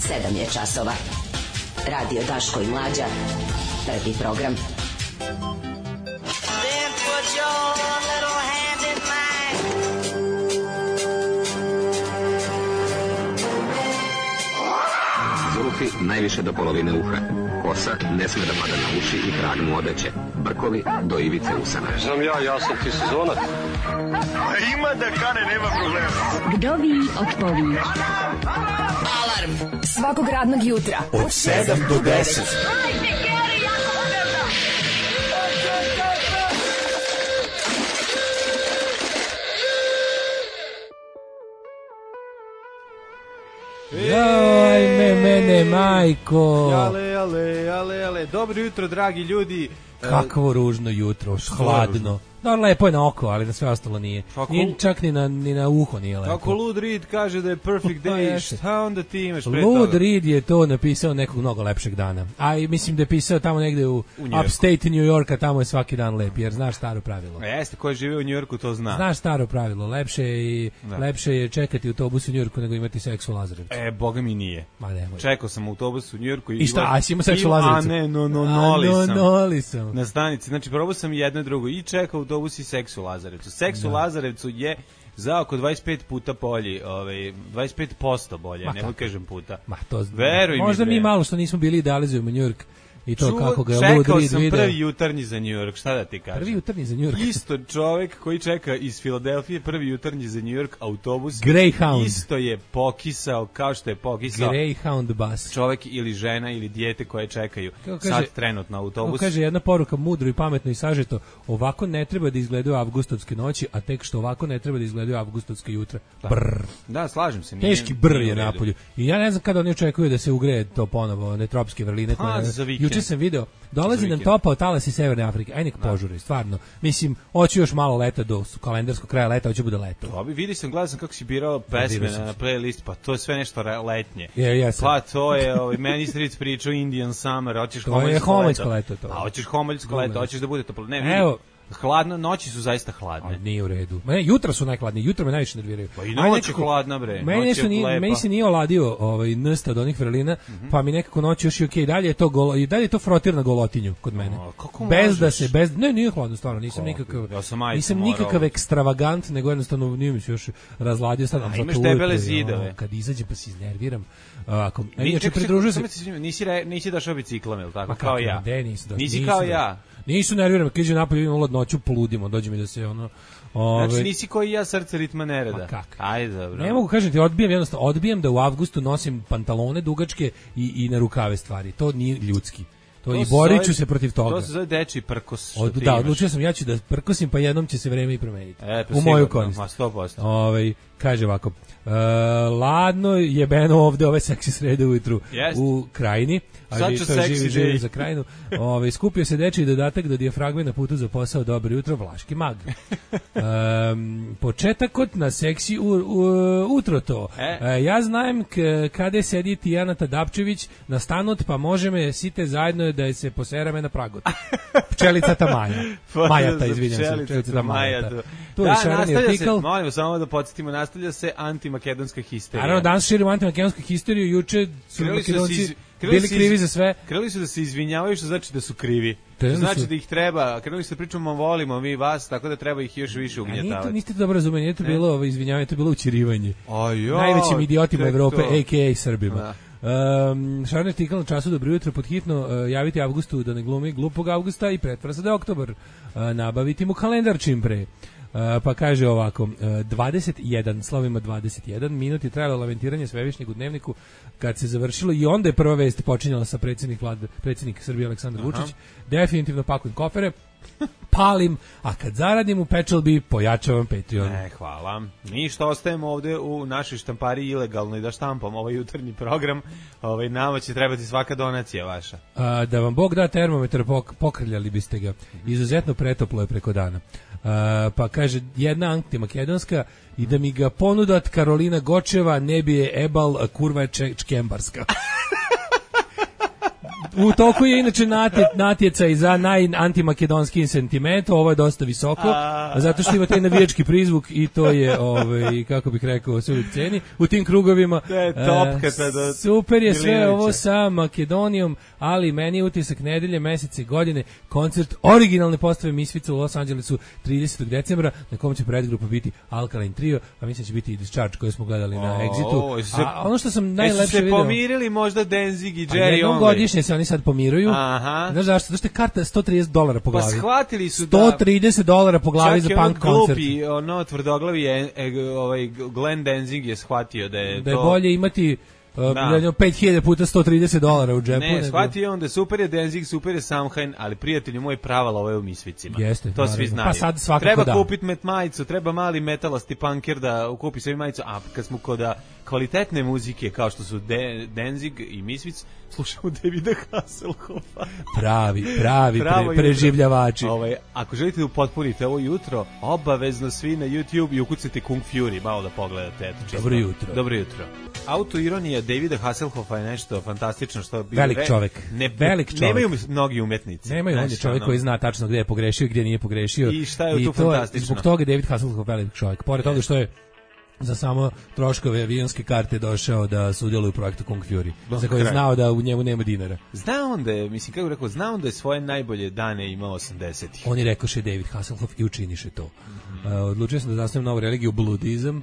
7 je časova. Radio Daško i Mlađa. Prvi program. Then put your little hand in mine. Zulufi najviše do polovine uha. Kosa ne sme da pada na uši i krag mu odeće. Brkovi do ivice usana. Znam ja sam ti sezonac. A ima da kane, nema problema. Vdovi otpovi. Alarm svakog radnog jutra od 7 do 10. Hajde, Geri, jako se velda. Joj, mene, majko. Ale, dobro jutro, dragi ljudi. Kakvo ružno jutro, hladno. Da, lepo je na oko, ali na sve ostalo nije. Nije čak ni na uho nije lepo. Ako Lud Reed kaže da je perfect day, šta onda ti imaš pre toga? Lud Reed je to napisao nekog mnogo lepšeg dana. A i mislim da je pisao tamo negde u upstate New Yorka, tamo je svaki dan lep, jer znaš staro pravilo. Jeste, ko žive u New Yorku to zna. Znaš staro pravilo, lepše je čekati autobus u New Yorku nego imati seks u Lazarevcu. Boga mi nije. Ma nemoj. Čekao sam autobus u New Yorku i šta, a si imao seks u Lazarevcu? A ne, noli sam. Na stanici, znači probao sam jedno drugo i čekao autobus i seks u Lazarevcu. Seks u Lazarevcu je za oko 25 puta bolji, 25% bolje, nemoj kažem puta. Ma to veruj možda mi mi malo što nismo bili idalizujemo New York. I to kako ga čekao Lud Reed sam video. prvi jutarnji za New York, šta da ti kažem? Prvi jutarnji za New York. Isto čovjek koji čeka iz Filadelfije prvi jutarnji za New York autobus. Greyhound. Isto je pokisao kao što je pokisao Greyhound bus. Čovjek ili žena ili dijete koje čekaju sad trenutno autobus. Kaže jedna poruka mudro i pametno i sažeto, ovako ne treba da izgledaju avgustovske noći, a tek što ovako ne treba da izgledaju avgustovske jutra. Brr. Da, slažem se. Teški brr je napolju. I ja ne znam kada oni očekuju da se ugreje to ponovo, one tropske vrline. Juče sam video. Dolazi nam topao talas iz Severne Afrike. Aj nek požuri, stvarno. Mislim, hoću još malo leta do kalendarskog kraja leta, hoće bude leto. Vidi sam, gledao sam kako si birao pesme na playlist, pa to je sve nešto letnje. Jesam. Pa to je, meni Stric pričao Indian Summer, hoćeš homoljsko leto. Hoćeš homoljsko leto, hoćeš da bude toplo. Ne, evo. Hladno, noći su zaista hladne. Ali nije u redu. Jutra su najhladnije, jutra me najviše nerviraju. Pa i noć je hladna, bre. Meni se nije oladio nsta od onih vrelina, pa mi nekako noć još i okej. Dalje je to frotir na golotinju kod mene. Ne, nije hladno, stvarno, nisam nikakav ekstravagant, nego jednostavno nije mi se još razladio. A imaš debele zidove. Kad izađem pa se iznerviram. Inače, pridružuju se... Nisi došao biciklom, ili tako, kao ja? Nisi kao ja. Nisu nerviram, kad iđe napolje, idem ulad noću, poludimo, dođe mi da se Znači nisi koji ja, srce ritma nereda. Ma kak? Ajde, dobro. Ne mogu kažem ti, odbijam da u avgustu nosim pantalone dugačke i na rukave stvari. To nije ljudski. I borit ću se protiv toga. To se zove dečiji prkos. Da, odlučio sam, ja ću da prkosim, pa jednom će se vreme i promeniti. U moju korist. 100%. Kaže ovako, ladno jebeno ovde ove seksi srede ujutru u Krajini. Sad ću seksi za Krajinu. Skupio se dečiji dodatak do dijafragme na putu za posao. Dobro jutro, Vlaški mag. Početak kod na seksi utro to. Ja znam kada sedi Tijana Tadapčević na stanut, pa može me site zajedno da se poserame na pragot. Pčelicata Maja. Majata, izvinjam se. Pčelicata Majata. Tu je šareni artikl. Molimo samo da podsjetimo, nastavlja se antimakedonska histerija. Naravno, danas širimo antimakedonsku histeriju, juče su Makedonci bili krivi za sve. Krenuli su da se izvinjavaju, što znači da su krivi. Znači da ih treba, krenuli su da pričamo, volimo mi vas, tako da treba ih još više ugnjetavati. Niste dobro razumeli, nije to bilo izvinjavanje, to je bilo učirivanje. Najvećim idiotima Evrope, a.k.a. Srbima. Šarni artikl na času dobro jutro, pod hitno javiti Avgustu da ne glumi glupog Avgusta i pretvara se da je oktobar. Nabaviti mu kalendar čim pre. Pa kaže ovako, 21, slovima 21 minut je trajalo lamentiranje svevišnjeg u Dnevniku kad se završilo i onda je prva vest počinjala sa predsjednik Srbije Aleksandar Vučić. Definitivno pakujem kofere, palim, a kad zaradim u Pečalbi pojačavam Patreon. Hvala. Mi što ostajemo ovde u našoj štampari ilegalno i da štampamo ovaj jutarnji program, nama će trebati svaka donacija vaša. Da vam Bog da termometar, pokrljali biste ga. Izuzetno pretoplo je preko dana. Pa kaže jedna antimakedonska i da mi ga ponudat Karolina Gočeva, ne bi je ebal, kurva je čkembarska. U toku je inače natjecaj za najantimakedonski sentiment, ovo je dosta visoko, zato što ima taj navijački prizvuk i to je, kako bih rekao, sve uvijek ceni. U tim krugovima super je sve ovo sa Makedonijom, ali meni je utisak nedelje, mesece, godine, koncert originalne postave Misfica u Los Angelesu 30. decembra, na kom će predgrupa biti Alkaline Trio, a mislim će biti Discharge koje smo gledali na Exitu. A ono što sam najlepše video... se pomirili možda Danzig i Jerry Only? Jednom godišnje se oni sad pomiruju. Znaš zašto? Zato što je karta $130 po glavi. Pa shvatili su $130 po glavi za punk koncert. Čak je ono tvrdoglavi Glenn Danzig je shvatio da je to... bolje imati 5.000 puta $130 u džepu. Ne, shvatio on da super je Danzig, super je Samhain, ali prijatelji moj pravala ove u Misficima. Jeste, to svi znaju. Pa sad svakako treba kupiti majicu, treba mali metalasti punker da kupi sebi majicu, a kad smo kod kvalitetne muzike kao što su Danzig i Misfic, slušamo Davida Hasselhoffa. Pravi preživljavači. Ako želite da upotpunite ovo jutro, obavezno svi na YouTube i ukucajte Kung Fury, malo da pogledate. Dobro jutro. Autoironija Davida Hasselhoffa je nešto fantastično što bi velik čovjek. Nemaju mnogi umetnici. Nemaju, on je čovjek koji zna tačno gdje je pogrešio i gdje nije pogrešio. I šta je tu fantastično? Zbog toga je David Hasselhoff velik čovjek. Pored toga što je za samo troškove avionske karte došao da sudjeluje u projektu Kung Fury, za koji je znao da u njemu nema dinara. Znao on da je svoje najbolje dane imao 80-ih. On je rekoše David Hasselhoff i učiniše to. Odlučio sam da zastavim novu religiju, bludizam.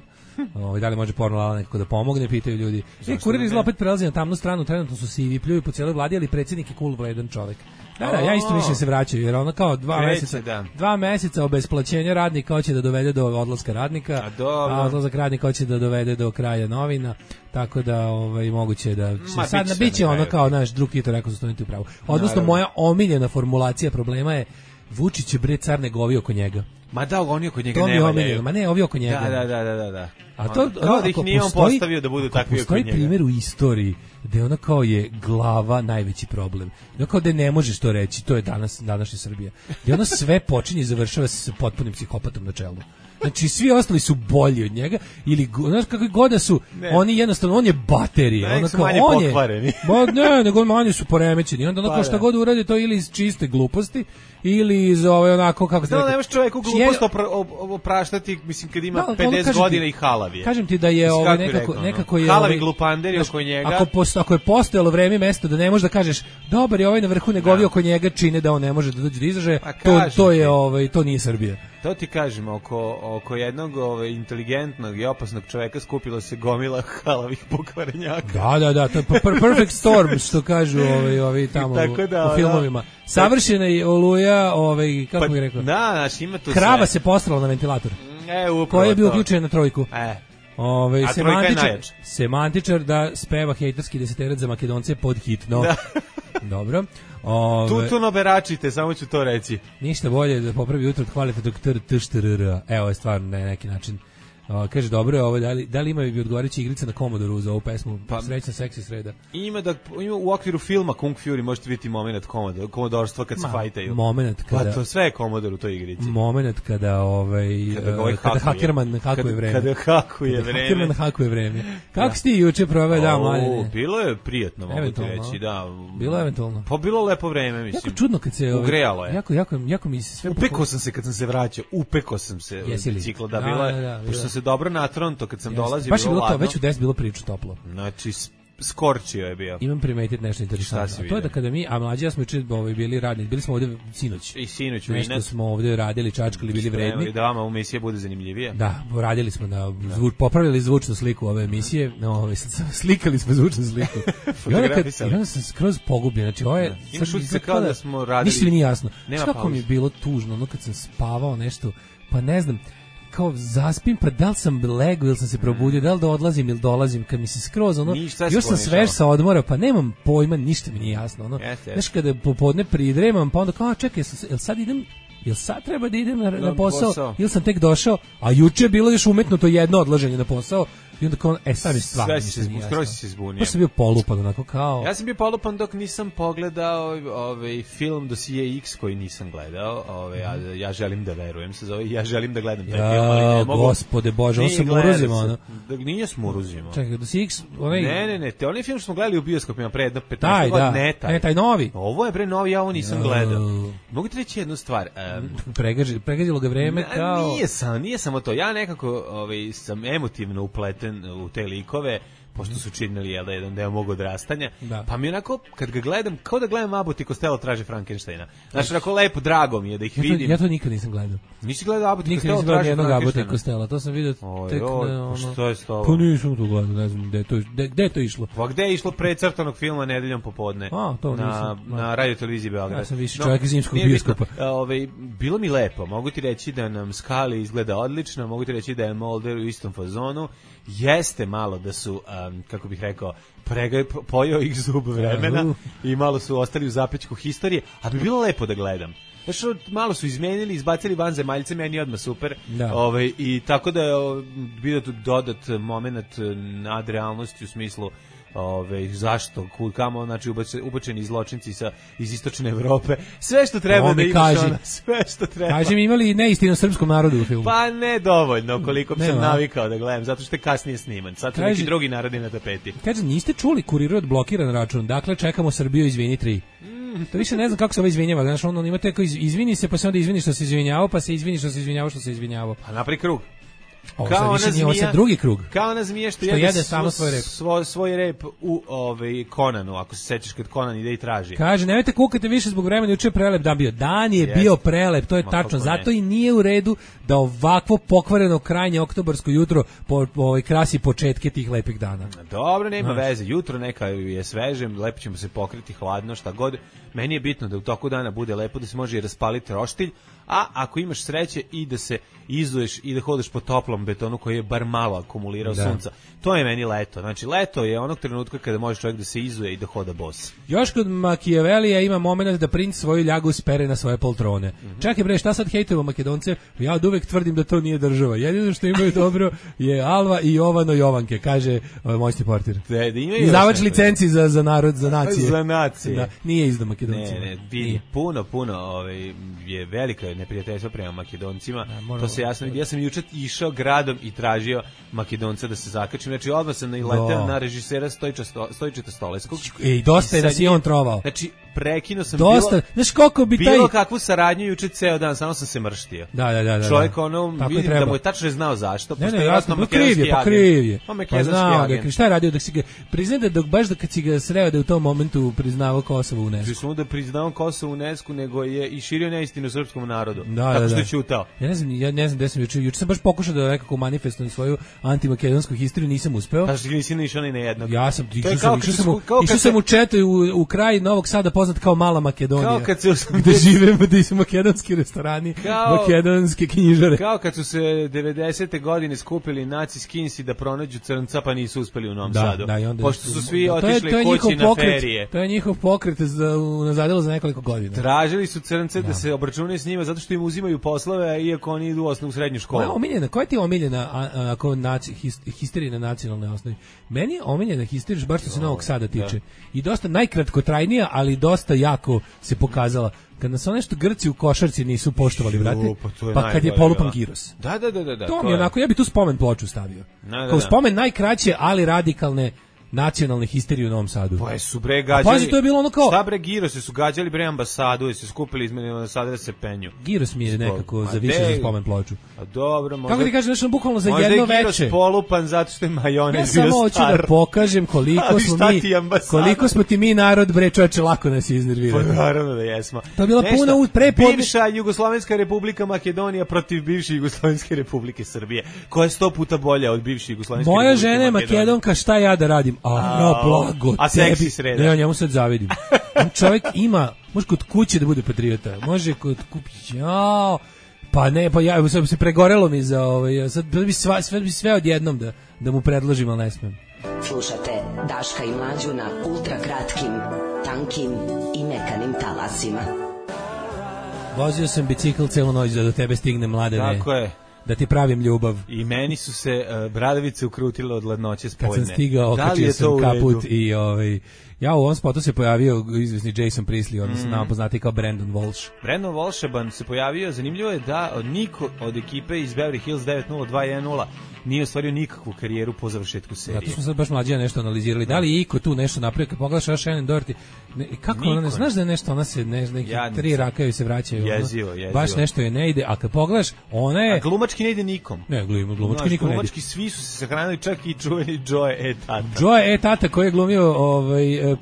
Da li može porno lala nekako da pomogne, pitaju ljudi. Kurir izgleda opet prelazi na tamnu stranu, trenutno su sivi, pljuju po cijeloj vladi, ali predsjednik je cool, vredan čovek. Da, ja isto više se vraćaju, jer ono kao 2 meseca obesplaćenja radnika hoće da dovede do odlaska radnika, a odlazak radnika hoće da dovede do kraja novina, tako da moguće da sad biće ono kao naš drug Tito rekao za studenti u pravu. Odnosno, moja omiljena formulacija problema je Vučić je bre car negovi oko njega. Ma da, oni oko njega ne valjaju. Ma ne, ovi oko njega. Da. A to, kao da ih nije on postavio da budu takvi oko njega. Postoji primjer u istoriji gde ona kao je glava najveći problem. Ono kao da ne možeš to reći, to je današnja Srbija. Gde ona sve počinje i završava se sa potpunim psihopatom na čelu. Znači, svi ostali su bolji od njega, ili, znaš, kakvi god da su, oni jednostavno, on je baterija. Nek su manje pokvareni. Ne, nego manje su poremećeni. Onda ono šta god uradi, to ili iz čiste gluposti, ili iz onako, kako se rekao. Nemaš čovjeku glupost opraštati, mislim, kad ima 50 godina i halavije. Kažem ti da je nekako je... Halavi glupanderi oko njega. Ako je postojalo vreme i mesto da ne možeš da kažeš, dobar je ovaj na vrhu, negovi oko njega čine da on ne može da dođe do izražaja, to nije Srbija. To ti kažem, oko jednog inteligentnog i opasnog čoveka skupilo se gomila halavih pokvarenjaka. Da, to je perfect storm, što kažu ovi tamo u filmovima. Savršena je oluja, kako bih rekao? Da, znaš, ima tu krava se postrala na ventilator. Koji je bio uključen na trojku. A trojka je najjača. Semantičar da speva hejterski deseterac za Makedonce pod hitno. Dobro. Tutuno beračite, samo ću to reći. Ništa bolje da popravi jutro od hvalite TŠTRR. Evo je stvarno na neki način. Kaže, dobro je ovo, da li ima bi odgovarajuća igrica na Commodore za ovu pesmu? Srećna seksi sreda. Ima u okviru filma Kung Fury možete vidjeti moment komodorstva kad se fajtaju. Moment kada... Pa to sve je Commodore u toj igrici. Moment kada hakerman hakuje vreme. Kada hakuje vreme. Hakerman hakuje vreme. Kako si ti juče proveo dan, mladine? Bilo je prijatno, mogu ti reći, da. Bilo je eventualno. Pa bilo lepo vreme, mislim. Jako čudno kad se... Ugrejalo je. Jako mi se sve... Upekao sam se kad sam se vraćao, biciklo, da bila je, pošto se dobro na Toronto kad sam dolazio, baš je bilo to, već u 10 bilo prilično toplo. Znači, skorčio je bio. Imam primetiti nešto interesantno. A to je da kada mi, a mlađi ja smo juče bili radni, bili smo ovdje sinoć. I sinoć nešto smo ovdje radili, čačkali, bili vredni. Da vama emisija bude zanimljivija. Da, radili smo popravili zvučnu sliku ove emisije, slikali smo zvučnu sliku. I onda sam skroz pogubljen, znači ovo je... Imaš utisak kao da smo radili... Ništa mi nije jasno. Kako mi je bilo tužno, ono kad sam spavao nešto, pa ne znam, kao zaspim, pa da li sam legao ili sam se probudio, da li da odlazim ili dolazim, kad mi se skroz, još sam svež sa odmora, pa nemam pojma, ništa mi nije jasno, znaš, kada popodne pridremam, pa onda kao, čekaj, jel sad treba da idem na posao, ili sam tek došao, a juče je bilo još umetno to jedno odlaženje na posao, I onda kao, sad mi stvarno ništa nije jasno. Skoro si se zbunio. Pa sam bio polupan, onako kao... Ja sam bio polupan dok nisam pogledao film Dosije X koji nisam gledao. Ja želim da verujem se zove. Ja želim da gledam taj film, ali ne mogu. Gospode Bože, on se muruzima, ono. Nije smuruzimo. Čekaj, Dosije X, onaj... Ne, onaj film što smo gledali u bioskopima pre 15 godina, ne taj novi. Ovo je pre novi, ja ovo nisam gledao. Mogu ti reći jednu stvar. Pregazilo ga vreme kao... Nije samo to. Ja nekako sam emotivno upleten u te likove, pošto su činili jedan deo mog odrastanja, pa mi onako, kad ga gledam, kao da gledam Abbott i Costello traže Frankensteina. Znači, onako lepo, drago mi je da ih vidim. Ja to nikad nisam gledao. Nisi gledao Abbott i Costello traže Frankensteina? Nikad nisam gledao Abbott i Costello, to sam vidio tek na... Što je s tobom? Pa nisam to gledao, ne znam gde je to išlo. Pa gde je išlo precrtanog filma Nedeljom popodne? To nisam. Na radio televiziji Beograd. Ja sam više čovjek iz zimskog bioskopa. Bilo mi lepo, mogu ti reći da nam Scully izgleda odlično, mogu ti reći da je Mulder u istom fazonu. Jeste malo da su, kako bih rekao, pojeo ih zub vremena i malo su ostali u zapećku historije, a bi bilo lepo da gledam. Znači, malo su izmenili, izbacili vanzemaljce, meni je odmah super. I tako da je bio tu dodat moment nadrealnosti u smislu zašto, kamo, znači ubačeni zločinci iz istočne Evrope, sve što treba da imaš ona, sve što treba. Kaži mi, imali neistinu srpskom narodu u filmu? Pa ne dovoljno, koliko bi sam navikao da gledam, zato što je kasnije sniman, sad su neki drugi narodi na tapeti. Kaže, niste čuli Kuriru od blokiran račun, dakle čekamo Srbiju, izvini 3. To više ne znam kako se ovo izvinjava, znaš, on ima teko izvini se, pa se onda izvini što se izvinjavao, pa se izvini što se izvinjavao što se izvinjavao. Pa napravi krug. Kao ona zmija, drugi krug. Kao ona zmija što jede samo svoj rep u Conanu, ako se sećaš kad Conan ide i traži. Kaže, nemojte kukati više zbog vremena, juče je prelep dan bio. Dan je bio prelep, to je tačno. Zato i nije u redu da ovakvo pokvareno krajnje oktobarsko jutro krasi početke tih lepih dana. Dobro, nema veze. Jutro neka je sveže, lepo ćemo se pokriti, hladno, šta god. Meni je bitno da u toku dana bude lepo, da se može i raspaliti roštilj, a ako imaš sreće i da se izuješ i da hodeš po toplom betonu koji je bar malo akumulirao sunca. To je meni leto. Znači, leto je onog trenutka kada može čovjek da se izuje i da hoda bos. Još kod Machiavellija ima moment da princ svoju ljagu spere na svoje poltrone. Čekaj bre, šta sad hejtujemo Makedonce? Ja od uvek tvrdim da to nije država. Jedino što imaju dobro je Alva i Jovano Jovanke, kaže Mojsti Portir. Izdavač licenci za narod, za nacije. Za nacije. Da, nije izdao Makedoncima. Ne, puno je velika neprijateljstva prema Makedoncima. To se jasno vidi. Ja sam juče išao gradom i tražio Makedonca da se zakačim. Znači, odmah sam naileteo na režisera Stojičeta Stoleskog. I dosta je da si on trovao. Znači, prekinuo sam znaš koliko bi bilo kakvu saradnju juče ceo dan, samo sam se mrštio. Da. Čovjek vidim da mu je tačno znao zašto. Ne, jasno, kriv je. Pa znao ga, šta je radio dok si ga, priznaj da baš kad si ga sreo da je u tom momentu priznavao Kosovo u UNESCO. Samo da priznao Kosovo u UNESCO, nego je i širio neistinu srpskom narodu. Tako što je ćutao. Ja ne znam gde sam juče sam baš pokušao da nekako manifestujem svoju antimakedonsku historiju, nisam uspeo. Pa što nisi išao ni na jednog. Ja sam išao sam u četu u kraj Novog Sada poznat kao Mala Makedonija. Kao kad se gde živimo, gde su makedonski restorani, makedonske knjižare. Kao kad su se 90. godine skupili naci skinsi da pronađu crnca, pa nisu uspeli u Novom Sadu. Pošto su svi otišli kući na ferije. To je njihov pokret unazadilo za nekoliko godina. Tražili su crnce da se obračunaju s njima zato što im uzimaju poslove, iako oni idu u srednju školu. Koja ti je omiljena histerija na nacionalnoj osnovi? Meni je omiljena histerija, baš što se Novog Sada tiče. I dosta najkratkotrajnija, ali dosta jako se pokazala. Kad nas nešto Grci u košarci nisu poštovali, brate, pa kad je polupan giros. Da. To mi je onako, ja bi tu spomen ploču stavio. Kao spomen najkraće, ali radikalne nacionalne histerije u Novom Sadu. Pa su bre gađali. Pazi, to je bilo ono kao... Šta bre Girosi su gađali bre ambasadu i se skupili izmeni ambasade da se penju. Giros mi je nekako zavišen za spomen ploču. A dobro, možda... Kako ti kažeš, nešto bukvalno za jedno veče. Možda je Giros polupan zato što je majonez bio star. Ja samo hoću da pokažem koliko smo ti mi narod, bre čoveče, lako nas iznervirali. Pa naravno da jesmo. To je bila puna bivša Jugoslovenska republika Makedonija protiv bivše Jugoslovenske republike Srbije, koja je 100 puta bolja od bivše Jugoslovenske republike. Moja žena je Makedonka, šta ja da radim? Blago a seksi sreda. Ne, ja njemu sad zavidim. On čovjek ima, može kod kuće da bude patriota, može kod pa ne, pa ja sad se pregorelo mi za sad bi sve odjednom da mu predložim, ali ne smem. Slušate Daška i Mlađu na ultra kratkim, tankim i mekanim talasima. Vozio sam bicikl celu noć da do tebe stigne, Mladene. Tako je. da ti pravim ljubav. I meni su se bradavice ukrutile od ladnoće spoljne. Kad sam stigao, okačio sam kaput i ja u ovom spotu se pojavio izvesni Jason Priestley, odnosno nama poznati kao Brandon Walsh. Brandon Walsh se pojavio, zanimljivo je da niko od ekipe iz Beverly Hills 90210 nije ostvario nikakvu karijeru po završetku serije. Zato smo sad baš mlađi nešto analizirali. Da li je iko tu nešto napravio? Kad pogledaš Shannon Doherty, kako ona ne znaš da je nešto, ona se neki tri raka joj se vraćaju. Jezivo. Baš nešto je ne ide, a kad pogledaš, ona je... A glumački ne ide nikom. Ne, glumački nikom ne ide. Glumački svi su se sahranili, čak i čuveni Joe E. Tata. Joe E. Tata koji je glumio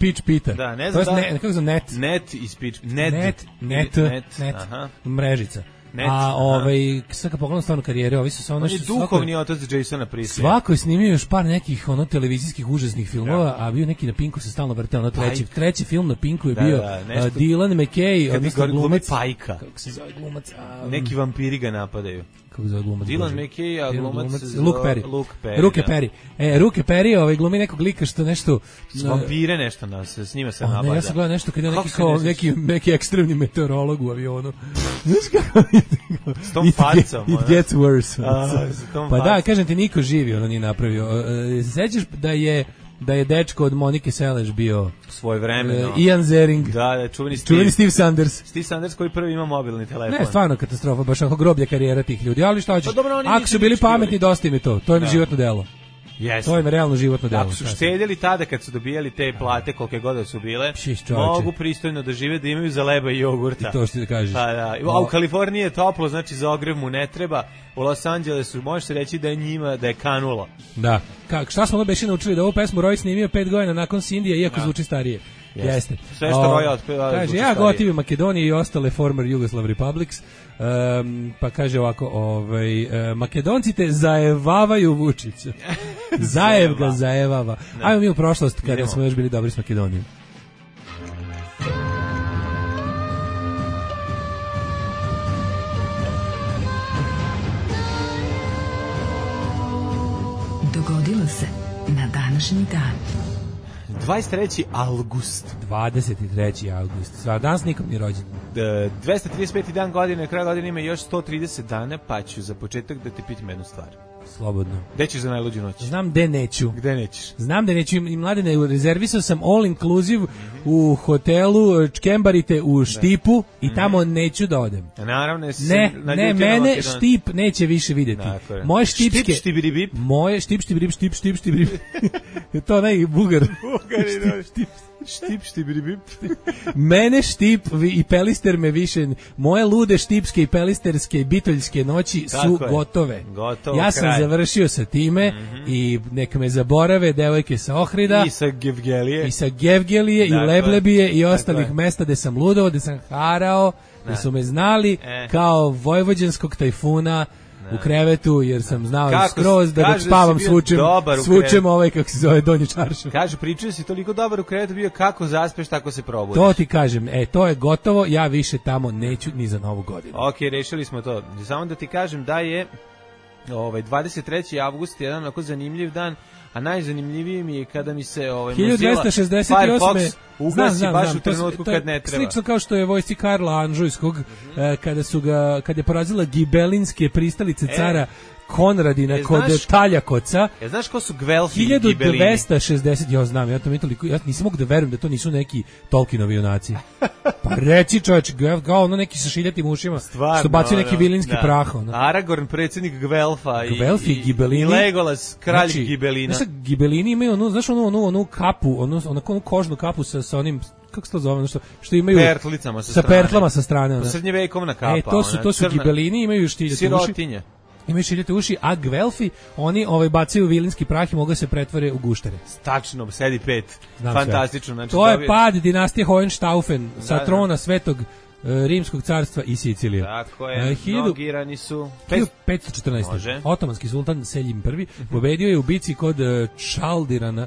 Peach Pita. Da, ne znam da... Kako zove Net? Net iz Peach... Net. Aha. Mrežica. Sad kad pogledam stvarno karijere, ovi su sa ono... On je duhovni otac Jasona Priestley. Svako je snimio još par nekih televizijskih užasnih filmova, a bio neki na Pinku se stalno vrteo. Treći film na Pinku je bio Dylan McKay, odnosno glumac... Pajka. Kako se zove glumac? Neki vampiri ga napadaju. Kako zove glumac? Dylan McKay, a glumac... Luke Perry. Ruke Perry, glumi nekog lika što nešto... Vampire nešto s njima se nabada. Ja sam gledao nešto kad je neki ekstremni meteorolog u avionu. Znaš kako... S tom facom. It gets worse. Pa da, kažem ti, niko živi nije napravio. Sećaš da je dečko od Monike Seleš bio svojevremeno Ian Ziering. Da, čuveni Steve Sanders. Steve Sanders koji prvi ima mobilni telefon. Ne, stvarno katastrofa, baš ako groblja karijera tih ljudi. Ali šta ćeš? Ako su bili pametni, dosta im je to. To im je životno delo. Yes. To je realno životno delo. Ako su štedjeli tada kad su dobijali te plate kolike god su bile, mogu pristojno da žive, da imaju za leba i jogurta. I to što ti kažeš. A u Kaliforniji je toplo, znači za ogrev mu ne treba. U Los Angelesu može se reći da je njima da je kanulo. Da. Šta smo beše naučili, da ovu pesmu Roy snimio 5 godina nakon Sindija, iako zvuči starije. Jeste. Sve što Roy otpeva. Kaže, ja gotivim Makedonije i ostale former Yugoslav Republics. Pa kaže ovako, Makedonci te zajevavaju Vučića. Zajev ga zajevava. Ajmo mi u prošlost kada smo još bili dobri s Makedonijom. Dogodilo se na današnji dan. 23. august. 23. august. Danas nikom nije rođen. 235. dan godine, kraj godine ima još 130 dana, pa ću za početak da te pitam jednu stvar. Slobodno. Gde ćeš za najluđu noć? Znam gde neću. Gde nećeš? Znam gde neću. I mladene, rezervisao sam all inclusive u hotelu Čkembarite u Štipu i tamo neću da odem. Naravno, ne, mene Štip neće više vidjeti. Moje štipske... Štip, moje štip. To onaj Bugar. Štip. Mene Štip i Pelister me više... Moje lude štipske i pelisterske i bitoljske noći su gotove. Ja sam završio sa time i neka me zaborave devojke sa Ohrida i sa Gevgelije i Leblebije i ostalih mesta gde sam ludovao, gde sam harao, gde su me znali kao vojvođanskog tajfuna u krevetu, jer sam znao skroz da dok spavam svučem kako se zove donji čaršav. Kaže, pričaju si toliko dobar u krevetu bio, kako zaspeš, tako se probudiš. To ti kažem, to je gotovo, ja više tamo neću ni za novu godinu. Ok, rešili smo to. Samo da ti kažem da je 23. avgust jedan onako zanimljiv dan, a najzanimljiviji mi je kada mi se 1268. Firefox ugasi baš u trenutku kad ne treba. Slično kao što je vojsci Karla Anžujskog, kad je porazila gibelinske pristalice cara Konradina kod Taljakoca. Znaš ko su Gvelfi i Gibelini? 1260, ja znam, ja nisam mogu da verujem da to nisu neki Tolkienovi junaci. Pa reci čovječ, kao ono neki sa šiljatim ušima, što bacio neki vilinski prah. Aragorn, predsjednik Gvelfa i Gibelini. I Legolas, kralj Gibelina. Znaš, Gibelini imaju onu kapu, onu kožnu kapu sa onim, kako se to zove, što imaju sa pertlama sa strane. Srednjevekovna kapa. To su Gibelini, imaju šiljate uši. Imaju šiljate uši, a Gvelfi, oni bacaju vilinski prah i mogu se pretvore u guštere. Stačno, sedi 5. Fantastično. Znači, to je pad dinastije Hohenstaufen sa trona Svetog Rimskog carstva i Sicilije. Tako je, mnogirani su... 1514. Otomanski sultan Seljim I pobedio je u bici kod Čaldirana,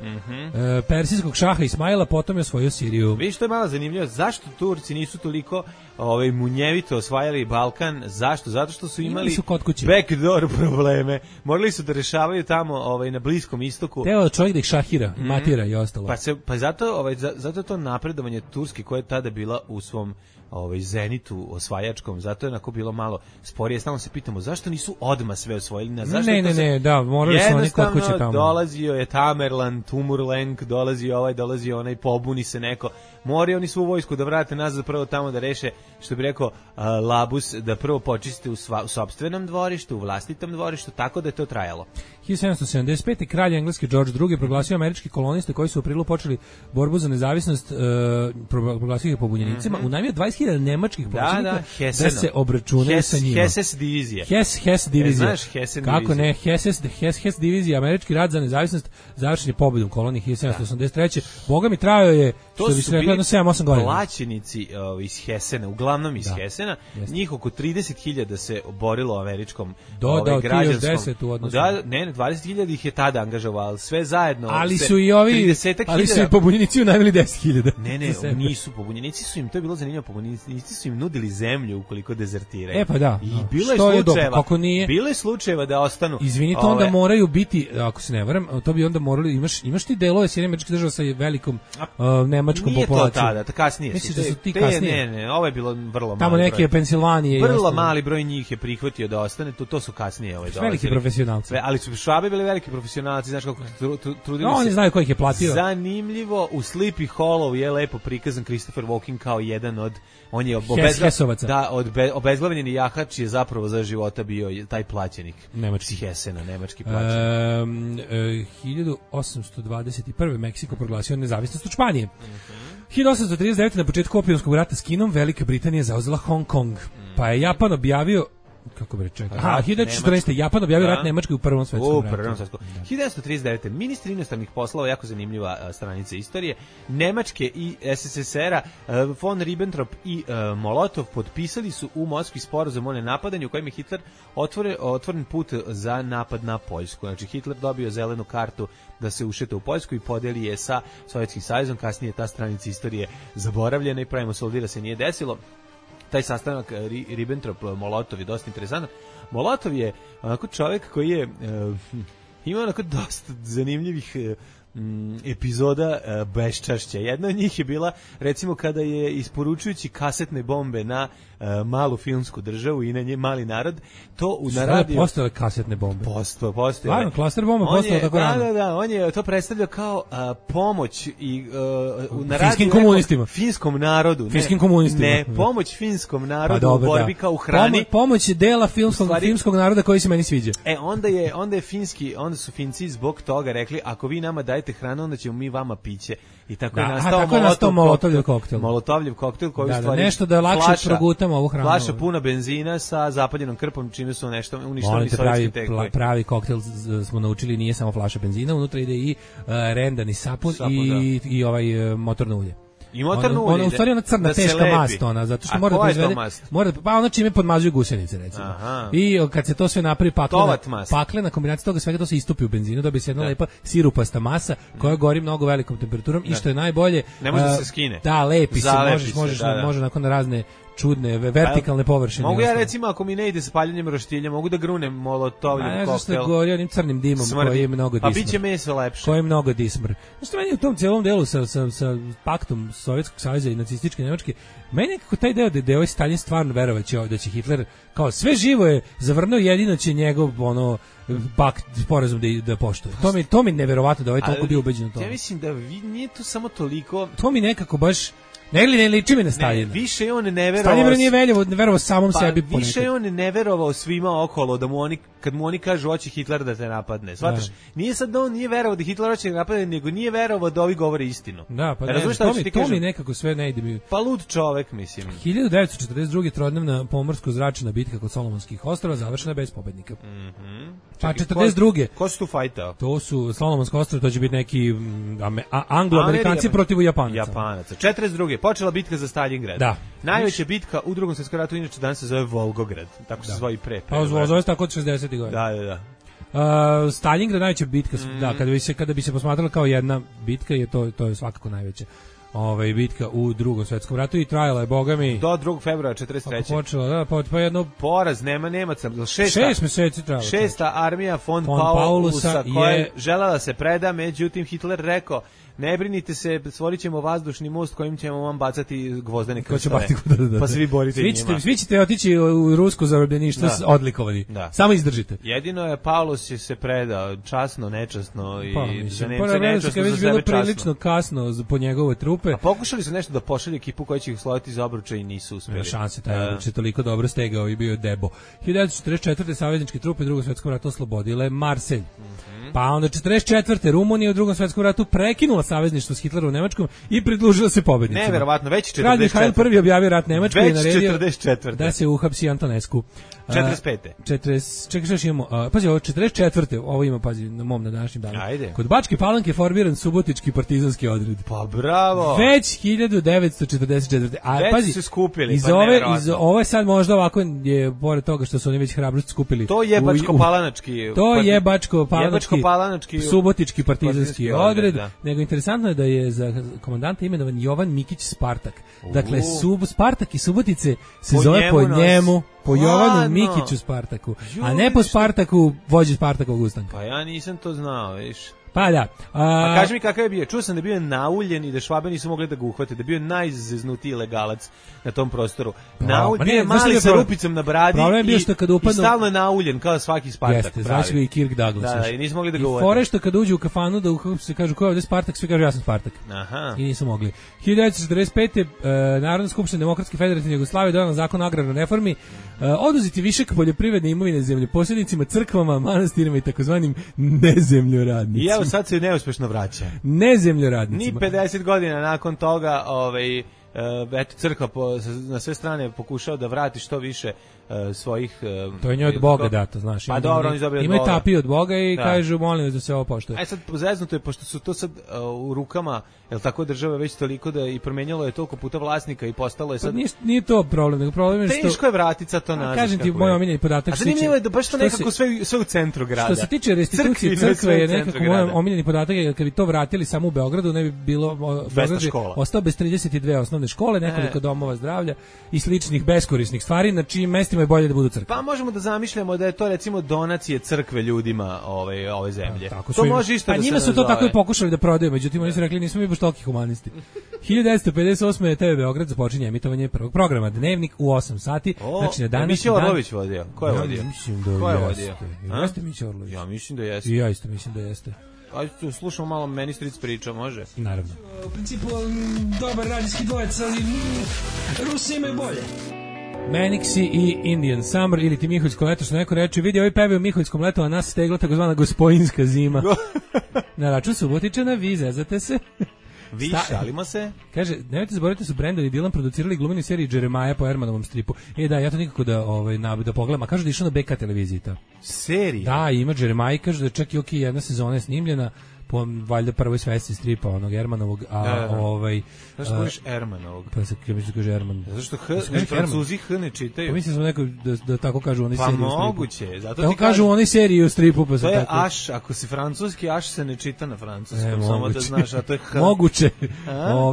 persijskog šaha Ismaila, potom je osvojio Siriju. Viš, što je malo zanimljivo, zašto Turci nisu toliko munjevito osvajali Balkan? Zašto? Zato što su imali backdoor probleme. Morali su da rešavaju tamo na Bliskom istoku. Teo čovjek da ih šahira, matira i ostalo. Pa zato to napredovanje Turske koja je tada bila u svom Zenitu osvajačkom, zato je onako bilo malo sporije. Stalno se pitamo zašto nisu odmah sve osvojili. Zašto ne, da, morali su oni kod kuće tamo. Dolazio je Tamerlan, Tumurlenk, dolazi onaj, pobuni se neko. Moraju oni svu vojsku da vrate nazad prvo tamo da reše, što bi rekao Labus, da prvo počiste u sopstvenom dvorištu, u vlastitom dvorištu, tako da je to trajalo. 1775. kralj engleski George II proglasio američki koloniste koji su u aprilu počeli borbu za nezavisnost, proglasio ih pobunjenicima, unajmio 20.000 nemačkih pobunjenika da se obračunaju sa njima. Hesses divizija. Hess divizija. Znaš Hessen kako ne, Hess divizija, američki rat za nezavisnost završen je pobedom kolonije 1783. Boga mi trajao je, što bi se reklo, 7-8 godina. Plaćenici iz Hessena, uglavnom iz Hessena, njih oko 30.000 se borilo američkom građanskom. 10 u odnosu. 20.000 ih je tada angažovalo, sve zajedno. Ali su i ovi, ali su i pobunjenici unajmili 10.000. Ne, nisu pobunjenici su im, to je bilo zanimljivo, pobunjenici su im nudili zemlju ukoliko dezertiraju. Pa da. I bilo je slučajeva da ostanu. Izvinite, onda moraju biti, ako se ne varam, to bi onda morali, imaš ti delove Sjedinjenih Američkih Država sa velikom nemačkom populacijom. Nije to tada, kasnije. Misliš da su ti kasnije? Ne, ovo je bilo vrlo mali tamo neke Pensilvanije. Vrlo mali broj njih je prihvatio da ostane, to su kasnije dolazili. Veliki profesionalci. Ali su Švabe bili veliki profesionalci, znaš kako trudili se. Oni znaju ko ih je platio. Zanimljivo, u Sleepy Hollow je lepo prikazan Christopher Walken kao jedan od, on je obezglavljeni jahač je zapravo za života bio taj plaćenik. Nemački Hessena, nemački plaćenik. 1821. Meksiko proglasio nezavisnost od Španije. 1839. na početku opijumskog rata s Kinom Velika Britanija zauzela Hong Kong. Pa je Japan objavio 1914. Japan objavio rat Nemačkoj u Prvom svetskom ratu. 1939. Ministri inostranih poslova, jako zanimljiva stranica istorije, Nemačke i SSSR-a, von Ribbentrop i Molotov potpisali su u Moskvi sporazum o nenapadanju u kojem je Hitler otvoren put za napad na Poljsku. Znači Hitler dobio zelenu kartu da se ušeta u Poljsku i podeli je sa Sovjetskim savezom. Kasnije ta stranica istorije zaboravljena i pravimo solidira se nije desilo. Taj sastanak Ribbentrop-Molotov je dosta interesantan. Molotov je onako čovjek koji je imao onako dosta zanimljivih epizoda beščašća. Jedna od njih je bila, recimo, kada je isporučujući kasetne bombe na malu filmsku državu i na nje mali narod, to u naradio... Postale kasetne bombe? Postoje. Stvarno, klaster bomba postala tako rano? Da, on je to predstavljao kao pomoć i finskim komunistima. Finskom narodu. Finskim komunistima. Ne, pomoć finskom narodu u borbi kao u hrani. Pomoć je dela filmskog naroda koji se meni sviđa. Onda su Finci zbog toga rekli, ako vi nama dajete hranu, onda ćemo mi vama piće. I tako je nastao Molotovljev koktel. Molotovljev koktel koji u stvari nešto da lakše progutamo ovu hranu. Flaša puna benzina sa zapaljenom krpom, čime su nešto uništili sovjetski tekovi. Pravi koktel smo naučili, nije samo flaša benzina, unutra ide i rendani sapun i ovaj motorno ulje. I motorno ulje. U stvari ona crna teška mast, zato što mora da proizvede. Pa ono čime podmazuju gusenice, recimo. I kad se to sve napravi paklena kombinacija toga svega, to se istupi u benzinu, dobije se jedna lepa sirupasta masa koja gori mnogo velikom temperaturom i što je najbolje, ne može da se skine. Da, lepi se, može nakon razne čudne, vertikalne površine. Mogu ja recimo, ako mi ne ide s paljenjem roštilja, mogu da grunem Molotovljev koktel. Ne znam što gori onim crnim dimom koji je mnogo dismr. Pa biće meso lepše. Koji je mnogo dismr. Znači, meni u tom cijelom delu sa paktom Sovjetskog saveza i nacističke Nemačke, meni nekako taj deo da je ovaj Stalin stvarno verovaće da će Hitler, kao sve živo je zavrnuo, jedino će njegov pakt, sporazum da poštuje. To mi neverovatno da ovaj toliko bio ubeđen u to. Ja mislim da nije to samo toliko... To mi nekako baš... Ne liči mi na Staljina. Više je on ne verovao. Staljin nije verovao samom sebi ponekad. Više je on ne verovao svima okolo da kad mu oni kažu hoće Hitler da te napadne. Shvataš? Nije sad da on nije verovao da Hitler hoće da napadne, nego nije verovao da ovi govore istinu. Da, pa to mi nekako sve ne ide mi. Pa lud čovek, mislim. 1942. trodnevna pomorsko-zračna bitka kod Solomonskih ostrva završena bez pobednika. Pa 42. Ko su tu fajtao? To su Solomonska ostrva, to će biti neki Anglo-Amerikanci protiv Japanaca. 42. počela bitka za Stalingrad. Da. Najveća bitka u Drugom svjetskom ratu, inače danas se zove Volgograd, tako se zove i pre. Pa zove se tako od 60. godina. Da. Stalingrad najveća bitka, kada bi se posmatrala kao jedna bitka, to je svakako najveća. bitka u Drugom svetskom ratu i trajala je, bogami, do 2. februara 43. Počela, da, pa jedno poraz, nema Nemaca. 6 meseci trajala. 6. armija von Paulusa koja je želela se preda, međutim Hitler rekao: ne brinite se, stvorit ćemo vazdušni most kojim ćemo vam bacati gvozdene krstove. Pa se vi borite njima. Svi ćete otići u rusko zarobljeništvo odlikovani. Samo izdržite. Jedino je Paulus se predao časno, nečasno i za Nemce nečasno, za sebe časno. Prilično kasno po njegove trupe. A pokušali su nešto da pošalju ekipu koja će ih sloviti za obruča i nisu uspjeli. Šanse, taj obruč je toliko dobro stegao i bio je debo. 1944. savezničke trupe u Drugom svetskom ratu oslobodile Marselj. Pa onda 44. Rumunija u Drugom svetskom ratu prekinula savezništvo s Hitlerom u Nemačkom i pridružila se pobednicima. Neverovatno, već 44. Kralj Mihajl prvi objavio rat Nemačkoj i naredio 44. da se uhapsi Antonescu. 45. Čekaj, što imamo? Pazi, ovo 44. Ovo ima, pazi, na mom na današnjem danu. Ajde. Kod Bačke Palanke formiran subotički partizanski odred. Pa bravo! Već 1944. A već pazi, su skupili, ovo je sad možda ovako, je pored toga što su oni već hrabrost skupili. To je Bačko-Palanački. To je Bačko-Palanački subotički partizanski odred. Nego interesantno je da je za komandanta imenovan Jovan Mikić Spartak. Dakle, Spartak i Subotice se zove po njemu. Po Jovanu Mikiću Spartaku, a ne po Spartaku, vođi Spartakovog ustanka. Pa ja nisam to znao, viš. Pa da. A kaži mi kakav je bio? Čuo sam da je bio nauljen i da Švabe nisu mogli da ga uhvate, da je bio najzeznutiji legalac na tom prostoru. Nauljen je mali sa rupicom na bradi i stalno je nauljen, kao svaki Spartak. Jeste, znači ga i Kirk Douglas. Da, i nisu mogli da ga uhvate. I fore što kad uđu u kafanu da se kažu ko je ovdje Spartak, svi kažu ja sam Spartak. Aha. I nisu mogli. 1945. Narodna skupština Demokratske federativne Jugoslavije donela zakon o agrarnoj reformi, oduzeti višak poljoprivredne imovine zemljoposjednicima, crkvama, manastirima i takozvanim nezemljoradnicima. I evo sad se neuspešno vraća. Nezemljoradnicima. Ni 50 godina nakon toga eto, crkva na sve strane pokušao da vrati što više svojih... to je njoj od Boga dato, znaš. Pa dobro, oni dobili od Boga. Imaju tapiju od Boga i kažu, molim vas da se ovo poštuje. Sad, zeznuto je, pošto su to sad u rukama, jel tako, države već toliko da i promenjalo je toliko puta vlasnika i postalo je sad... Pa nije to problem, nego problem je što... Teško je vratica to nazad. Kažem ti, moj omiljeni podatak... A zanimljivo je da baš to nekako sve u centru grada. Što se tiče restitucije crkve je nekako moj omiljeni podatak, jer kad bi to vratili samo u Beogradu, ne bi bilo... Beograd ostao bez 32 osnovne škole, nekoliko domova zdravlja i sličnih beskorisnih stvari, na čijim mestima je bolje da budu crkve. Pa možemo da zamišljamo da je to recimo donacije crkve ljudima ove zemlje. To može isto da se njima su to tako i pokušali da prodaju, međutim oni su rekli nismo mi baš toliki humanisti. 1958. je TV Beograd započinje emitovanje prvog programa Dnevnik u 8 sati. Znači na danas Mića Orlović vodio. Ko je vodio? Mislim da jeste. Jeste Mića Orlović. Ja mislim da jeste. I ja isto mislim da jeste. Ajde, slušamo malo, meni stric priča, može? Naravno. U principu, dobar radijski dvojec, ali Rusi imaju bolje. Manixi i Indian Summer ili ti Miholjsko leto, što neko reče, vidi, ovi pevaju Miholjskom leto, a nas stegla takozvana gospojinska zima. Na račun Subotičana, vi zezate se. Vi šalimo se. Kaže, nemojte zaboraviti su Brandon i Dylan producirali glumenu seriju Jeremiah po Ermanovom stripu. Da, ja to nikako da pogledam, a kažu da je išlo na BK televiziji to. Serija? Da, ima Jeremiah, kažu da je čak i jedna sezona je snimljena po valjda prvoj svesci stripa onog Ermanovog, Znaš kojiš Ermanovog? Pa se mislim kaže Erman. Zato što Francuzi H ne čitaju. Pa mislim smo neko da tako kažu oni seriji. Pa moguće, zato ti kažu oni seriji u stripu pa to je tako. Aš, ako si francuski, Aš se ne čita na francuskom, samo da znaš, a to je H. Moguće.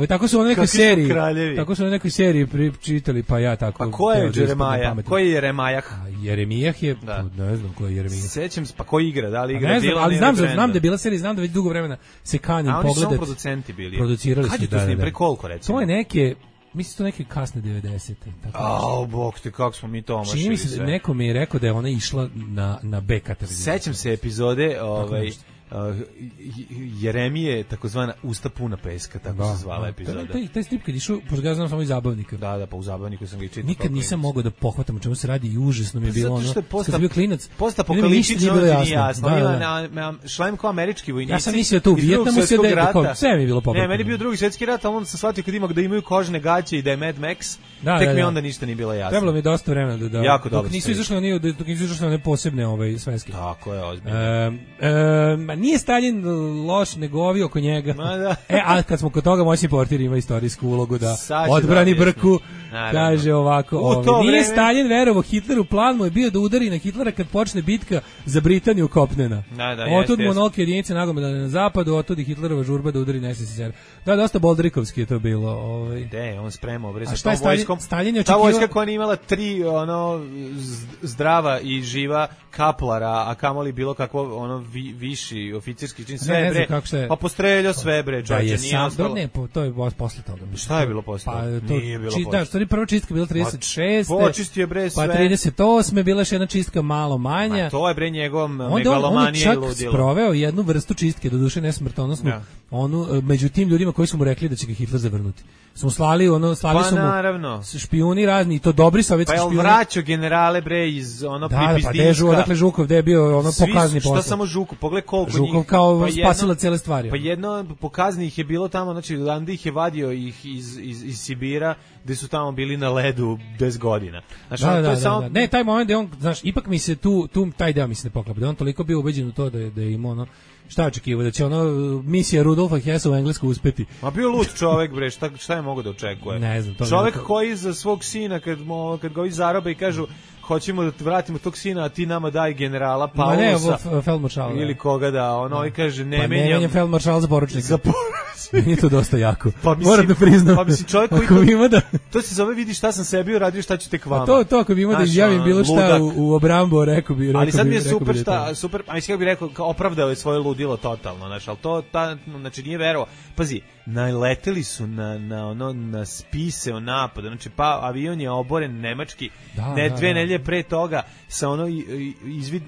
Tako su oni nekoj seriji. Tako su oni nekoj seriji čitali, pa ja tako. Pa ko je Jeremiah? Ko je Jeremijah? Jeremijah je, ne znam ko je Jeremijah. Sećam se, pa ko igra? Da li igra Dylan? Ali znam da je bila serija, znam da već dugo vremena se kanim pogledati. A oni su producenti bili. Producirali su. Kad je to s njim, pre koliko recimo? To je neke, mislim to neke kasne 90-te. Bog te, kako smo mi to omašili. Čini mi se, neko mi je rekao da je ona išla na BK televiziju. Sećam se epizode, Jeremije, takozvana Usta puna peska, tako se zvala epizoda. Taj strip kad išao, pošto ja znam samo iz Zabavnika. Da, pa u Zabavniku sam ga i čitao. Nikad nisam mogao da pohvatam o čemu se radi i užasno mi je bilo ono. Kad sam bio klinac, postapokaliptično nije jasno. Šlem kao američki vojnici. Ja sam mislio to u Vijetnamu se da sve mi je bilo popratno. Ne, meni je bio Drugi svjetski rat, a onda sam shvatio kad ima da imaju kožne gaće i da je Mad Max, tek mi onda ništa nije bilo jasno. Trebalo mi dosta vremena da jako dobro. Dok nisu izašle one posebne sveske. Tako je, ozbiljno. Nije Stalin loš, nego ovi oko njega. Da. A kad smo kod toga, moćni portir ima istorijsku ulogu da odbrani Brku Kaže ovako, nije Stalin verovao Hitleru, plan mu je bio da udari na Hitlera kad počne bitka za Britaniju kopnena. Otud monolke jedinice nagomilane na zapadu, otud i Hitlerova žurba da udari na SSSR. Da, dosta boldrikovski je to bilo. On spremao bre sa tom vojskom. Ta vojska koja nije imala 3 zdrava i živa kaplara, a kamoli bilo kakvo viši oficirski čin, sve bre. Pa postreljao sve bre, čovječe, nije ostalo. To je posle toga. Šta je bilo posle? Nije bilo posle. Da, stvari prva čistka bila 36. Počistio bre sve. Pa 38. bila još jedna čistka malo manja. To je bre njegov megalomanija i ludilo. On čak sproveo jednu vrstu čistke, doduše ne smrtonosnu, među tim ljudima koji su mu rekli da će ga Hitler zavrnuti. Smo slali su mu špijuni razni, i to dobri sovjetski špijuni. Pa je vraćao generale bre iz Pripizdinska. Da, Dežu, odakle Žukov, gde je bio pokazni posao. Šta samo Žukov, pogledaj koliko njih. Žukov kao spasila cijele stvari. Pa jedno pokazni ih je bilo tamo, znači Landa ih je vadio ih iz Sibira, gde su tamo bili na ledu 10 godina. Znači, da. Ne, taj moment da on, znaš, ipak mi se tu taj deo mi se ne poklapa, da on toliko bio ubeđen u to da je imao šta očekivao, da će misija Rudolfa Hessa u Englesku uspeti. Ma bio lud čovek bre, šta je mogo da očekuje? Ne znam, to čovek koji za svog sina kad ga ovi zarobe i kažu hoćemo da vratimo tog sina, a ti nama daj generala Paulusa. Ne, feldmaršala. Ili koga da, on kaže ne menjam. Pa ne menjam feldmaršala za poručnika. Nije to dosta jako. Pa moram da priznam. Pa mislim čovjek koji to se zove vidi šta sam sebi uradio, šta ću tek vama. To ako bi imao da izjavim bilo šta u obrambu, rekao bi. Ali sad mi je super, a mislim kako bi rekao, opravdao je svoje ludilo totalno, znači, al to znači nije verovao. Pazi, naleteli su na spise o napadu, znači pa avion je oboren nemački, dve nedelje pre toga sa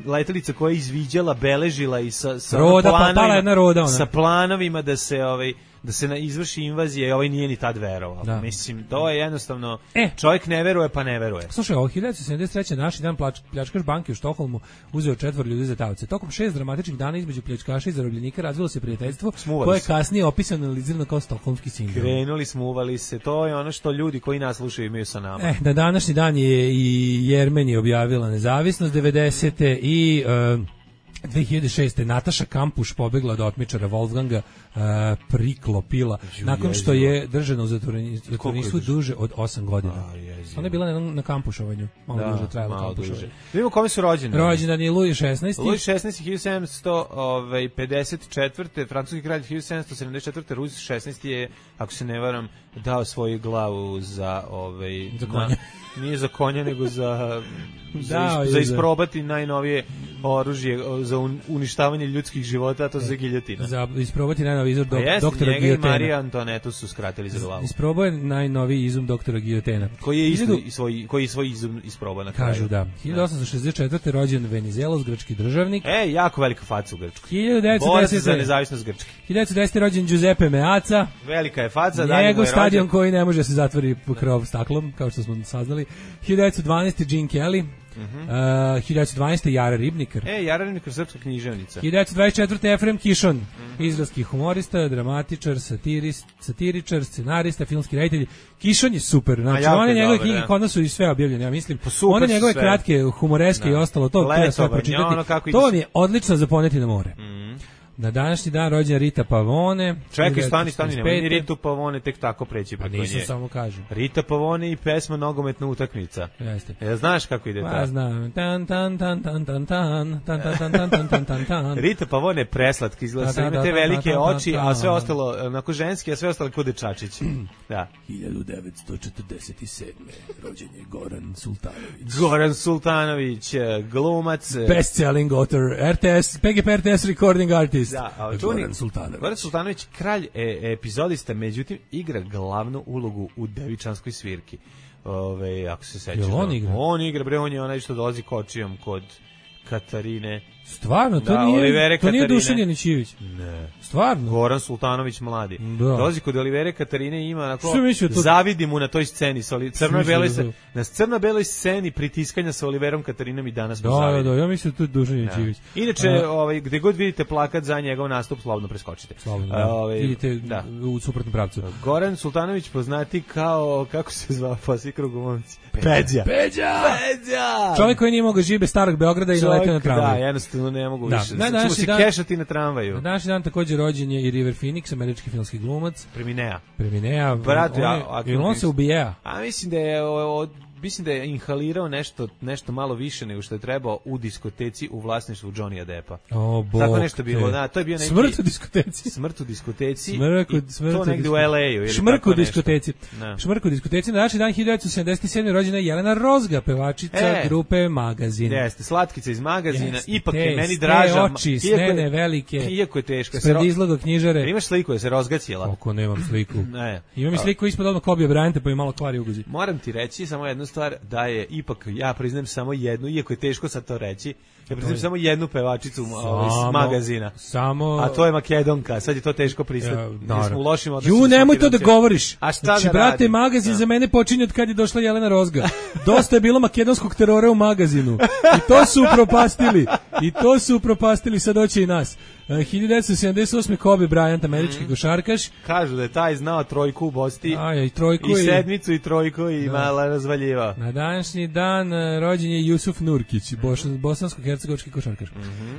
letelica koja je izviđala, beležila i sa planovima, sa planovima da se izvrši invazija, i ovaj nije ni tad verovao. Mislim, to je jednostavno, čovjek ne veruje pa ne veruje. Slušaj, 1973. naši dan pljačkaš banke u Štokholmu uzeo 4 ljudi za taoce. Tokom 6 dramatičnih dana između pljačkaša i zarobljenika razvilo se prijateljstvo koje je kasnije opisano i analizirano kao stokholmski sindrom. Krenuli, smuvali se, to je ono što ljudi koji nas slušaju imaju sa nama. Na današnji dan je i Jermenija objavila nezavisnost 90. i 2006. Nataša Kampuš pobegla od otmičara Wolfganga Priklopila nakon što je držana u zatvoreništvu duže od 8 godina. Ona je bila na kampušovanju, malo duže trajalo kampušovanje. Vidimo kome su rođeni. Rođendan je Louis XVI. Louis XVI 1754. Francuski kralj 1774. Louis XVI je, ako se ne varam, dao svoju glavu za konja. Nije za konja, nego za isprobati najnovije oružje za uništavanje ljudskih života, a to za giljotina. Za isprobati najnoviji izum doktora Giljotena. Njega i Marija Antonetu su skratili za glavu. Isprobao je najnoviji izum doktora Giljotena. Koji je svoj izum isprobao na kraju. Kažu da. 1864. rođen Venizelos, grčki državnik. jako velika faca u Grčkoj. 1910. Bore se za nezavisnost Grčke. 1910. rođen Giuseppe Meazza. Velika je faca. Njegov stadion koji ne može se zatvori krov staklom, kao što smo saznali. 1912. Gene Kelly. 1912. Jara Ribnikar. Jara Ribnikar, srpska književnica. 1924. Efrem Kišon, izraelski humorista, dramatičar, satiričar, scenarista, filmski reditelj. Kišon je super, znači one njegove knjige kod nas su i sve objavljene, ja mislim. One njegove kratke, humoreske i ostalo, to treba sve pročitati. To vam je odlično za poneti na more. Na današnji dan rođena Rita Pavone. Čekaj, stani, nemoj ni Ritu Pavone tek tako preći preko nje. Nisam, samo kažem. Rita Pavone i pesma Nogometna utakmica. Jeste. Znaš kako ide ta? Pa znam. Tan tan tan tan tan tan tan tan tan tan tan tan. Rita Pavone je preslatka, izgleda sa ima te velike oči, a sve ostalo onako ženski, a sve ostalo kao dečačić. Da. 1947. rođen je Goran Sultanović. Goran Sultanović, glumac, best-selling author, PGP RTS recording artist. Da, Goran Sultanović, kralj epizodista, međutim igra glavnu ulogu u Devičanskoj svirki. Ako se sećaš. On igra, bre, on je onaj što dolazi kočijom kod Katarine. Stvarno, to nije Dušan Janićivić. Ne. Stvarno. Goran Sultanović mladi. Dolazi kod Olivere Katarine i ima onako, zavidi mu na toj sceni, na crno-beloj sceni pritiskanja sa Oliverom Katarinom i danas mu zavidi. Da, ja mislim da to je Dušan Janićivić. Inače, gde god vidite plakat za njegov nastup, slobodno preskočite. Idite u suprotnom pravcu. Goran Sultanović poznati kao, kako se zvao poslije krugu momci? Peđa! Čovjek koji nije mogao žive starog Beograda i naletio na tramvaj. Da, jednostavno jednostavno ne mogu više. Ćemo se kešati na tramvaju. Na današnji dan također rođen je i River Phoenix, američki filmski glumac. Preminea. Brat, on se ubija. A mislim da je inhalirao nešto malo više nego što je trebao u diskoteci u vlasništvu Johnnyja Deppa. Tako nešto bilo, da, to je bio neki Smrt u diskoteci. To negde u LA-u. Šmrk u diskoteci. Šmrk u diskoteci. Na današnji dan 1977. rođena je Jelena Rozga, pevačica grupe Magazin. Jeste, slatkica iz Magazina, ipak je meni draža. Oči, snene velike. Iako je teško. Pred izloga knjižare. Imaš sliku da se rozgaćila? Kako nemam sliku. Imam i sliku ispod odmah Kobe Bryanta, pa je malo kvari uguzi. Moram ti reći samo jednu stvar, da je ipak, ja priznajem samo jednu, iako je teško sad to reći, ja priznajem samo jednu pevačicu iz Magazina. A to je Makedonka, sad je to teško priznati. Nismo u lošim odnosima. Nemoj to da govoriš. A šta znači, brate, Magazin za mene počinje od kad je došla Jelena Rozga. Dosta je bilo makedonskog terora u Magazinu. I to su upropastili, sad hoće i nas. 1978. Kobe Bryant, američki košarkaš. Kažu da je taj znao trojku u Bosti. I sedmicu i trojku i mala razvaljivao. Na današnji dan rođen je Jusuf Nurkić, bosansko-hercegovački košarkaš.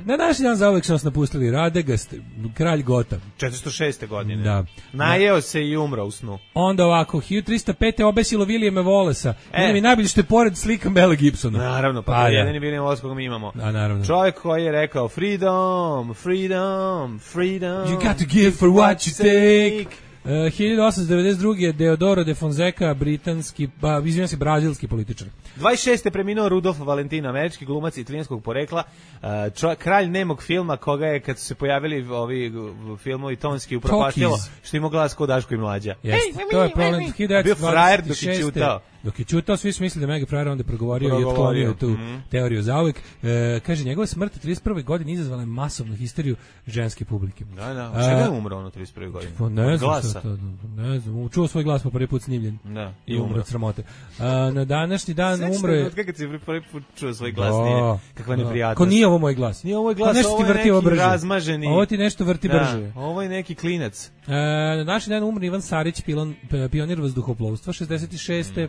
Na današnji dan zauvek su nas napustili Radegast, kralj Gota. 406. godine. Da. Najeo se i umro u snu. Onda ovako, 1305. obesilo Williama Wallace. Meni mi najbolje što je pored slika Mela Gibsona. Naravno, pa to je jedini William Wallace koga mi imamo. Naravno. Čovjek koji je rekao freedom. You got to give for what you take. 1892. Deodoro de Fonseca, brazilski političar. 26. preminuo Rudolf Valentino, američki glumac italijanskog porekla, kralj nemog filma, koga je, kad su se pojavili ovi filmovi tonski, upropastilo, što ima glas kod Daško i Mlađa. To je problem. Bio frajer dok je čutao. Dok je čutao, svi su mislili da Mega Frajer onda progovorio i otklonio tu teoriju zauvek. Kaže, njegova smrt u 31. godini izazvala je masovnu histeriju ženske publike. Da. Čega je umro on u 31. godini? Ne znam, čuo svoj glas po prvi put snimljen. Da. I umro od sramote. Na današnji dan umro je... Kako si prvi put čuo svoj glas? Nije. Kakva neprijatnost. Ko nije ovo moj glas? Nije ovo moj glas, ovo je neki razmaženi. Ovo ti nešto vrti brže. Ovo je neki klinac. Na današnji dan umro Ivan Sarić, pionir vazduhoplovstva, 66.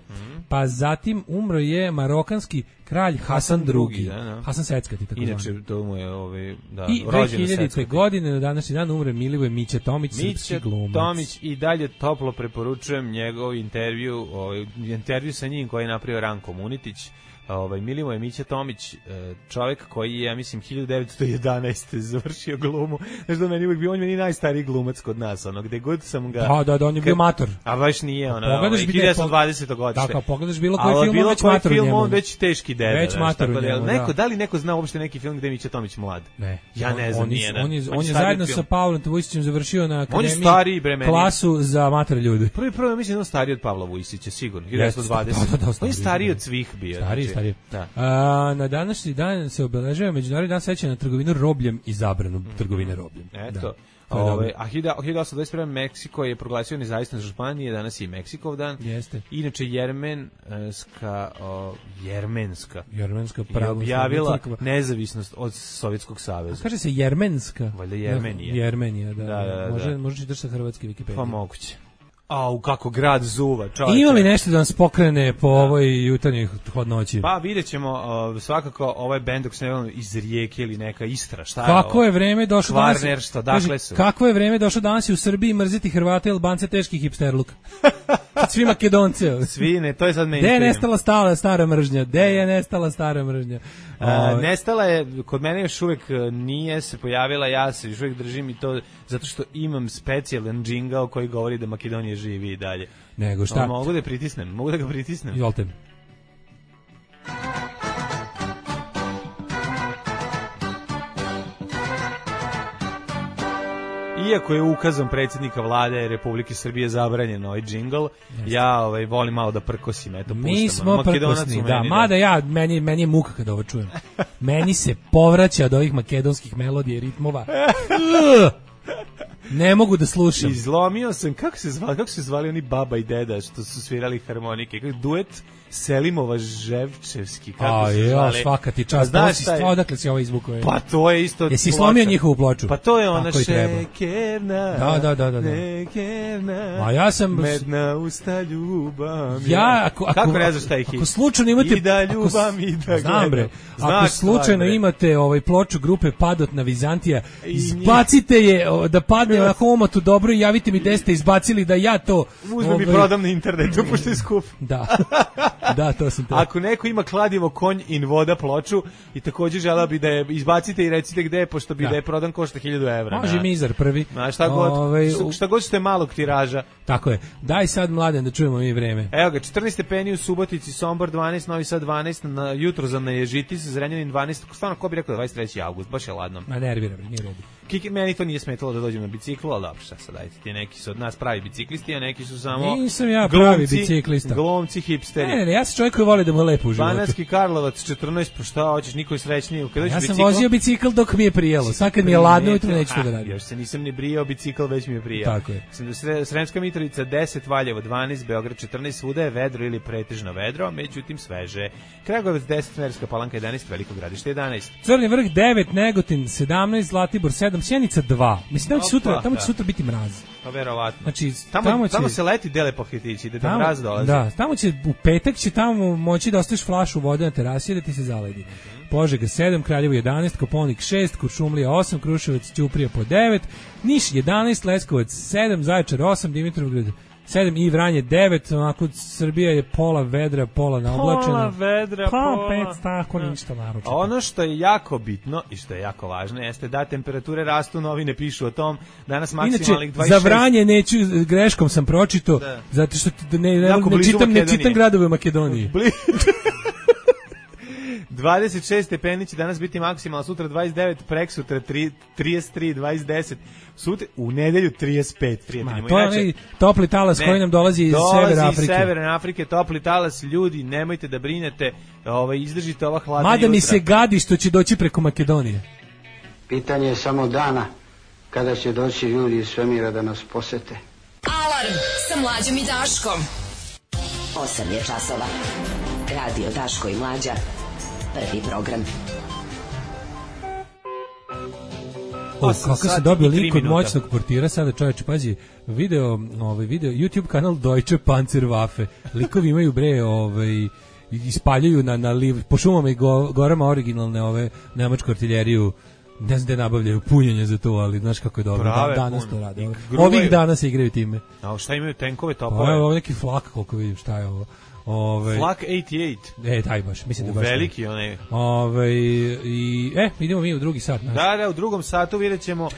Pa zatim umro je marokanski kralj Hasan II. Hasan Seckati, tako zvani. Inače, to mu je i 2000. godine na današnji dan umre Milivoje Mića Tomić, srpski glumac. Tomić, i dalje toplo preporučujem njegov intervju sa njim koji je napravio Ranko Munitić. Milivoje Mića Tomić, čovjek koji je, ja mislim, 1911. završio glumu. Znaš da meni uvijek bio, on je meni najstariji glumac kod nas, gde god sam ga... Da, on je bio mator. A baš nije, 1920. godište. Da, kao pogledaš bilo koji film, on već mator u njemu. On već teški deda. Već mator u njemu, da li neko zna uopšte neki film gde je Mića Tomić mlad? Ne. Ja ne znam, nije. On je zajedno sa Pavlom Vujsićem završio na akademiji klasu za mator ljudi. Prvi, mislim, on stariji od Pavla Vujsića, sigurno, 1920. On je stariji od svih bio. Stariji. Na današnji dan se obeležava Međunarodni dan sećanja na trgovinu robljem i zabranu trgovine robljem. Eto. A 1821. Meksiko je proglasio nezavisnost Španije, danas je i Meksikov dan. Jeste. Inače Jermenska pravoslavna objavila nezavisnost od Sovjetskog saveza. Kaže se Jermenska. Valjda Jermenija. Jermenija, da. Može čitaš sa hrvatski Wikipedije. Pa moguće. Kako grad zuva, čovječe. Ima li nešto da nas pokrene po ovoj jutarnjoj hladnoći? Pa vidjet ćemo, svakako ovaj bend dok se ne vjerujem iz Rijeke ili neka Istra, šta je kako je vreme došlo danas? Kvarner, što, dakle su? Kako je vreme došlo danas i u Srbiji mrziti Hrvate i Albance teški hipsterluk? Svi Makedonce. Svi, ne, to je sad mainstream. Gde je nestala stara mržnja? Nestala je, kod mene još uvijek nije se pojavila, ja se još uvijek držim i to zato što imam specijalan džingao koji govori da Makedonija živi i dalje. Nego šta? Mogu da ga pritisnem. Izvolite. Iako je ukazom predsjednika vlade Republike Srbije zabranjen ovaj džingl, ja volim malo da prkosim, eto puštam. Mi smo prkosni, da, mada meni je muka kada ovo čujem. Meni se povraća od ovih makedonskih melodija i ritmova. Ne mogu da slušam. Izlomio sam, kako se zvali oni baba i deda što su svirali harmonike, duet Selimova Ževčevski, kako se zvali. Svaka ti čast, odakle si ovo izvukao? Pa to je isto. Jesi slomio njihovu ploču? Pa to je ona šekerna. Da. Šekerna. A ja sam medna usta ljubam. Kako ne znaš taj hit? Ako slučajno imate i da ljubam i da znam bre. Ako slučajno imate ploču grupe Padot na Vizantija, izbacite je da padne na omatu dobro i javite mi gde ste izbacili da ja to uzmem i prodam na internetu pošto je skup. Da, to sam te. Ako neko ima kladivo konj in voda ploču i takođe želeo bi da je izbacite i recite gde je, pošto bi da je prodan košta 1000 evra. Može mizar prvi. Šta god što je malog tiraža. Tako je. Daj sad Mladen da čujemo mi vreme. Evo ga, 14 stepeni u Subotici, Sombor 12, Novi Sad 12, na jutro za Neježitis, Zrenjanin 12, stvarno ko bi rekao 23. avgust, baš je ladno. Ma nervira, nije redu. Meni to nije smetalo da dođem na biciklu, ali dobro, šta sad dajte, ti neki su od nas pravi biciklisti, a neki su samo nisam ja pravi biciklista. Glomci, hipsteri. Ne, ja sam čovjek koji voli da mu lepo u životu. Banatski Karlovac 14, pa šta hoćeš, niko je srećniji. Ja sam vozio bicikl dok mi je prijelo, sad kad mi je ladno ujutro neću to da radim. Još se nisam ni brijao, bicikl već mi je prijao. Tako je. Sremska Mitrovica 10, Valjevo 12, Beograd 14, svuda je vedro ili pretežno vedro, međutim sveže. Kragujevac 10, Merska Palanka 11, Veliko Gradište 11. Crni vrh 9, Negotin 17, Zlatibor 7, Sjenica 2. Mislim tamo će sutra biti mraz. Pa verovatno. Znači tamo se leti dele paketići, da mraz dolazi. Da, tamo će u petak će tamo moći da ostaviš flašu vode na terasi da ti se zaledi. Požega 7, Kraljevo 11, Koponik 6, Kuršumlija 8, Kruševac, Ćuprija po 9, Niš 11, Leskovac 7, Zaječar 8, Dimitrovgrad 7 i Vranje 9, onako Srbija je pola vedra, pola naoblačena. Pola vedra, pola 5, tako ništa naročito. Ono što je jako bitno i što je jako važno jeste da temperature rastu, novine pišu o tom, danas maksimalnih 26. Inače, za Vranje neću, greškom sam pročito, zato što ne čitam gradove u Makedoniji. 26 stepeni će danas biti maksimalno, sutra 29, preksutra 33, 20, sutra u nedelju 35. To je onaj topli talas koji nam dolazi iz Severne Afrike. Dolazi iz Severne Afrike, topli talas, ljudi, nemojte da brinete, izdržite ova hladna jutra. Mada mi se gadi što će doći preko Makedonije. Pitanje je samo dana kada će doći ljudi iz svemira da nas posete. Alarm sa Mlađom i Daškom. 8 je časova. Radio Daško i Mlađa. Prvi program. Kako se dobio link od moćnog portira, sada čovječe, pazi, video, YouTube kanal Deutsche Panzerwaffe. Likovi imaju ispaljaju na po šumama i gorama originalne nemačku artiljeriju. Ne znam da nabavljaju punjenje za to, ali znaš kako je dobro. Danas to rade. Ovih dana se igraju time. A šta imaju, tenkove, topove? Ovo je neki flak, koliko vidim, šta je ovo. Flak 88. Taj baš, mislim da baš. Veliki onaj. Idemo mi u drugi sat. Da, u drugom satu vidjet ćemo.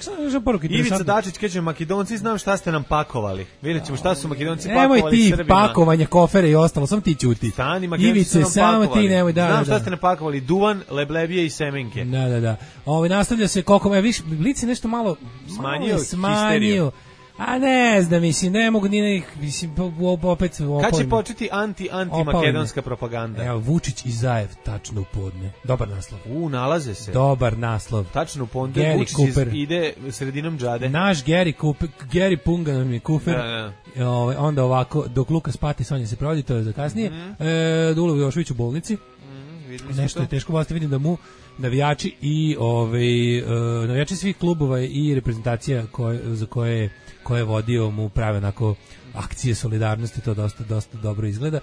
Ivica Dačić kaže, Makedonci, znam šta ste nam pakovali. Vidjet ćemo šta su Makedonci pakovali Srbima. Nemoj ti pakovanja, kofere i ostalo, sam ti ćuti. Stani, Makedonci su nam pakovali. Samo ti nemoj, znam šta ste nam pakovali, duvan, leblebije i semenke. Da. Nastavlja se koliko, Blic je nešto malo smanjio. A ne znam, mislim, ne mogu ni opet... Kad će početi anti-makedonska propaganda? Evo, Vučić i Zajev, tačno u podne. Dobar naslov. Nalaze se. Dobar naslov. Tačno u podne, Vučić ide sredinom džade. Naš Gary Punga nam je kufer. Onda ovako, dok Luka spati, Sonja se provodi, to je za kasnije. Dulo Jošović u bolnici. Nešto je teško vlasti, vidim da mu navijači i navijači svih klubova i reprezentacija za koje je vodio mu prave onako akcije solidarnosti, to dosta dobro izgleda.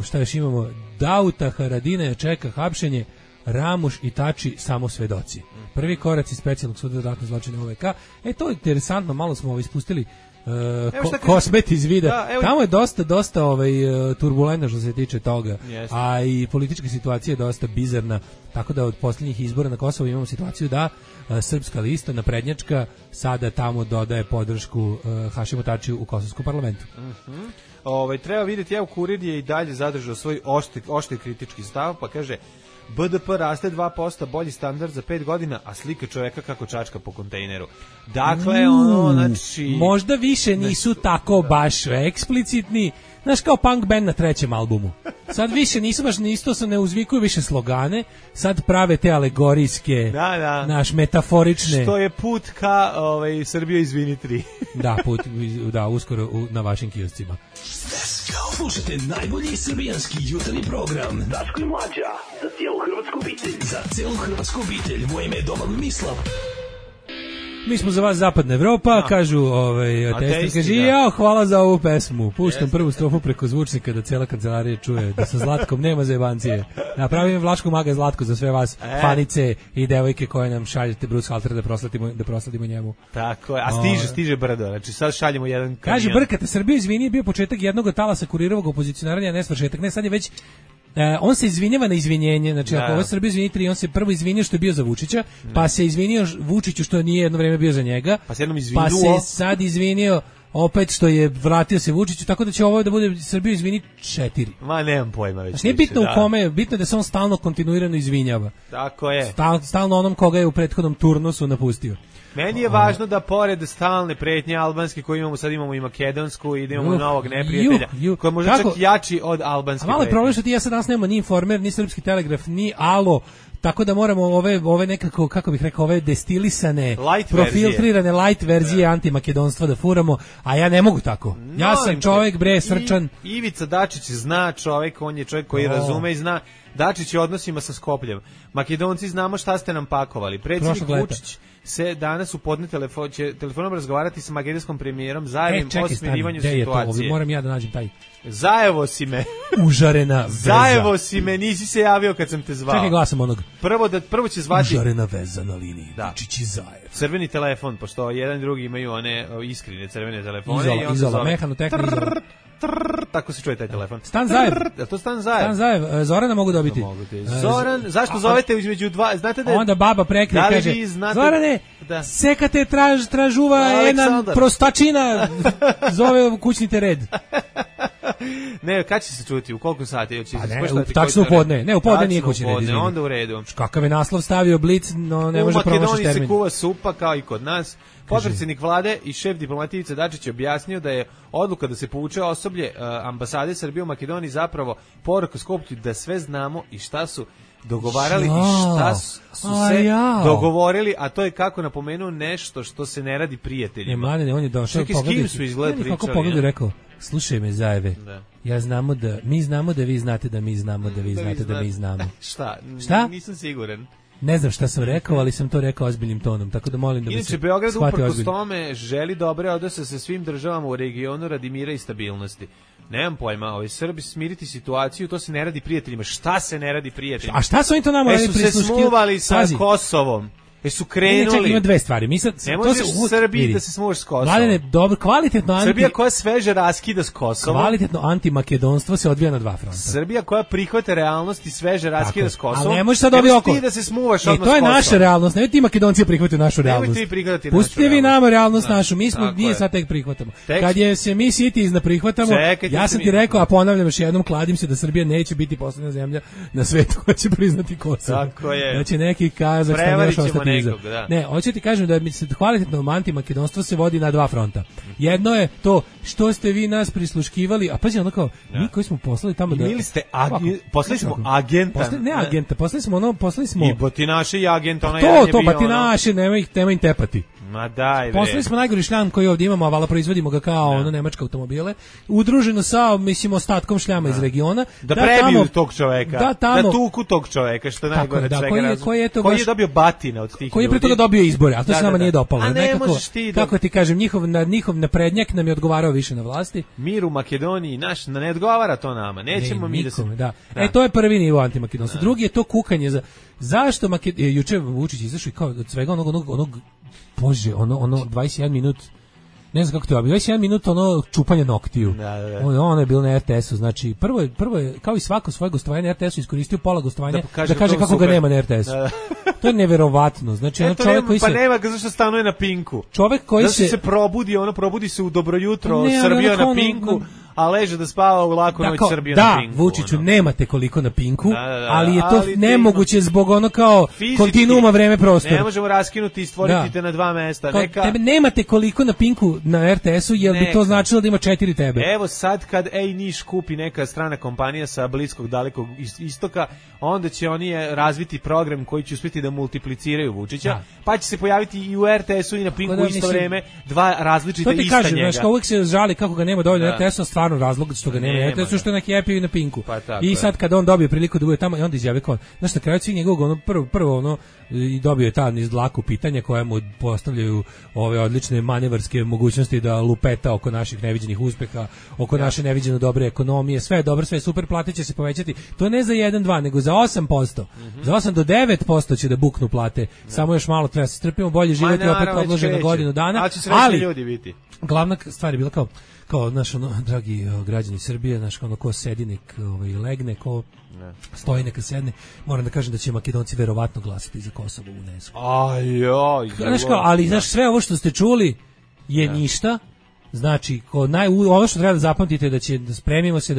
Šta još imamo? Dauta Haradina čeka hapšenje, Ramuš i Tači samo svedoci. Prvi koraci specijalnog suda za ratne zločine OVK. To je interesantno, malo smo ispustili kosmet iz vida. Tamo je dosta turbulentno što se tiče toga. A i politička situacija je dosta bizarna, tako da od posljednjih izbora na Kosovu imamo situaciju da Srpska lista, naprednjačka, sada tamo dodaje podršku Hašimu Tačiju u kosovskom parlamentu. Treba vidjeti, Kurir je i dalje zadržao svoj oštri kritički stav, pa kaže BDP raste 2%, bolji standard za 5 godina, a slika čoveka kako čačka po kontejneru. Dakle, možda više nisu tako baš eksplicitni, znaš, kao punk band na trećem albumu. Sad više nisu baš isto, se ne uzvikuju više slogane, sad prave te alegorijske, naš metaforične. Što je put ka Srbija izvini 3. Da, uskoro na vašim kioscima. Slušajte najbolji srbijanski jutarnji program Daško i Mlađa, za cijelu hrvatsku obitelj. Za cijelu hrvatsku obitelj, moje ime je Domagoj Mislav. Mi smo za vas Zapadna Evropa, kažu ateisti, kaže, hvala za ovu pesmu. Puštam prvu strofu preko zvučnika da cijela kancelarija čuje da sa Zlatkom nema zajebancije. Napravim Vlaško Maga Zlatko za sve vas, fanice i devojke koje nam šaljete Bruce Halter da prosladimo njemu. Tako je, a stiže brdo, znači sad šaljemo jedan kamion. Kaže, brkate, Srbiju izvini je bio početak jednog talasa kurirovog opozicionaranja, ne svršetak, ne, sad je već on se izvinjava na izvinjenje, znači ako ovo Srbija izvini 3, on se prvo izvinio što je bio za Vučića, pa se izvinio Vučiću što nije jedno vreme bio za njega, pa se sad izvinio opet što je vratio se Vučiću, tako da će ovo da bude Srbiju izvini 4. Ma nemam pojma već. Znači nije bitno u kome, bitno je da se on stalno kontinuirano izvinjava. Tako je. Stalno onom koga je u prethodnom turnusu napustio. Meni je važno da pored stalne pretnje albanske koje imamo, sad imamo i makedonsku i da imamo novog neprijatelja, koji je možda čak jači od albanske pretnje. A malo je problem što ti ja sad danas nemamo ni Informer, ni Srpski telegraf, ni Alo, tako da moramo ove nekako, kako bih rekao, ove destilisane, profiltrirane light verzije antimakedonstva da furamo, a ja ne mogu tako. Ja sam čovjek, srčan. Ivica Dačić zna čovjek, on je čovjek koji razume i zna. Dačić je odnosima sa Skopljem. Makedonci znamo šta ste nam pakovali. Predsjednik Vučić se danas u podne telefonom razgovarati sa makedonskom premijerom Zajevim o smirivanju situacije. Moram ja da nađem taj. Zajevo si me. Užarena veza. Zajevo si me, nisi se javio kad sam te zvao. Čekaj, glasam onog. Prvo će zvati. Užarena veza na liniji. Vučić i Zajev. Crveni telefon, pošto jedan i drugi imaju one iskrine crvene telefone. Izola, mehano, tehnika. Tako se čuje taj telefon. Stan Zajev. To Stan Zajev. Stan Zajev. Zorana mogu dobiti. Zoran, zašto zovete između dva? Znate da onda baba prekne i kaže: Zorane, sekate tražuva jedna prostačina. Zove kućnite red. Ne, kad će se čuti? U koliko sati? Tačno u podne. Ne, u podne nije kućni red. Onda u redu. Kakav je naslov stavio Blic, no ne može promašiti termin. U Makedoniji se kuva supa kao i kod nas. Potpredsjednik vlade i šef diplomatije Ivica Dačić je objasnio da je odluka da se povuče osoblje ambasade Srbije u Makedoniji zapravo poruka Skoplju da sve znamo i šta su dogovarali i šta su se dogovorili, a to je, kako napomenuo, nešto što se ne radi prijateljima. Mladene, on je došao, s kim su izgled pričali? Kako pogledaj rekao, slušaj me Zajeve, mi znamo da vi znate da mi znamo da vi znate da mi znamo. Šta? Nisam siguran. Ne znam šta sam rekao, ali sam to rekao ozbiljnim tonom, tako da molim da mi se shvati ozbiljno. Inače, Beograd uprkos tome želi dobre odnose sa svim državama u regionu radi mira i stabilnosti. Nemam pojma, Srbi smiriti situaciju, to se ne radi prijateljima. Šta se ne radi prijateljima? A šta su oni to nama radili prisluški? Su se smuvali sa Kosovom. Su krenuli. Čekaj, ima dve stvari. Ne možeš u Srbiji da se smuvaš s Kosovom. Mladene, dobro, kvalitetno Srbija koja sveže raskida s Kosovom. Kvalitetno antimakedonstvo se odvija na dva fronta. Srbija koja prihvata realnost i sveže raskida s Kosovom. Ali ne možeš sad ovi oko. Ti da se smuvaš odmah s Kosovom. To je naša realnost. Ne ti Makedonci prihvataju našu realnost. Nemoj ti prihvatati našu realnost. Pustite vi nama realnost našu. Mi smo nije sad tek prihvatamo. Kad je se mi siti izna prihvatamo, ja sam ti rekao, a ponavljam još jednom, kladim se da Srbija neće biti poslednja zemlja na svetu koja će priznati Kosovo. Tako je. Da će neki Kazahstan još ostati iza. Ne, hoće ti kažem da mi se kvalitetno antimakedonstvo se vodi na dva fronta. Jedno je to što ste vi nas prisluškivali, a pazi ono kao, mi koji smo poslali tamo da... Ili ste poslali smo agenta. Ne agenta, poslali smo... I batinaše i agenta, ono to batinaše, nema im tepati. Ma daj, poslali smo najgori šljam koji ovdje imamo, a vala proizvodimo ga kao nemačke automobile, udruženo sa, mislim, ostatkom šljama iz regiona. Da prebiju tog čoveka, da tuku tog čoveka, što je najgore čega. Koji je dobio batina od tih ljudi. Koji je pre toga dobio izbore, a to se nama nije dopalo. A ne možeš ti da... Kako ti kažem, njihov naprednjak nam je odgovarao više na vlasti. Mir u Makedoniji, ne odgovara to nama. Nećemo mi da se... To je prvi nivo antimakedonstva. Drugi je to kukanje za... Zašto juče Vučić izašao i kao od svega onog Bože, ono 21 minut, ne znam kako to je, 21 minut ono čupanje noktiju. Ono je bilo na RTS-u, znači prvo je, kao i svako svoje gostovanje na RTS-u, iskoristio pola gostovanja da kaže kako ga nema na RTS-u. To je neverovatno, znači ono čovjek koji se... Pa nema ga zašto stanuje na Pinku. Čovjek koji se probudi, probudi se u Dobro jutro, Srbija na Pinku, a leže da spava u laku noć Srbije na Pinku. Da, Vučiću, nemate koliko na Pinku, ali je to nemoguće zbog ono kao kontinuuma vreme prostora. Ne možemo raskinuti i stvoriti te na 2 mesta. Tebe nemate koliko na Pinku na RTS-u, jer bi to značilo da ima 4 tebe. Evo sad kad Niš kupi neka strana kompanija sa Bliskog dalekog istoka, onda će oni razviti program koji će uspjeti da multipliciraju Vučića, pa će se pojaviti i u RTS-u i na Pinku isto vreme 2 različita ista njega. To ti kažem, znaš, uvijek se žali kako ga nema dovoljno RTS-u, stvarno razlog što ga nema RTS-u, što je na Happy i na Pinku. I sad kad on dobije priliku da bude tamo, i onda izjavi kao, znaš, na kraju svih njegovog prvo i dobio je ta niz dlaku pitanja koja mu postavljaju ove odlične manevarske mogućnosti da lupeta oko naših neviđenih uspeha, oko naše neviđeno dobre ekonomije, sve je dobro, sve je super, plate će se povećati. To ne za 1-2, nego za 8%. Za 8 do 9% će da buknu plate. Samo još malo treba se strpimo, bolje život je opet odložen na godinu dana. Ali ljudi biti. Glavna stvar je bila kao naš dragi građani Srbije, naš ko sedi nek legne, ko stoji neka sedne. Moram da kažem da će Makedonci verovatno glasati za Kosovo u UNESCO. Ali znaš, sve ovo što ste čuli je ništa. Znači, ono što treba da zapamtite da spremimo se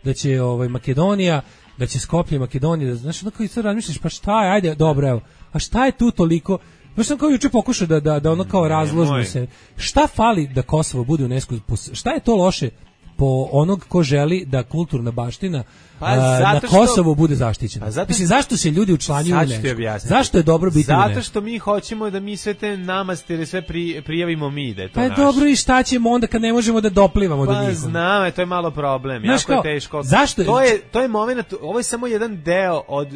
da će Makedonija, da će Skoplje Makedonija, znaš, onako i sad razmišljaš, pa šta je, ajde, dobro, evo, a šta je tu toliko. Baš sam kao juče pokušao da ono kao razložimo se. Šta fali da Kosovo bude u UNESCO? Šta je to loše po onog ko želi da kulturna baština na Kosovu bude zaštićena? Mislim, zašto se ljudi učlanjuju u UNESCO? Zašto je dobro biti u UNESCO? Zato što mi hoćemo da mi sve te namastere sve prijavimo mi, da je to naše. Dobro, i šta ćemo onda kad ne možemo da doplivamo do njih? Pa znam, to je malo problem. Jako je teško. Zašto? To je moment, ovo je samo jedan deo od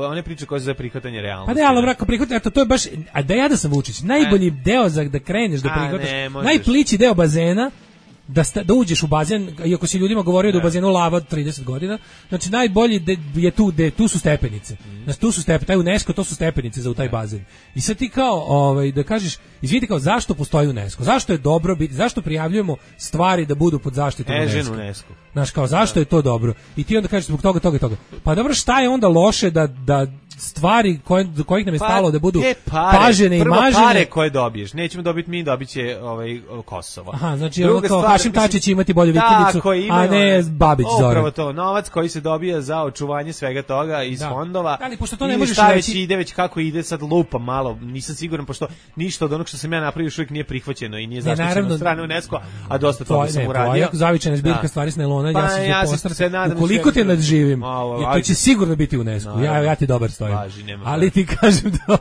one priče koje su za prihvatanje realnosti. Pa ne, ali brako prihvatanje, to je baš, a da ja da sam Vučić, najbolji deo za da kreneš da prihvataš, najplići deo bazena, da uđeš u bazen, iako si ljudima govorio da u bazenu lava 30 godina, znači najbolji je tu su stepenice. Znači tu su stepenice, taj UNESCO, to su stepenice za u taj bazen. I sad ti kao da kažeš, izvidi kao zašto postoji UNESCO? Zašto je dobro biti, zašto prijavljujemo stvari da budu pod zaštitom UNESCO? Znaš, kao zašto je to dobro? I ti onda kažeš zbog toga. Pa dobro, šta je onda loše da stvari do kojih nam je stalo da budu pažene i mažene? Prvo pare koje dobiješ, nećemo dobiti mi, dobit će Kosovo. Aha, znači ono kao Hašim Tači će imati bolju vikendicu, a ne Babić Zoran. Upravo to, novac koji se dobija za očuvanje svega toga iz fondova. Ali pošto to ne možeš reći, ide već kako ide, sad lupa malo, nisam siguran, pošto ništa od onog što sam ja napravio još uvijek nije prihvaćeno i nije zaštićeno od strane UNESCO, a dosta toga sam uradio. Zavičajna zbirka stvari s nailona, ja se nadam. Ukoliko te nadživim, to će sigurno biti UNESCO. Ja ti dobar stojim. Ali ti kažem da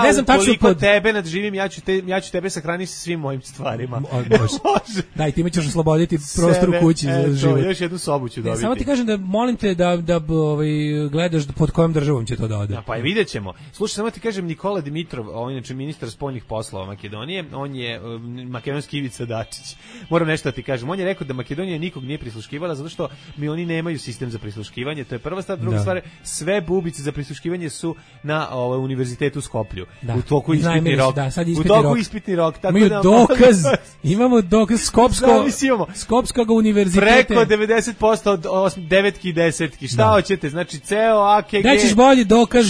ne znam tačno koliko tebe nadživim, ja ću tebe sahraniti sa svim mojim stvarima. Može. Daj, ti me ćeš osloboditi prostor u kući za život. Još jednu sobu ću dobiti. Samo ti kažem da molim te da gledaš pod kojom državom će to da ode. Pa i vidjet ćemo. Slušaj, samo ti kažem, Nikola Dimitrov, on je inače ministar spoljnih poslova Makedonije, on je makedonski Ivica Dačić. Moram nešto da ti kažem. On je rekao da Makedonija nikog nije prisluškivala zato što oni nemaju sistem za prisluškivanje. To je prva stvar. Druga stvar, sve bubice za prisluškivanje su na univerzitetu u Skoplju. U toku ispitni rok. U toku ispitni rok. Imamo dokaz Skopskog univerziteta. Preko 90% od 9 i 10. Šta hoćete? Znači ceo AKG. Da ćeš bolji dokaz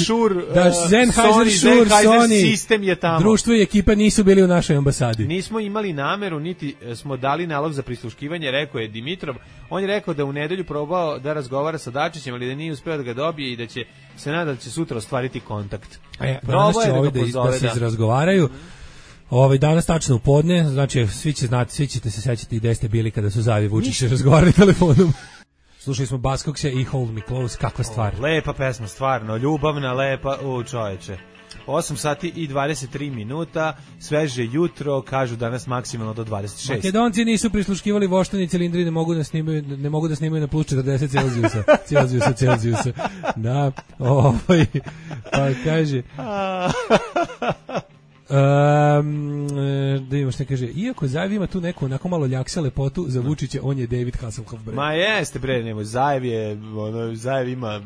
da Sennheiser, Sony sistem je tamo. Društvo i ekipa nisu bili u našoj ambasadi. Nismo imali nameru, niti smo dali nalog za prisluškivanje, rekao je Dimitrov. On je rekao da u nedelju probao da razgovara sa Dačićem, ali da nije uspeo da ga dobije i da će se nada da će sutra ostvariti kontakt. Danas će da se izrazgovaraju. Danas tačno u podne, znači svi ćete se sećati gde ste bili kada su Zavi Vučić razgovarali telefonom. Slušali smo Baskokse i Hold Me Close, kakva stvar. Lepa pesma, stvarno, ljubavna, lepa, čoveče. 8 sati i 23 minuta, sveže jutro, kažu danas maksimalno do 26. Makedonci nisu prisluškivali voštani cilindri, ne mogu da snimaju na plus 40 Celzijusa. Da, pa kaže... da imamo što kaže, iako Zajev ima tu neku onako malo ljaksa lepotu, za Vučića on je David Hasselhoff. Ma jeste bre, Zajev ima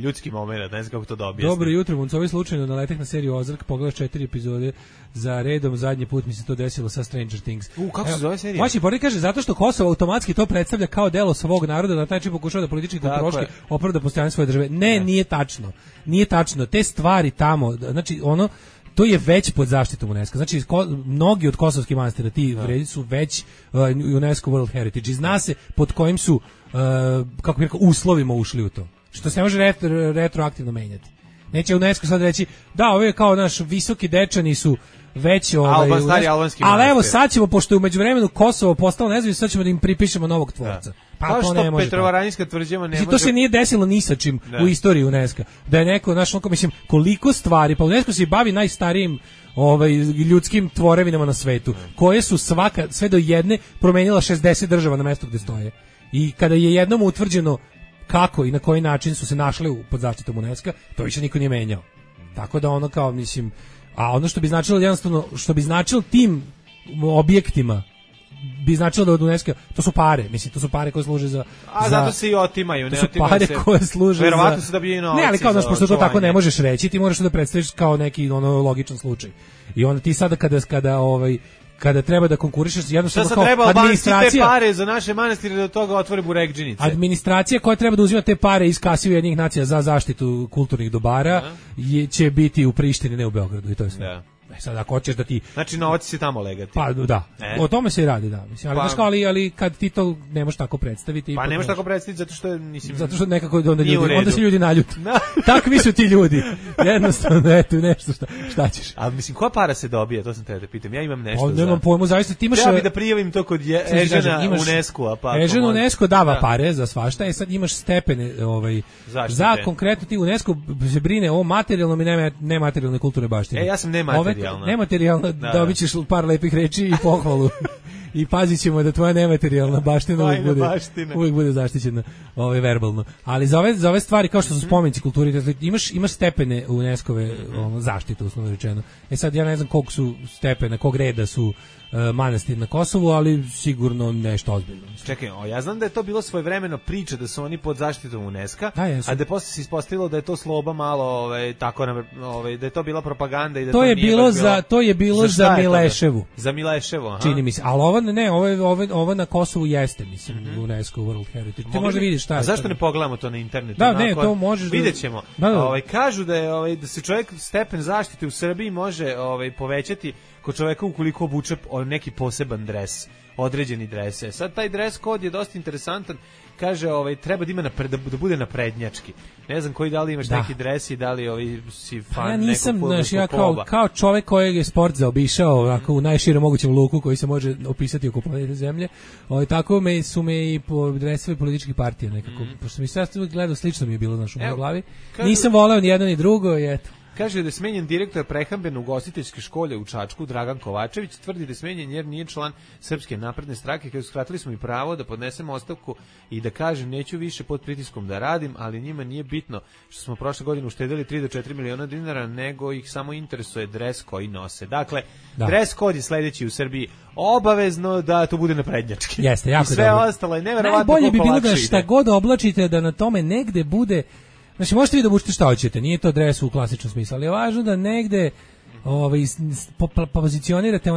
ljudski moment, ne znam kako to da objasnim. Dobro jutro, Muncovi slučajno naletek na seriju Ozark, pogledaš 4 epizode za redom, zadnji put mi se to desilo sa Stranger Things. Kako se zove serija? Moći Borek kaže, zato što Kosovo automatski to predstavlja kao delo svog naroda, na taj način pokušava da politički kulturoški opravda postojanje svoje države. Ne, nije tačno. Nije tačno. Te stvari tamo, znači to je već pod zaštitom UNESCO. Znači, mnogi od kosovskih manastira, ti vredi su već UNESCO World Heritage. Zna se pod kojim su, kako bih rekao, uslovima ušli u to. Što se ne može retroaktivno menjati. Neće UNESCO sad reći, da, ove kao naš visoki dečani su već ali evo sad ćemo, pošto je u međuvremenu Kosovo postalo nezavisno, sad ćemo da im pripišemo novog tvorca. Pa to ne može. Petrovaradinska tvrđava ne može. To se nije desilo ni sa čim u istoriji UNESCO. Da je neko, znaš, mislim, koliko stvari, pa UNESCO se bavi najstarijim ljudskim tvorevinama na svetu, koje su sve do jedne promenila 60 država na mestu gde stoje. I kada je jednom utvrđeno kako i na koji način su se našli pod zaštitom UNESCO, to više niko nije menjao. Tako da ono kao, mislim, a ono što bi značilo jednostavno, što bi značilo tim objektima, bi značilo da od UNESCO, to su pare, mislim, to su pare koje služe za... A zato se i otimaju, ne otimaju se. To su pare koje služe verovatno se dobijaju novci. Ne, ali kao, znaš, pošto to tako ne možeš reći, ti moraš da predstaviš kao neki logičan slučaj. I onda ti sada kada treba da konkurišeš, jednostavno kao administracija... te pare za naše manastire da toga otvore burekdžinice. Administracija koja treba da uzima te pare iz kase Ujedinjenih nacija za zaštitu kulturnih dobara će biti u Prištini, ne u Beogradu, i to je sve. Da. Sad ako hoćeš da ti... Znači novac se tamo legati. Pa da, o tome se i radi, da. Mislim, ali kad ti to ne možeš tako predstaviti... Pa ne možeš tako predstaviti zato što nekako onda se ljudi naljuti. Takvi su ti ljudi. Jednostavno, eto, nešto šta ćeš. A mislim, koja para se dobije, to sam te da pitam. Ja imam nešto za... Nemam pojmu, zaista ti imaš... Treba bi da prijavim to kod Ežena UNESCO-a. Ežena UNESCO dava pare za svašta, sad imaš stepene za konkretno ti UNESCO se brine o materijalnom i nematerijalnoj kulturnoj baštini. Ja sam nematerijalna. Nematerijalna, dobit ćeš par lepih reči i pohvalu. I pazit ćemo da tvoja nematerijalna baština uvijek bude zaštićena verbalno. Ali za ove stvari, kao što su spomenici kulturi, imaš stepene UNESCO-ve zaštite, uslovno rečeno. Sad ja ne znam koliko su stepene, kog reda su manastir na Kosovu, ali sigurno nešto ozbiljno. Čekaj, ja znam da je to bilo svojevremeno priča da su oni pod zaštitom UNESCO, a da posle se ispostavilo da je to sloba malo, tako da je to bila propaganda i da to je bilo za Mileševu. Za Mileševu, aha. Čini mi se. Ali ovo na Kosovu jeste, mislim, UNESCO World Heritage. Ti možda vidiš šta je. A zašto ne pogledamo to na internetu? Da, ne, to možeš. Videćemo. Kažu da je da se čovjek stepen zaštite u Srbiji može povećati kod čoveka ukoliko obuče neki poseban dres, određeni dres. Sad taj dres kod je dosta interesantan. Kaže, treba da ima da bude naprednjački. Ne znam koji, da li imaš neki dres i da li si fan. Ja nisam, znaš, ja kao čovek kojeg je sport zaobišao u najširem mogućem luku koji se može opisati oko planete Zemlje. Tako su me i dresove političkih partija nekako. Pošto mi sve gledao, slično mi je bilo, znaš, u mojoj glavi. Nisam voleo ni jedno ni drugo i eto. Kaže da je smenjen direktor prehrambeno-ugostiteljske škole u Čačku, Dragan Kovačević, tvrdi da je smenjen jer nije član Srpske napredne stranke, kada skratili smo mi pravo da podnesemo ostavku i da kažem neću više pod pritiskom da radim, ali njima nije bitno što smo prošle godine uštedili 3 do 4 miliona dinara, nego ih samo interesuje dres koji nose. Dakle, dres kod je sledeći u Srbiji, obavezno da to bude naprednjački. Jeste, jako i sve dobro. Ostalo je neverovatno. Najbolje bi bilo da šta god oblačite da na tome negde bude. Znači, možete vi da obučite šta hoćete, nije to dres u klasičnom smislu, ali je važno da negde pozicionirate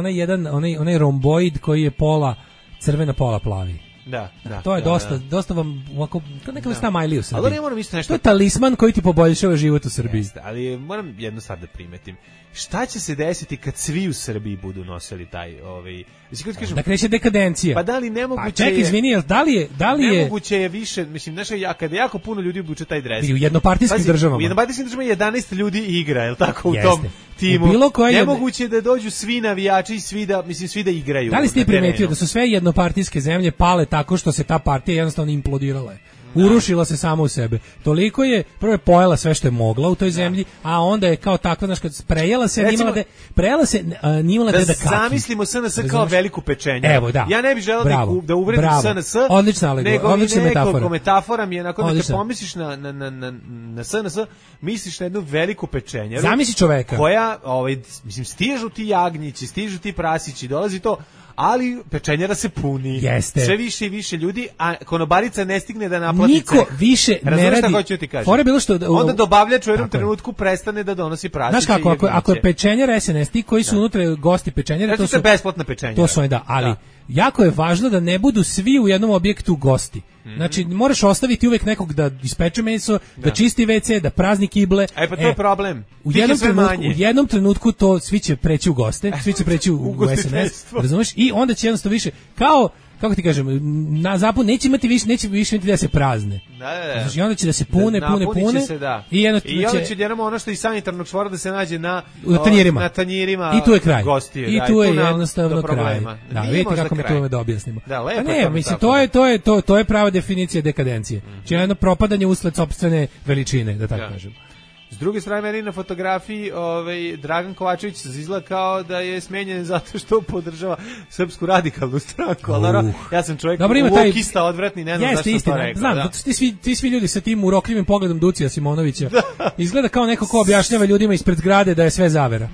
onaj romboid koji je pola crvena, pola plavi. Da. To je dosta vam ovako, neka vrsta majli u Srbiji. Ali moram isto nešto. To je talisman koji ti poboljšava život u Srbiji. Jeste, ali moram jednu stvar da primetim. Šta će se desiti kad svi u Srbiji budu nosili taj da kreće dekadencija. Pa da li nemoguće? Pa čekaj, izvini, da li je nemoguće je više, mislim, kada jako puno ljudi obuče taj dres. U jednopartijskim državama. U jednopartijskim državama 11 ljudi igra, je l' tako, u tom timu. Nemoguće da dođu svi navijači i svi da igraju. Da li ste primetili da su sve jednopartijske zemlje pale tako što se ta partija jednostavno implodirala? Urušila se samo u sebe. Toliko je, prvo je pojela sve što je mogla u toj zemlji, a onda je kao takva, znaš, kad prejela se, nimala da kaki. Zamislimo SNS kao veliku pečenju. Evo, da. Ja ne bih želeo da uvredim SNS, nego nekako metafora mi je, nakon da kad pomisliš na SNS, misliš na jednu veliku pečenjeru. Zamisli čoveka. Koja, mislim, stižu ti jagnjići, stižu ti prasići, dolazi to, ali pečenjera se puni. Jeste. Sve više i više ljudi, a konobarica ne stigne da naplati ceh. Niko više ne radi. Šta hoću ti kažem? Onda dobavljač u jednom trenutku prestane da donosi prasiće. Znaš kako, ako je pečenjera SNS, ti koji su unutra gosti pečenjera, to su besplatna pečenjera. To su ali jako je važno da ne budu svi u jednom objektu gosti. Znači, moraš ostaviti uvek nekog da ispeče meso, da čisti WC, da prazni kible. Pa to je problem. U jednom trenutku to svi će preći u goste, svi će preći u SNS, razumeš? I onda će jednostavno više, kao, kako ti kažem, na zapadu neće više imati da se prazne. Da. Znači, onda će da se pune. Se, da. I onda će jednom ono što iz sanitarnog čvora da se nađe na tanjirima i tu je kraj. Gostiju. I tu je jednostavno kraj. Da, vidite kako mi to da objasnimo. Da, lepo. Ne, mislim, to je prava definicija dekadencije. Znači, jedno propadanje usled sopstvene veličine, da tako kažem. S druge strane, meni na fotografiji Dragan Kovačević izgleda kao da je smenjen zato što podržava Srpsku radikalnu stranku. Ja sam čovjek ukista odvratni, ne znam zašto sam to rekao. Znam, ti svi ljudi sa tim urokljivim pogledom Ducija Simonovića izgleda kao neko ko objašnjava ljudima ispred zgrade da je sve zavera.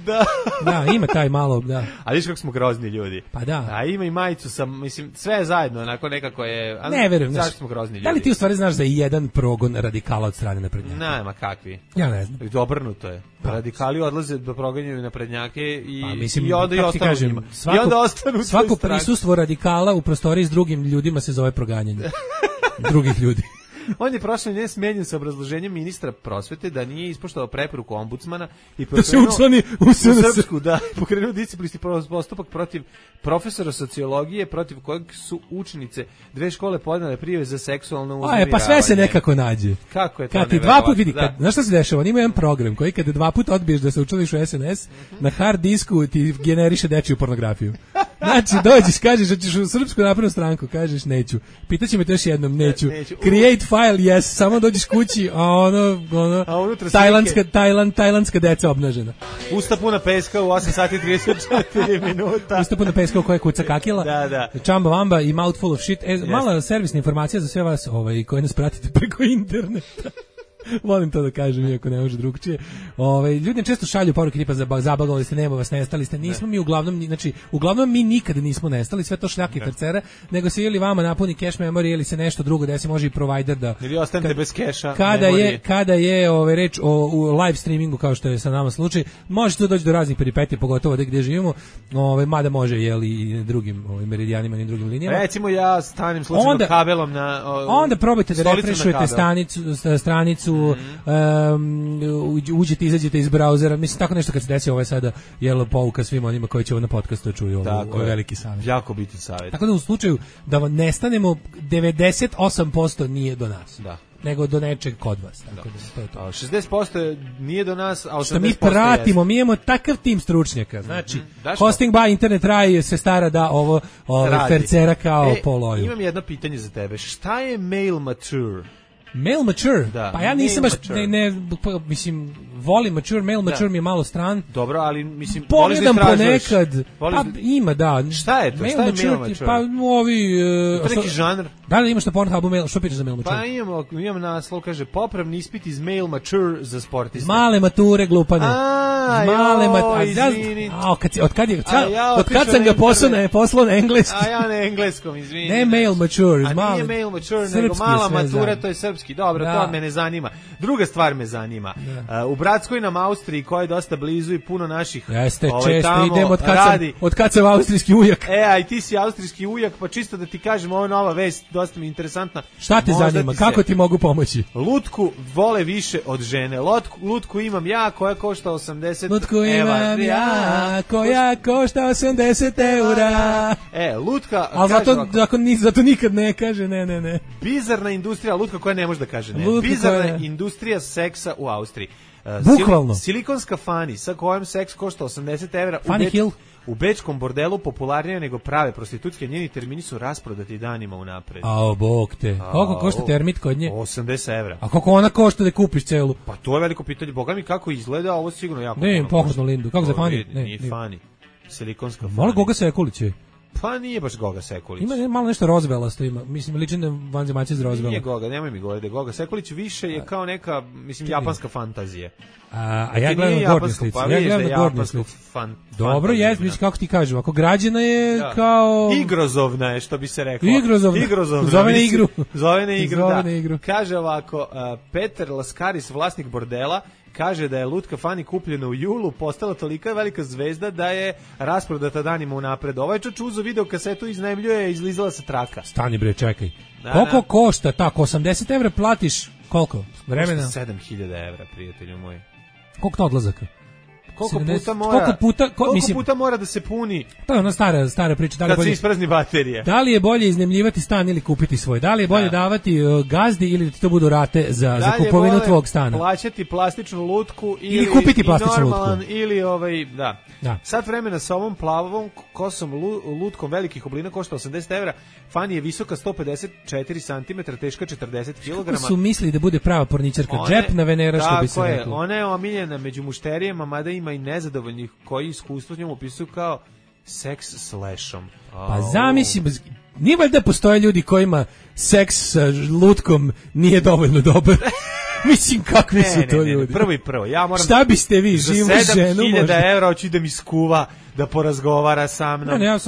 Da, ima taj malo, da. A viš kako smo grozni ljudi. Pa da. A ima i majicu sa, mislim, sve je zajedno, onako nekako je... Ne, verujem. Zašto smo grozni ljudi? Da li ti u stvari znaš za jedan progon radikala od strane naprednjaka? Nema kakvi. Ja ne znam. Obrnuto je. Radikali odlaze da proganjaju naprednjake i onda ostanu svako prisustvo radikala u prostoriji s drugim ljudima se zove proganjanje drugih ljudi. On je prošle nedelje smenjen sa obrazloženjem ministra prosvete da nije ispoštovao preporuku ombudsmana i da se učlani u Srpsku, pokrenuo disciplinski postupak protiv profesora sociologije, protiv kojeg su učenice dve škole podnele prijave za seksualno uznemiravanje. Pa sve se nekako nađe. Kako je to? Kad ti dva puta vidi, znaš šta se dešava? On ima jedan program koji kada dva puta odbiješ da se učlaniš u SNS, na hard disku ti generiše dečiju pornografiju. Znači, dođeš, kažeš da ćeš u Srpsku naprednu stranku, kažeš neću. Pitaće me to još jednom, neću. Create file, yes, samo dođeš kući, a ono tajlandska deca obnažena. Usta puna peska u 8 sati 34 minuta. Usta puna peska u koje kuca kakila. Da. Čamba vamba i mouthful of shit. Mala servisna informacija za sve vas koji nas pratite preko interneta. Volim to da kažem, iako ne može drugčije. Ljudi često šalju poruke tipa zabagali ste, nema vas, nestali ste. Nismo mi uglavnom mi nikada nismo nestali, sve to šljake i tercera, nego se ili vama napuni cache memory ili se nešto drugo desi, može i provider da... Ili ostanete bez keša. Kada je reč o live streamingu, kao što je sa nama slučaj, može to doći do raznih peripetija, pogotovo gdje živimo, mada može i drugim meridijanima i drugim linijama. Recimo ja stanem slučajno kabelom na... Onda probajte da refrešujete stranicu, uđete, izađete iz brauzera, mislim tako nešto kad se desi, ovo je sada pouka svima onima koji će ovo na podcastu čuju, ovo je veliki savjet. Jako bitan savjet. Tako da u slučaju da vam nestanemo, 98% nije do nas. Da. Nego do nečeg kod vas. Tako da to je to. 60% nije do nas, a 80% što mi pratimo, mi imamo takav tim stručnjaka. Znači, Hosting by Internet Raj se stara da ovo fercera kao poloju. Imam jedno pitanje za tebe. Šta je mail mature? Mail mature? Da. Pa ja nisam baš, mislim, volim mature, mail mature mi je malo stran. Dobro, ali mislim, pogledam ponekad, pa ima, da. Šta je to? Šta je mail mature? Pa ovi... To neki žanr? Da li imaš na Pornhubu mail, što pičeš za mail mature? Pa imam naslov, kaže, popravni ispit iz mail mature za sportiste. Male mature, glupane. Izvini. Od kad sam ga poslao na engleski? A ja na engleskom, izvini. Ne mail mature. A nije mail mature, nego mala matura, to je srpski. Dobro, to me ne zanima. Druga stvar me zanima. U bratskoj nam Austriji, koja je dosta blizu i puno naših često idem od kad sam austrijski ujak. A i ti si austrijski ujak, pa čisto da ti kažem, ovo nova vest, dosta mi interesantna. Šta te zanima? Kako ti mogu pomoći? Lutku vole više od žene. Lutku imam ja, koja košta 80 Lutku imam ja, koja košta 80 eura. Lutka... Ali zato nikad ne kaže ne. Bizarna industrija, lutka koja ne može da kaže ne. Bizarna industrija seksa u Austriji. Bukvalno. Silikonska Fani, sa kojom seks košta 80 evra. Funny Hill. U bečkom bordelu popularnije nego prave prostitutke, njeni termini su rasprodati danima unapred. A bog te. Koliko košta termit kod nje? 80 evra. A koliko ona košta da kupiš celu? Pa to je veliko pitanje. Boga mi kako izgleda, ovo sigurno jako. Ne, pohladnu lindu. Kako za Fani? Nije Fani. Silikonska Fani. Malo Goga Sekulić je. Pa nije baš Goga Sekulić. Ima malo nešto rozbelasto ima. Mislim, liči na vanzemaljci iz Rozbela. Nije Goga, nemoj mi govoriti da Goga Sekulić više je kao neka, mislim, japanska fantazija. A ja gledam na gornje slici. Dobro, mislim, kako ti kažem, ako građana je kao... Igrozovna je, što bi se reklo. Igrozovna. Zove na igru, da. Kaže ovako, Peter Laskaris, vlasnik bordela, kaže da je lutka Fani kupljena u julu, postala tolika velika zvezda da je rasprodata danima unapred. Ovaj čuzo video kasetu iznajmljuje, izlizala sa traka. Stani bre, čekaj. Koliko košta tako? 80 evra platiš? Koliko? Vremena? 7000 evra, prijatelju moj. Koliko to odlazaka? Koliko puta mora da se puni? To je ona stara priča. Da li kad se isprazni baterije. Da li je bolje iznajmljivati stan ili kupiti svoj? Da li je bolje davati gazdi ili da ti to budu rate za kupovinu tvog stana? Plaćati plastičnu lutku ili kupiti plastičnu lutku. Ili Sat vremena sa ovom plavom kosom lutkom velikih oblina košta 80 evra. Fani je visoka 154 cm, teška 40 kg. Kako su mislili da bude prava porničarka? Džepna Venera, što bi se reklo. Tako je, ona je omiljena među mušterijama, mada ima i nezadovoljnih koji iskustvo s njom opisuju kao seks slashom. Pa zamislim, nije valjda postoje ljudi kojima seks sa lutkom nije dovoljno dobar. Mislim, kakvi su to ljudi? Prvo. Ja moram. Šta biste vi, živu ženu? 7000 evra hoću da mi skuva, da porazgovara sa mnom. Ne, ja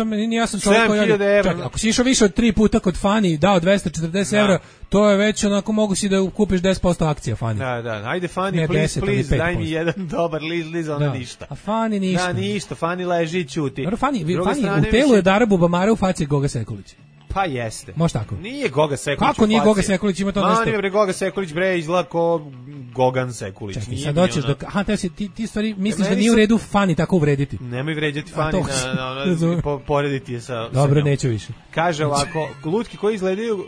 sam čovjek koji... Čekaj, ako si išao više od 3 puta kod Fani, dao 240 evra, to je već onako, mogu si da kupiš 10% akcija Fani. Da. Ajde Fani, please, daj mi jedan dobar liz, ona ništa. A Fani ništa. Da, ništa, Fani leži i ćuti. Fani u telu je Dara Bubamara, u faci Goga Sekulić. Pa jeste. Može tako? Nije Goga Sekulić. Kako nije Goga Sekulić, ima to nešto? Nije Goga Sekulić, izgleda ko Gogan Sekulić. Čekaj, sad doćeš do... Aha, ti stvari misliš da nije u redu Fani tako uvrediti? Nemoj vređati Fani, porediti je sa... Dobro, neću više. Kaže ovako, lutki koji izgledaju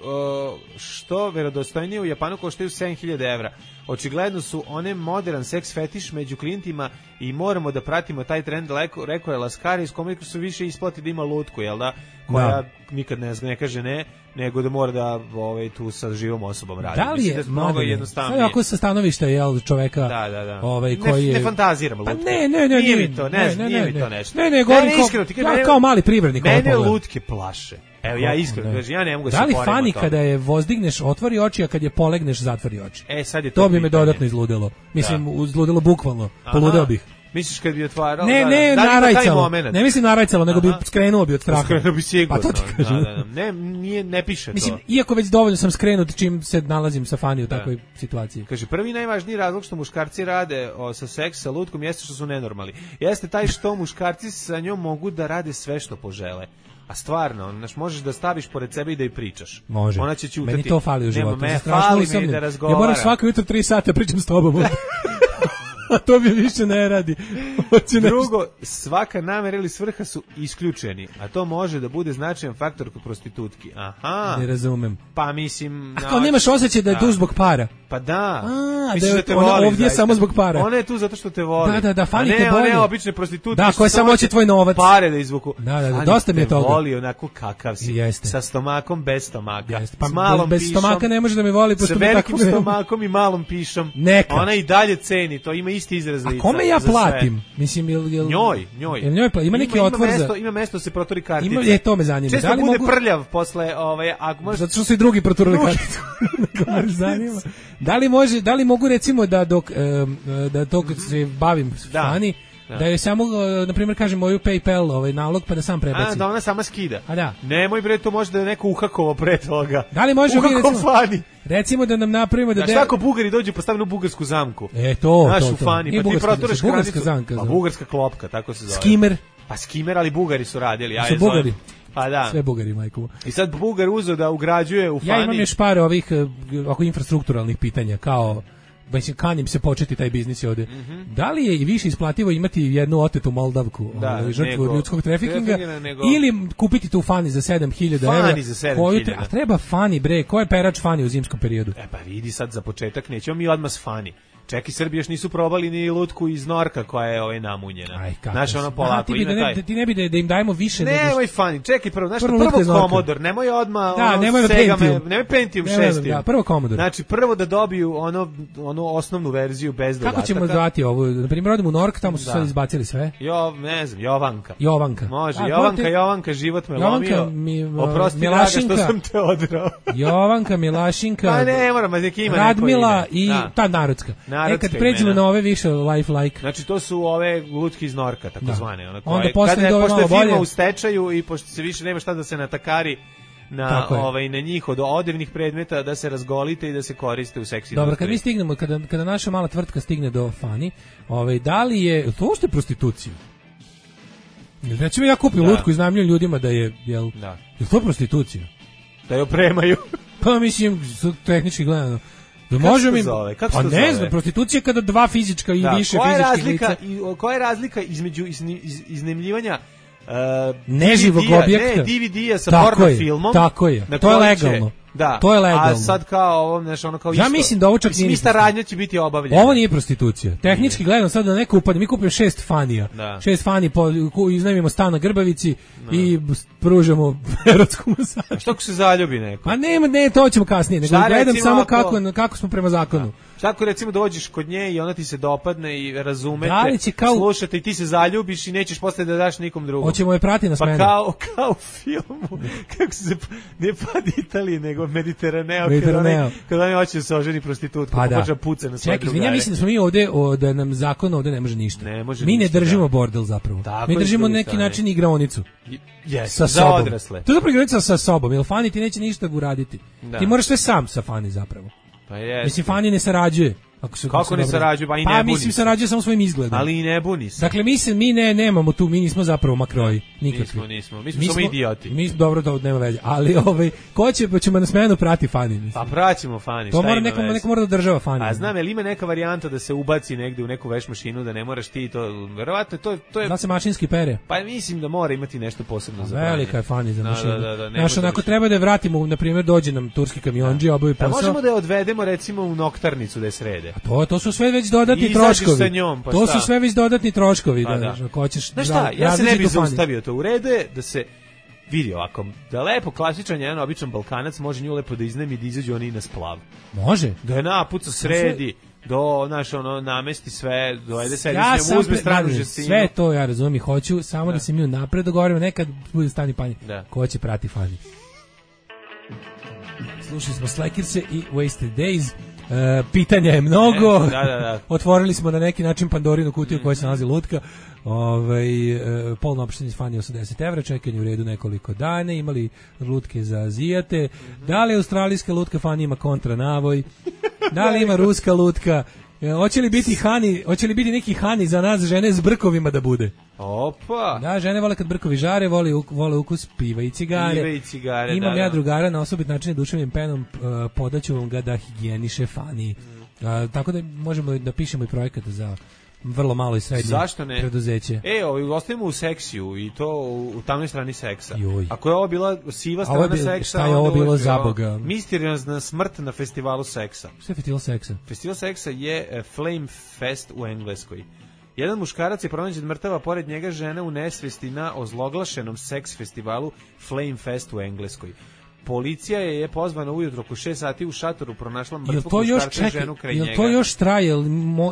što verodostojnije u Japanu koštaju 7000 evra. Očigledno su one modern seks fetiš među klijentima i moramo da pratimo taj trend, rekao je Laskari, s kome su više isplati da ima lutku, jel da? Koja nikad ne kaže ne, nego da mora da tu sa živom osobom radi. Da li je mnogo jednostavnije? Sad ako sa stanovišta čoveka koji je... Ne fantaziram lutke. Pa ne. Nije mi to nešto. Ne, govorim kao mali privrednik. Mene lutke plaše. Evo, ja iskreno kažem, ja ne mogu da se poredim. Da li Fani kada je vozdigneš otvori oči, a kad je polegneš zatvori oči? Sad je to bi me dodatno izludilo. Mislim, izludilo bukvalno. Poludeo bih. Misliš kad bi otvarao? Ne, narajcalo. Ne mislim narajcalo, nego bi skrenuo bi od straha. Skrenuo bi sigurno. Pa to ti kažem. Ne piše to. Mislim, iako već dovoljno sam skrenut čim se nalazim sa Fani u takvoj situaciji. Kaže, prvi najvažniji razlog što muškarci rade sa seks sa lutkom jeste što su nenormalni. Jeste taj što muškarci sa njom mogu da rade sve što požele. A stvarno, možeš da staviš pored sebe i da joj pričaš. Može. Ona će ćutati. Meni to fali u životu. Fali mi da razgovara. Ja moram svako jutro 3 sata pričam s tobom. A to mi više ne radi. Drugo, svaka namera ili svrha su isključeni, a to može da bude značajan faktor kod prostitutki. Aha. Ne razumem. Pa mislim... Ako nemaš osjećaj da je tu zbog para. Pa da. Misliš da te voli. Ovdje je samo zbog para. Ona je tu zato što te voli. Da, Fani te bolje. Ne, obične prostitutke. Da, koje samo hoće tvoj novac. Pare da izvuku. Da, dosta mi je toga. Voli onako kakav si. Jeste. Sa stomakom, bez stomaka. Pa s malom bez pišom. stomaka ne može da me voli. Sa velikim stomakom i malom pišom. Neka. Ona i dalje ceni, to ima isti izraz lica. A kome ja platim? Mislim, njoj. Ima neki otvor za... Ima mesto da se protori kartica. To me zanima. Često bude prljav posle... Zato što su i drugi proturili karticu. Zanima. Da li mogu recimo da dok se bavim Fani, da je samo, na primjer, kažem moju PayPal nalog pa da sam prebacim. Da ona sama skida. A da. Nemoj bre, to može da je neko uhakovo pre toga. Da li može recimo da nam napravimo da... Šta ako Bugari dođu postavljenu bugarsku zamku? To. Naš u Fani, pa ti proturaš granicu. Pa bugarska klopka, tako se zove. Skimer. Pa skimer, ali Bugari su radili. Su Bugari. Pa da. Sve Bugari, majko. I sad Bugar uzeo da ugrađuje u Fani. Ja imam još par ovih infrastrukturalnih pitanja, kao... Mislim, kanim se početi taj biznis ovdje. Da li je i više isplativo imati jednu otetu Moldavku, žrtvu ljudskog trafikinga, ili kupiti tu Fani za 7000 evra? Fani za 7000. A treba Fani, bre, ko je perač Fani u zimskom periodu? Pa vidi sad za početak, nećemo mi odmah s Fani. Čeki, Srbi još nisu probali ni lutku iz Norka koja je namunjena. Znaš, ono polako ima taj... Ti ne bi da im dajemo više... Nemoj Fani, čekaj prvo, znaš, prvo Commodore, nemoj odmah... nemoj Pentium 6. Prvo Commodore. Znači, prvo da dobiju onu osnovnu verziju bez dodataka. Kako ćemo dati ovo? Na primjer, odemo u Nork, tamo su sad izbacili sve. Ne znam, Jovanka. Može, Jovanka, život me lomio. Oprosti, draga, što sam te odrao. Jovanka, Milašinka, pa ne moram, neki ima Radmila i ta narodska. Kad pređemo na ove više life-like. Znači to su ove lutke iz Norka, takozvane. Onda posle ide ove malo bolje. Pošto je firma u stečaju i pošto se više nema šta da se natakari na njih od odevnih predmeta da se razgolite i da se koriste u seksi. Dobro, kad mi stignemo, kada naša mala tvrtka stigne do Fani, da li je to uopšte prostitucija? Recimo ja kupim lutku i iznajmljujem ljudima da je, jel to prostitucija? Da je opremaju. Pa mislim, tehnički gledano. Da možemo im, pa ne znam, prostitucija kada dva fizička i više fizičkih lica. Koja je razlika između iznajmljivanja neživog objekta, ne, DVD-a sa porno filmom? Tako je, to je legalno. Da. To je legalno. A sad kao ovo, znači ono kao ja mislim da ovo čak nije. Ista radnja će biti obavljena. Ovo nije prostitucija. Tehnički gledano sad da neko upadne, mi kupimo 6 fanija. 6 fani iznajmimo stan na Grbavici i pružamo erotsku masažu. A što ako se zaljubi neko? Pa ne, to ćemo kasnije, nego gledam samo kako smo prema zakonu. Šta ako recimo dođeš kod nje i ona ti se dopadne i razumete, slušate i ti se zaljubiš i nećeš posle da daš nikom drugom. Hoćemo je prati na smenu. Pa kao u filmu, kako se, ne Pad Italije, nego Mediteraneo, kad oni hoće da se oženi prostitutka, pa počne puca na svoje drugare. Ja mislim da smo mi ovde, da nam zakon ovde ne može ništa. Mi ne držimo bordel zapravo. Mi držimo na neki način igraonicu. Sa za odrasle. To je zapravo igraonica sa sobom, jer Fani ti neće ništa uraditi. Ti moraš sve sam sa Fani zapravo. Pa je. Mislim, Fani ne sarađuje. Kako ne sarađuje? Pa i ne buni se. Pa mislim, sarađuje samo svojim izgledom. Ali i ne buni se. Dakle, mi nemamo tu, mi nismo zapravo makroji. Nikakvi. Nismo. Mi smo samo idioti. Dobro, to nema veze. Ali, ko ćemo na smenu prati Fani? Mislim. Pa praćemo Fani. To mora neko mora da država Fani. A znam, je li ima neka varijanta da se ubaci negde u neku veš mašinu, da ne moraš ti to, verovatno to je... Da se mašinski pere? Pa mislim da mora imati nešto posebno za Fani. Velika je Fani za mašinu. Znaš, onako treba da je vratimo, na primjer, dođe nam turski kamionđi, obavi posao. Možemo da je odvedemo, recimo, u noktarnicu da je srede. To su sve već dodatni troškovi. To su sve već dodatni troškovi. Ako hoćeš, znaš šta, ja se ne bih zaustavio to. U redu je da se vidi ovako, da lepo klasičan jedan običan Balkanac može nju lepo da iznajmi, da izađu oni na splav. Može. Da je napuca sredi, namesti sve, dovede sedi s njom, uzme stranu žestinu. Sve to ja razumijem i hoću, samo da se mi napred dogovorimo, nekad bude stani Pani. Ko će prati Fani? Slušali smo Slekirse i Wasted Days. Pitanja je mnogo. Otvorili smo na neki način Pandorinu kutiju koja se nalazi lutka. Polno opštenje Fani 80 €, čekanje u redu nekoliko dana, imali lutke za Azijate. Da li australijska lutka Fani ima kontranavoj? Da li ima ruska lutka? Hoće li biti neki hani za nas žene s brkovima da bude? Opa. Da, žene vole kad brkovi žare, vole ukus piva i cigare. Imam ja drugara na osobit način duševnim penom, podaću vam ga da higijeniše Fani. Tako da možemo da pišemo i projekat za vrlo malo i srednje preduzeće. Ostavimo u seksiju i to u tamnoj strani seksa. Ako je ovo bila siva strana seksa, šta je ovo bilo za Boga? Misteriozna smrt na festivalu seksa. Šta je festival seksa? Festival seksa je Flame Fest u Engleskoj. Jedan muškarac je pronađen mrtava, pored njega žena u nesvesti na ozloglašenom seks festivalu Flame Fest u Engleskoj. Policija je pozvana ujutro oko 6 sati u šatoru, pronašla mrtvog muškarca i ženu kraj njega. Jel to još traje?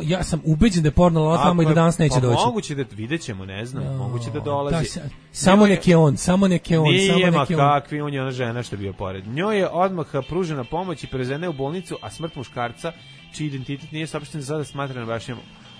Ja sam ubeđen da je porno tamo i da danas neće doći. Moguće da vidjet ćemo, ne znam, moguće da dolazi. Samo neki on. Nije kakvi, on je ona žena što je bio pored. Njoj je odmah pružena pomoć i prevezena u bolnicu, a smrt muškarca, čiji identitet nije saopšten, sada smatrana bašnjom.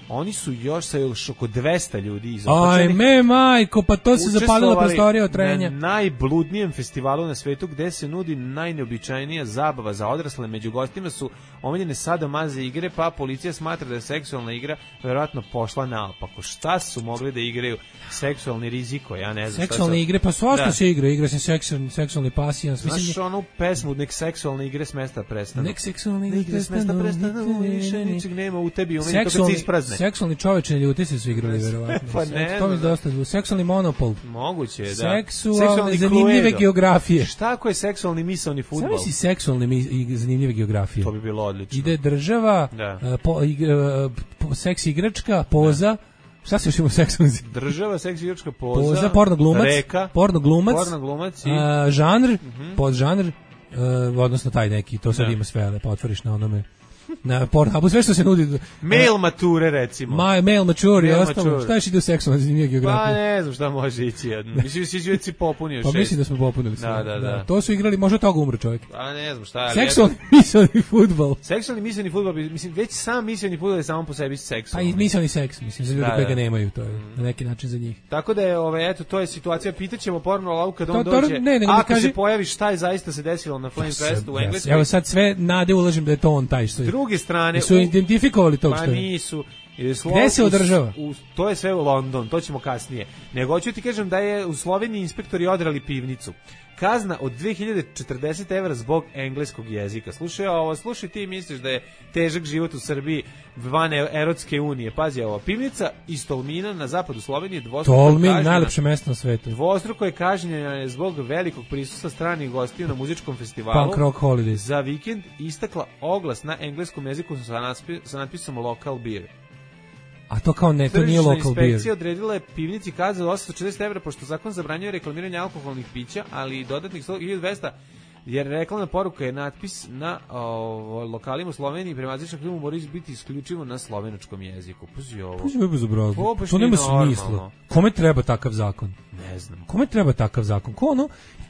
Oni su još sa oko 200 ljudi izopačenih. Ajme, majko, pa to se zapalila prostorija od trenja. Na najbludnijem festivalu na svetu gde se nudi najneobičajnija zabava za odrasle. Među gostima su omiljene sadomaze igre, pa policija smatra da je seksualna igra verovatno pošla naopako. Šta su mogli da igraju? Seksualni riziko, ja ne znam. Seksualne igre, pa svašta se igra se seksualni pasijans. Znaš onu pesmu, nek seksualne igre s mesta prestanu. Nek seksualne igre s mesta prestanu, više ničeg nema u tebi, umeni to kad se isprazne. Seksualni čoveče ljuti se su igrali, verovatno. Pa ne. To mi dosta. Seksualni monopol. Moguće, da. Seksualne zanimljive geografije. Šta ako je seksualni misaoni fudbal? Samo si seksualne i zanimljive geografije. To bi bilo odlično. Ide država, seks igračka, poza. Šta se još ima seksualni? Država, seks igračka, poza, pornoglumac, reka, pornoglumac i žanr, podžanr, odnosno taj neki, to sad ima sve, pa otvoriš na onome. Na Pornhubu, sve što se nudi. Mail mature, recimo. Mail mature i ostalo. Šta još ide u seksualna zanimljiva geografija? Pa ne znam šta može ići. Mislim, si već si popunio 6. Pa mislim da smo popunili sve. Da. To su igrali, možda toga umro čovjek. Pa ne znam šta. Seksualni misaoni fudbal. Seksualni misaoni fudbal, mislim, već sam misaoni fudbal je samo po sebi seksualni. Pa i misaoni seks, mislim, za ljudi koji ga nemaju, to je na neki način za njih. Tako da je, eto, to je situacija. Pitaćemo Pornolavu kad on dođe. Ako se pojavi šta je zaista se desilo na Flame Festu u Engleskoj. Evo sad sve nade ulažem da je to on taj što je. S druge strane, su identifikovali tog što je. Pa nisu. Gde se održava? To je sve u London, to ćemo kasnije. Nego hoću ti kažem da je u Sloveniji inspektori odrali pivnicu. Kazna od 2040 € zbog engleskog jezika. Slušaj ti misliš da je težak život u Srbiji van Erotske unije. Pazi ovo, pivnica iz Tolmina na zapadu Slovenije dvostruko Tolmin, najlepše mesto na svetu. Dvostruko je kažnjena zbog velikog prisustva stranih gostiju na muzičkom festivalu. Punk Rock Holidays. Za vikend istakla oglas na engleskom jeziku sa natpisom Local Beer. A to kao ne, to nije local beer. Tržišna inspekcija odredila je pivnici kaznu od 840 € pošto zakon zabranjuje reklamiranje alkoholnih pića, ali i dodatnih 1.200 jer reklamna poruka je natpis na lokalima u Sloveniji prema azijskom filmu mora biti isključivo na slovenačkom jeziku. Puzi ovo. Puzi me bezobrazno. To nema smisla. Kome treba takav zakon? Ne znam. Kome treba takav zakon?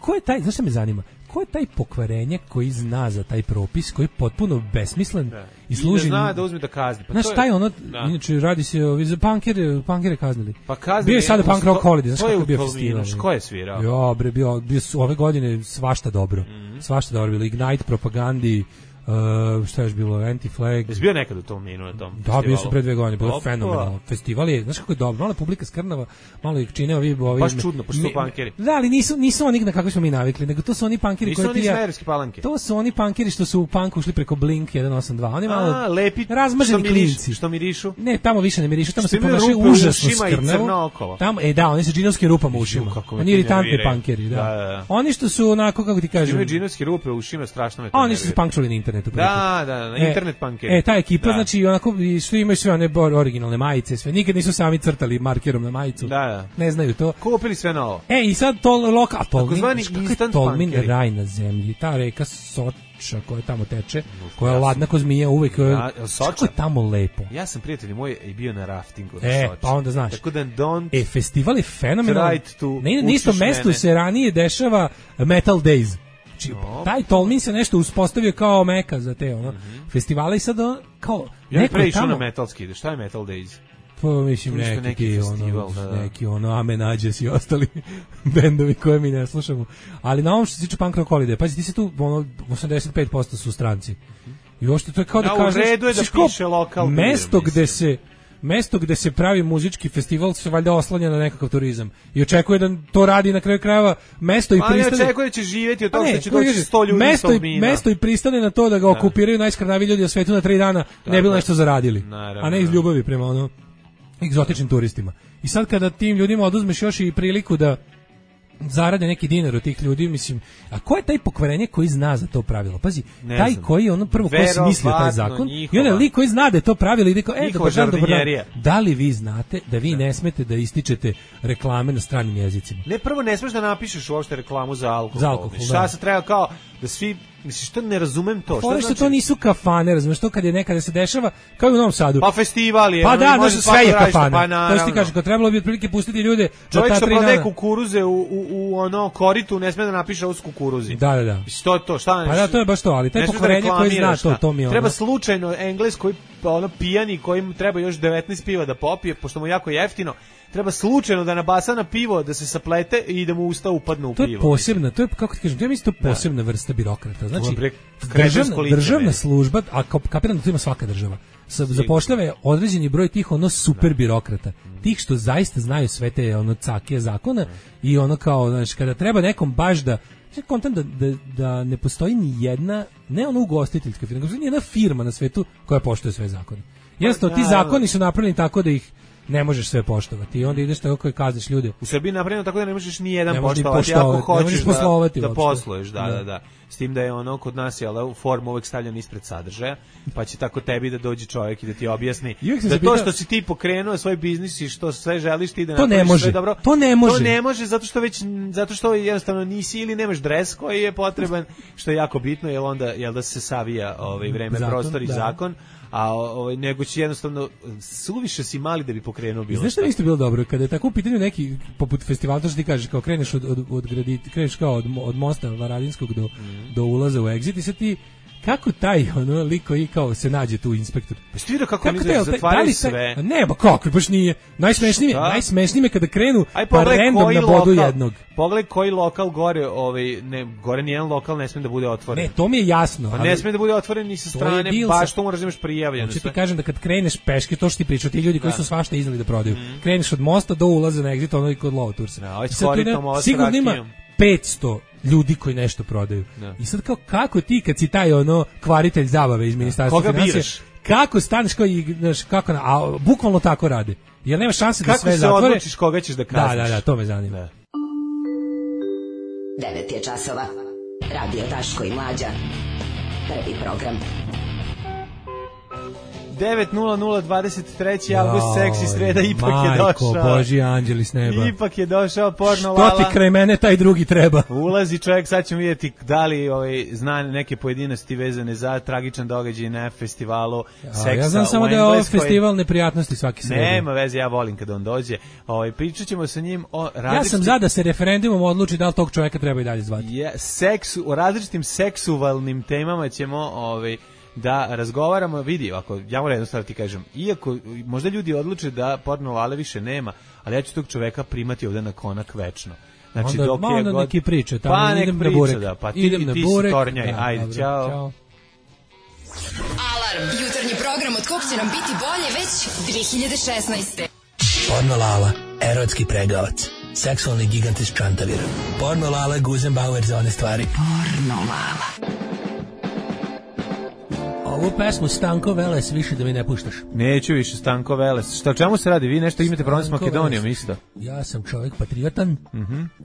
Ko je taj, znaš šta me zanima? Ko je taj pokvarenje koji zna za taj propis, koji je potpuno besmislen i služi... I da zna da uzme da kazni. Pa znaš šta je ono, inače radi se za punkere kaznili. Pa kaznili. Bio je sada Punk Rock Holiday, znaš kako je bio festival. Ko je svirao? Jo, bre, bio ove godine svašta dobro. Svašta dobro bilo. Ignite, Propagandi, šta je još bilo, Anti-Flag. Jesi bio nekad u tom minu na tom festivalu? Da, bio sam pre 2 godine, bilo je fenomenalno. Festival je, znaš kako je dobro, malo publika skrnava, malo ih čine ovi... Baš čudno, pošto su punkeri. Da, ali nisu oni na kako smo mi navikli, nego to su oni punkeri koji... Nisu oni smejerski palanke. To su oni punkeri što su u punk ušli preko Blink 182. Oni malo lepi, razmaženi klinci. Što mirišu? Ne, tamo više ne mirišu, tamo se ponašaju užasno skrnavo. Tamo, da, oni sa džinovskim rupama u ušima. Oni iritantni punkeri, da. Oni što su onako, kako ti kažem... Imaju džinovske rupe u ušima, strašno me to oni što su punkčuli na internetu. Da, internet punkeri. Ta ekipa, znači, onako, što imaju sve one originalne majice, sve, nikad nisu sami crtali markerom na majicu. Da. Ne znaju to. Kupili sve novo. I sad to lokal, Tolmin raj na zemlji, ta reka Soča koja tamo teče, koja je ladna ko zmija uvek, kako je tamo lepo. Ja sam, prijatelji moji, i bio na raftingu na Soči. Pa onda znaš. Tako da festival je fenomenalan. Na istom mestu se ranije dešava Metal Days. Taj Tolmin se nešto uspostavio kao meka za te festivale i sad kao neko je tamo na metalski. Šta je Metal Days? Pa mislim neki Amen Ađes i ostali bendovi koje mi ne slušamo. Ali na ovom što se tiče Punk Rock Holiday, pazi ti se tu 85% su stranci. I uopšte to je kao da kažeš, u redu je da piše lokal mesto gde se pravi muzički festival se valjda oslanja na nekakav turizam i očekuje da to radi na kraju krajeva mesto i pristane. Pa ne očekuje da će živjeti od toga što će doći 100 ljudi iz Tolmina. Mesto i pristane na to da ga okupiraju najskrnaviji ljudi na svetu na 3 dana, ne bi nešto zaradili. A ne iz ljubavi prema egzotičnim turistima. I sad kada tim ljudima oduzmeš još i priliku da zarade neki dinar od tih ljudi, mislim, a ko je taj pokvarenje koji zna za to pravilo? Pazi, taj koji prvo ko se mislio taj zakon, i onda lik koji zna da je to pravilo i da dobar dan, da li vi znate da vi ne smete da ističete reklame na stranim jezicima? Ne, prvo ne smeš da napišeš uopšte reklamu za alkohol. Šta se treba kao da svi, misliš, što ne razumem to. Što znači? To nisu kafane, razumeš, to kad je nekada se dešava, kao i u Novom Sadu. Pa festival je. Pa da, sve je kafana. To ti kažeš, kad trebalo bi otprilike pustiti ljude. Čovjek što prodaje kukuruze u koritu, ne sme da napiše ovo s kukuruzi. Da. Što to, šta ne? Pa da, to je baš to, ali taj pokvarenje koji zna to mi je. Treba slučajno Engles koji pijani, kojim treba još 19 piva da popije, pošto mu jako jeftino. Treba slučajno da nabasa na pivo, da se saplete i da mu usta upadne u pivo. To je posebna, to je, kako ti kažem, to je isto posebna vrsta birokrata. Znači, državna služba, a kapiram da to ima svaka država, zapošljava određeni broj tih super birokrata. Tih što zaista znaju sve te cake zakona i kao, znači, kada treba nekom baš da kontent da ne postoji ni jedna, ne ugostiteljska firma, nego ni jedna firma na svetu koja poštuje sve zakone. Jednostavno, ti zakoni su napravljeni tako da ih ne možeš sve poštovati i onda ideš tako koji kazniš ljude. U Srbiji napravljeno tako da ne možeš ni jedan poštovati ako hoćeš da posluješ, da. S tim da je ono kod nas je u formu uvek stavljeno ispred sadržaja, pa će tako tebi da dođe čovjek i da ti objasni da to što si ti pokrenuo svoj biznis i što sve želiš ti da napraviš sve dobro. To ne može. To ne može zato što jednostavno nisi ili nemaš dres koji je potreban, što je jako bitno, jer onda da se savija vreme, prostor i zakon. A nego će jednostavno suviše si mali da bi pokrenuo bilo. Znaš šta isto bilo dobro kada je tako u pitanju neki poput festivala, to što ti kažeš kao kreneš kreneš kao od mosta Varadinskog do ulaza u Exit i sad ti kako taj lik koji kao se nađe tu inspektor. Pa ste vidio kako oni zatvaraju sve? Ne, ba kako, baš nije. Najsmešnije kada krenu pa random na bodu jednog. Pogledaj koji lokal gore, gore nijedan lokal ne sme da bude otvoren. Ne, to mi je jasno. Pa ne sme da bude otvoren ni sa strane, baš to moraš da imaš prijavljeno. Hoću ti kažem da kad kreneš peške, to što ti pričaju, ti ljudi koji su svašta iznali da prodaju. Kreneš od mosta do ulaza na Exit, ono i kod Lovotursa. Sigurno ima 500 ljudi koji nešto prodaju. I sad kako ti kad si taj kvaritelj zabave iz ministarstva finansija, kako staneš kako a bukvalno tako rade. Jer nema šanse da sve zatvore. Kako se odlučiš koga ćeš da kazniš? Da, to me zanima. 9 je časova. Radio Daško i Mlađa. Prvi program. 9:00 avgust, seksi sreda, ipak je došao. Majko, Božji anđeli s neba. Ipak je došao porno Lala. Što ti kraj mene taj drugi treba? Ulazi čovjek, sad ćemo vidjeti da li zna neke pojedinosti vezane za tragičan događaj na festivalu seksa. Ja znam samo da je ovo festival neprijatnosti svaki sredi. Nema veze, ja volim kada on dođe. Pričat ćemo sa njim o različitim... Ja sam za da se referendumom odluči da li tog čovjeka treba i dalje zvati. O različitim seksualnim temama ćemo da razgovaramo, vidi, ako ja moram jednostavno ti kažem, iako možda ljudi odluče da porno Lale više nema, ali ja ću tog čoveka primati ovde na konak večno. Znači, onda neki priče, tamo idem na burek. Pa ti si tornjaj, ajde, čao. Alarm, jutarnji program od kog će nam biti bolje već 2016. Porno Lala, erotski pregavac, seksualni gigant iz Čantavira. Porno Lala, Guzenbauer za one stvari. Porno Lala. Ovu pesmu Stanko Veles više da mi ne puštaš. Neću više Stanko Veles. O čemu se radi? Vi nešto imate problem s Makedonijom isto? Ja sam čovjek patriotan.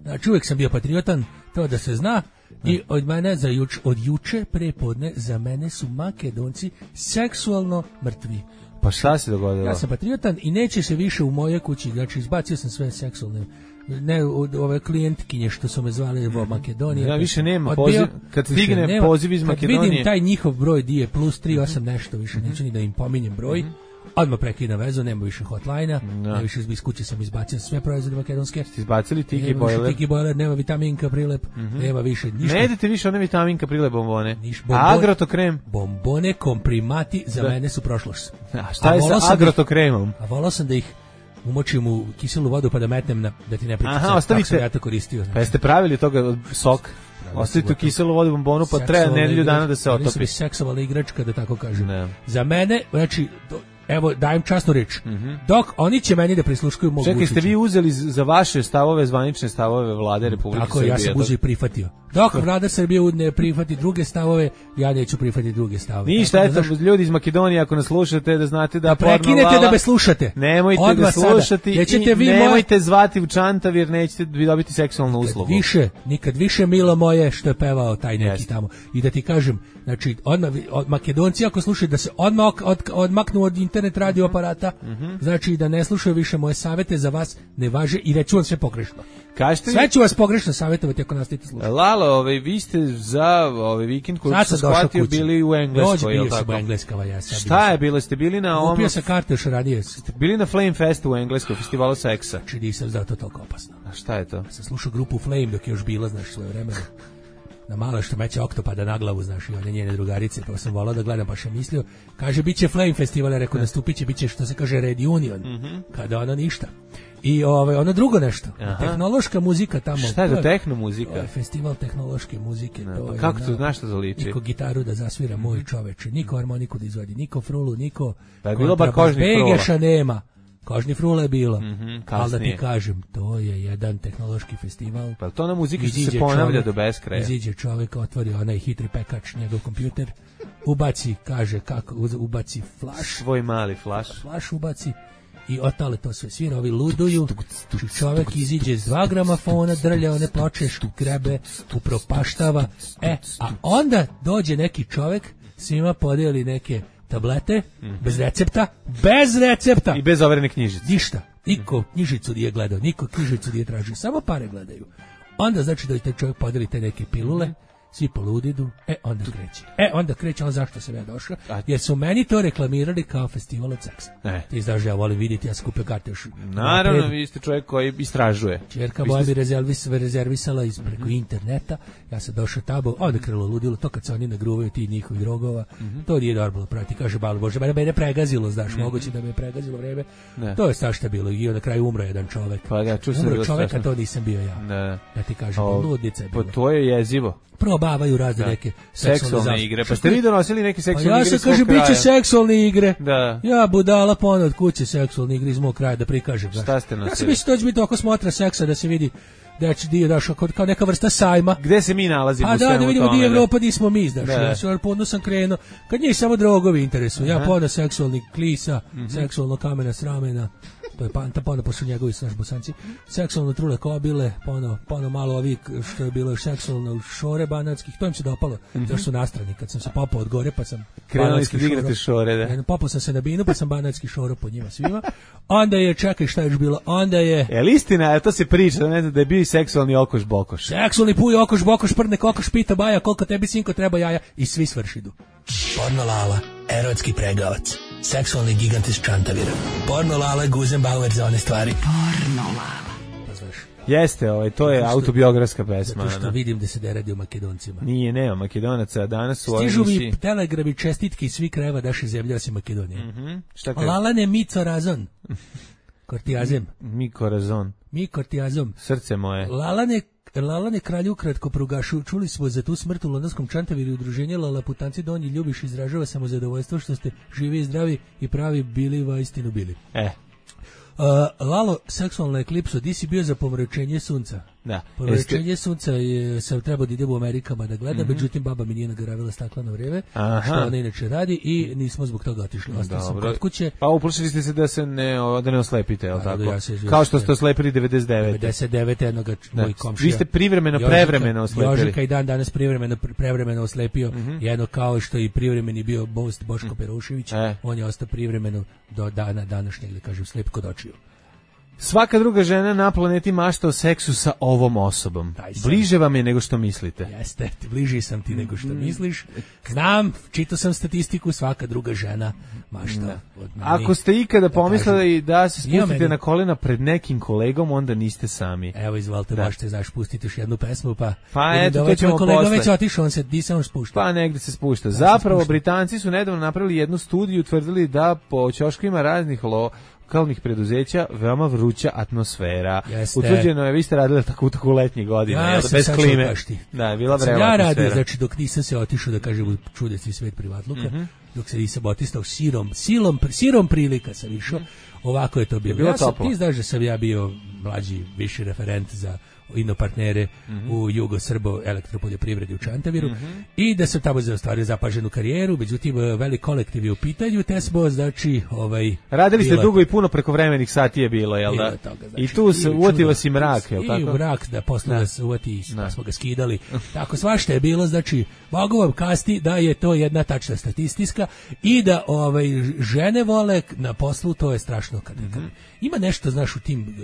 Znači uvijek sam bio patriotan, to da se zna. I od mene od juče prepodne za mene su Makedonci seksualno mrtvi. Pa šta se dogodilo? Ja sam patriotan i neće se više u moje kući, znači izbacio sam sve seksualne, ne ove klijentkinje što su me zvali u Makedoniji. Ja više nema poziv, kad stigne poziv iz Makedonije. Kad vidim taj njihov broj di je plus 38 nešto više, neću ni da im pominjem broj. Odmah prekida vezu, nema više hotline-a, nema više iz kuće sam izbacio sve proizvode makedonske. Ste izbacili Tiki Boiler? Tiki Boiler, nema vitaminka prilep, nema više ništa. Ne jedete više one vitaminka prilep bombone. Agrotokrem? Bombone, komprimati za mene su prošlost. A šta je sa agrotokremom? A volao sam da ih umočim u kiselu vodu pa da metnem da ti ne pričam. Aha, ostavite. Ja to koristio. Pa jeste pravili toga sok? Ostavite u kiselu vodu bombonu pa treba nedelju dana da se otopi. Oni su seksualna igračka, da tako kažem. Za mene, znači, evo, dajem časnu reč. Dok oni će meni da prisluškuju mogu. Čekaj, ste vi uzeli za vaše stavove, zvanične stavove vlade Republike Srbije? Tako, ja sam uzeo i prihvatio. Dok vlada Srbije ne prihvati druge stavove, ja neću prihvatiti druge stavove. Ništa, eto, ljudi iz Makedonije, ako nas slušate, da znate da prekinete da me slušate. Nemojte da slušati i nemojte zvati u Čantavir, nećete dobiti seksualnu uslugu. Nikad više, milo moje, što je pevao taj neki tamo. I da ti kažem, znači, od Makedonci, ako slušaju da se odmah odmaknu od internet radio aparata, znači da ne slušaju više moje savete, za vas ne važe i reću vam sve pogrešno. Sve ću vas pogrešno savjetovati ako nastavite slušati. Lalo, vi ste za vikend koji sam shvatio bili u Engleskoj, je li tako? Šta je bilo? Ste bili na ovom... Kupio sam karte još ranije. Ste bili na Flame Festu u Engleskoj, festivalu seksa. Znači nisam zato toliko opasno. A šta je to? Sam slušao grupu Flame dok je još bila, znaš, svoje vremena. Na malo što meće oktopada na glavu, znaš, i one njene drugarice, pa sam volao da gledam, pa sam mislio, kaže, bit će Flame Festival, rekao, nastupit će, bit će, što se kaže, Reunion, kada ono ništa. I ono drugo nešto, tehnološka muzika tamo. Šta je to tehno muzika? Festival tehnološke muzike. Pa kako to, znaš što zaliči? Niko gitaru da zasvira, moj čoveče, niko harmoniku da izvadi, niko frulu, niko... Pa je bilo bar kožni frula. Begeša nema. Kožni frula je bilo, ali da ti kažem, to je jedan tehnološki festival. Pa to na muziki što se ponavlja do beskraja. Iziđe čovjek, otvori onaj hitri pekač, njegov kompjuter, ubaci, kaže kako, ubaci flash. Svoj mali flash. Flash ubaci i otale to sve svira, ovi luduju, čovek iziđe s 2 gramafona, drlja one ploče, grebe, upropaštava, a onda dođe neki čovek, svima podijeli neke tablete, bez recepta, i bez overene knjižice. Ništa, niko knjižicu nije gledao, niko knjižicu nije tražio, samo pare gledaju. Onda znači da taj čovjek podeli te neke pilule, svi poludidu, onda kreće, on zašto sam ja došao, jer su meni to reklamirali kao festival od seksa. Ti znaš da ja volim vidjeti, ja sam kupio karte još. Naravno, vi ste čovjek koji istražuje. Čerka moja mi rezervisala preko interneta, ja sam došao tamo, onda krilo ludilo, to kad se oni nagruvaju ti njihovi drogova, to nije normalno praviti, kaže balo Bože, mene pregazilo, znaš, moguće da me je pregazilo vreme, to je strašno bilo i na kraju umro jedan čovek. Umro čovek, a to nisam bio ja. Ja ti kažem, ludnica je bilo. To je jezivo. Probavaju razne neke seksualne igre. Pa ste vi donosili neke seksualne igre? Ja sam kaže biće seksualne igre. Da. Ja budala ponad kuće seksualne igre iz mog kraja da prikažem. Šta ste nosili? Ja sam mislio da će biti oko smotra seksa da se vidi da će dio daš kao neka vrsta sajma. Gde se mi nalazimo u svemu tome? Da vidimo gdje je Evropa, gdje smo mi, znaš. Ja sam podno sam krenuo. Kad njih samo drogovi interesuju. Ja pono seksualnih klisa, seksualno kamena sramena. To je panta, pono posle njegovi snaš bosanci. Seksualno trule kobile, pono malo ovih što je bilo seksualno šore banatskih. To im se dopalo. Zašto su nastrani. Kad sam se popao od gore, pa sam krenuli ste igrati šore, da. Popao sam se na binu, pa sam banatski šoro po njima svima. Onda je, čekaj šta je još bilo, onda je... Jel istina, to se priča, da ne znam, da je bio seksualni okoš bokoš. Seksualni puj, okoš bokoš, prdne kokoš, pita baja, koliko tebi sinko treba jaja i svi svršidu. Porno Lala, erotski pregavac, seksualni gigant iz Čantavira. Porno Lala, Guzenbauer za one stvari. Porno Lala. Jeste, to je autobiografska pesma. Zato što vidim da se ne radi o Makedoncima. Nije, nema Makedonaca, danas su... Stižu mi telegrami čestitke iz svih krajeva naše zemlje osim Makedonije. Šta kaže? Lalane mi corazon. Kortijazem. Mi kortijazom. Srce moje. Lalane kralju ukratko prugašu, čuli smo za tu smrt u londonskom Čantaviru i udruženje Lalaputanci Donji Ljubiš izražava samo zadovoljstvo što ste živi i zdravi i pravi bili vaistinu bili. Lalo, seksualna eklipsa, di si bio za pomračenje sunca? Da. Pomračenje sunca sam trebao da idem u Amerikama da gledam, međutim baba mi nije nagaravila stakleno vreme, što ona inače radi i nismo zbog toga otišli. Ostao sam kod kuće. Pa uplašili ste se da se ne oslepite, jel tako? Kao što ste oslepili 99. 99. jednoga moj komšija. Vi ste prevremeno oslepili. Jožika i danas prevremeno oslepio, jedno kao što i privremeni bio Boško Perušević, on je ostao privremeno do dana današnjeg, da kažem, slep kod očiju. Svaka druga žena na planeti mašta o seksu sa ovom osobom. Bliže vam je nego što mislite. Jeste, bliži sam ti nego što misliš. Znam, čitao sam statistiku, svaka druga žena mašta. Ako ste ikada pomislili da se spustite na kolena pred nekim kolegom, onda niste sami. Evo, izvolite, možete, znaš, pustiti još jednu pesmu, pa eto, to ćemo posle. Kolega već otišao, on se disao spušta. Pa negde se spušta. Zapravo, Britanci su nedavno napravili jednu studiju, tvrdili da po ćoškovima raznih lokalnih preduzeća veoma vruća atmosfera. Utvrđeno je, vi ste radili tako u letnjih godina, bez klime. Da, je bila vrela atmosfera. Ja radio, znači dok nisam se otišao da kažem čudesni svet privatluka, dok se nisam otistao sirom prilika sam išao, ovako je to bilo. Ti znaš da sam ja bio mlađi, viši referent za inopartnere u Jugo-Srbo elektropoljoprivredi u Čantaviru i da sam tamo ostvario zapaženu karijeru, međutim velik kolektiv je u pitanju, te smo, znači, radili ste dugo i puno prekovremenih sati je bilo, jel da? I tu se uvatilo si mrak, jel tako? I mrak, da posle nas uvati, pa smo ga skidali. Tako svašta je bilo, znači, mogu vam kasti da je to jedna tačna statistika i da žene vole na poslu, to je strašno kad ima nešto, znaš, u tim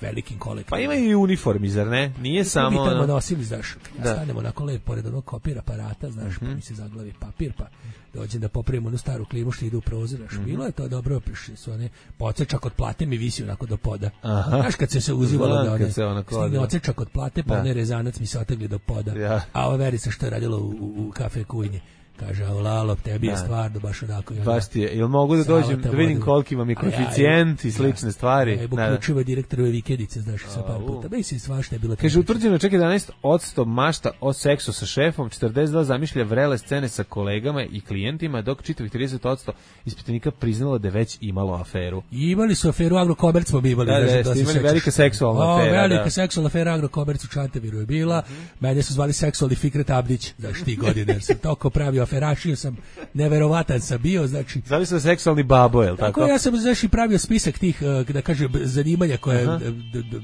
velikim kolektivima. Pa ima i uniformi, zar ne? Nije samo... Mi tamo nosili, znaš, stanemo onako lep pored onog kopir aparata, znaš, pa mi se zaglavi papir, pa dođem da popravimo onu staru klimu što ide u prozor, znaš, bilo je to dobro, prišli su one, odsečak od plate mi visi onako do poda. Znaš, kad se uzivalo da stigne odsečak od plate, pa onaj rezanac mi se otegli do poda. A ova Verica što je radila u kafe Kujnje, kaže, Lalo, tebi je stvarno baš onako. Baš ti je. Jel mogu da dođem da vidim koliki vam je koeficijent i slične stvari? Uključivo direktorove vikendice, znaš, sa par puta. Mislim, svašta je bilo. Kaže, utvrđeno čak 11% mašta o seksu sa šefom, 42% zamišlja vrele scene sa kolegama i klijentima, dok čitavih 30% ispitanika priznalo da je već imalo aferu. Imali su aferu, Agrokomerc smo imali. Da, imali velika seksualna afera. Velika seksualna afera, Agrokomerc u Čantaviru je bila. Mene su zvali seksualni Fikret Abdić, znaš, ti godine, jer sam toko pravio Ferašio sam, neverovatan sam bio, znači... Zavisno seksualni babo, je li tako? Ja sam, znači, pravio spisak tih, da kažem, zanimanja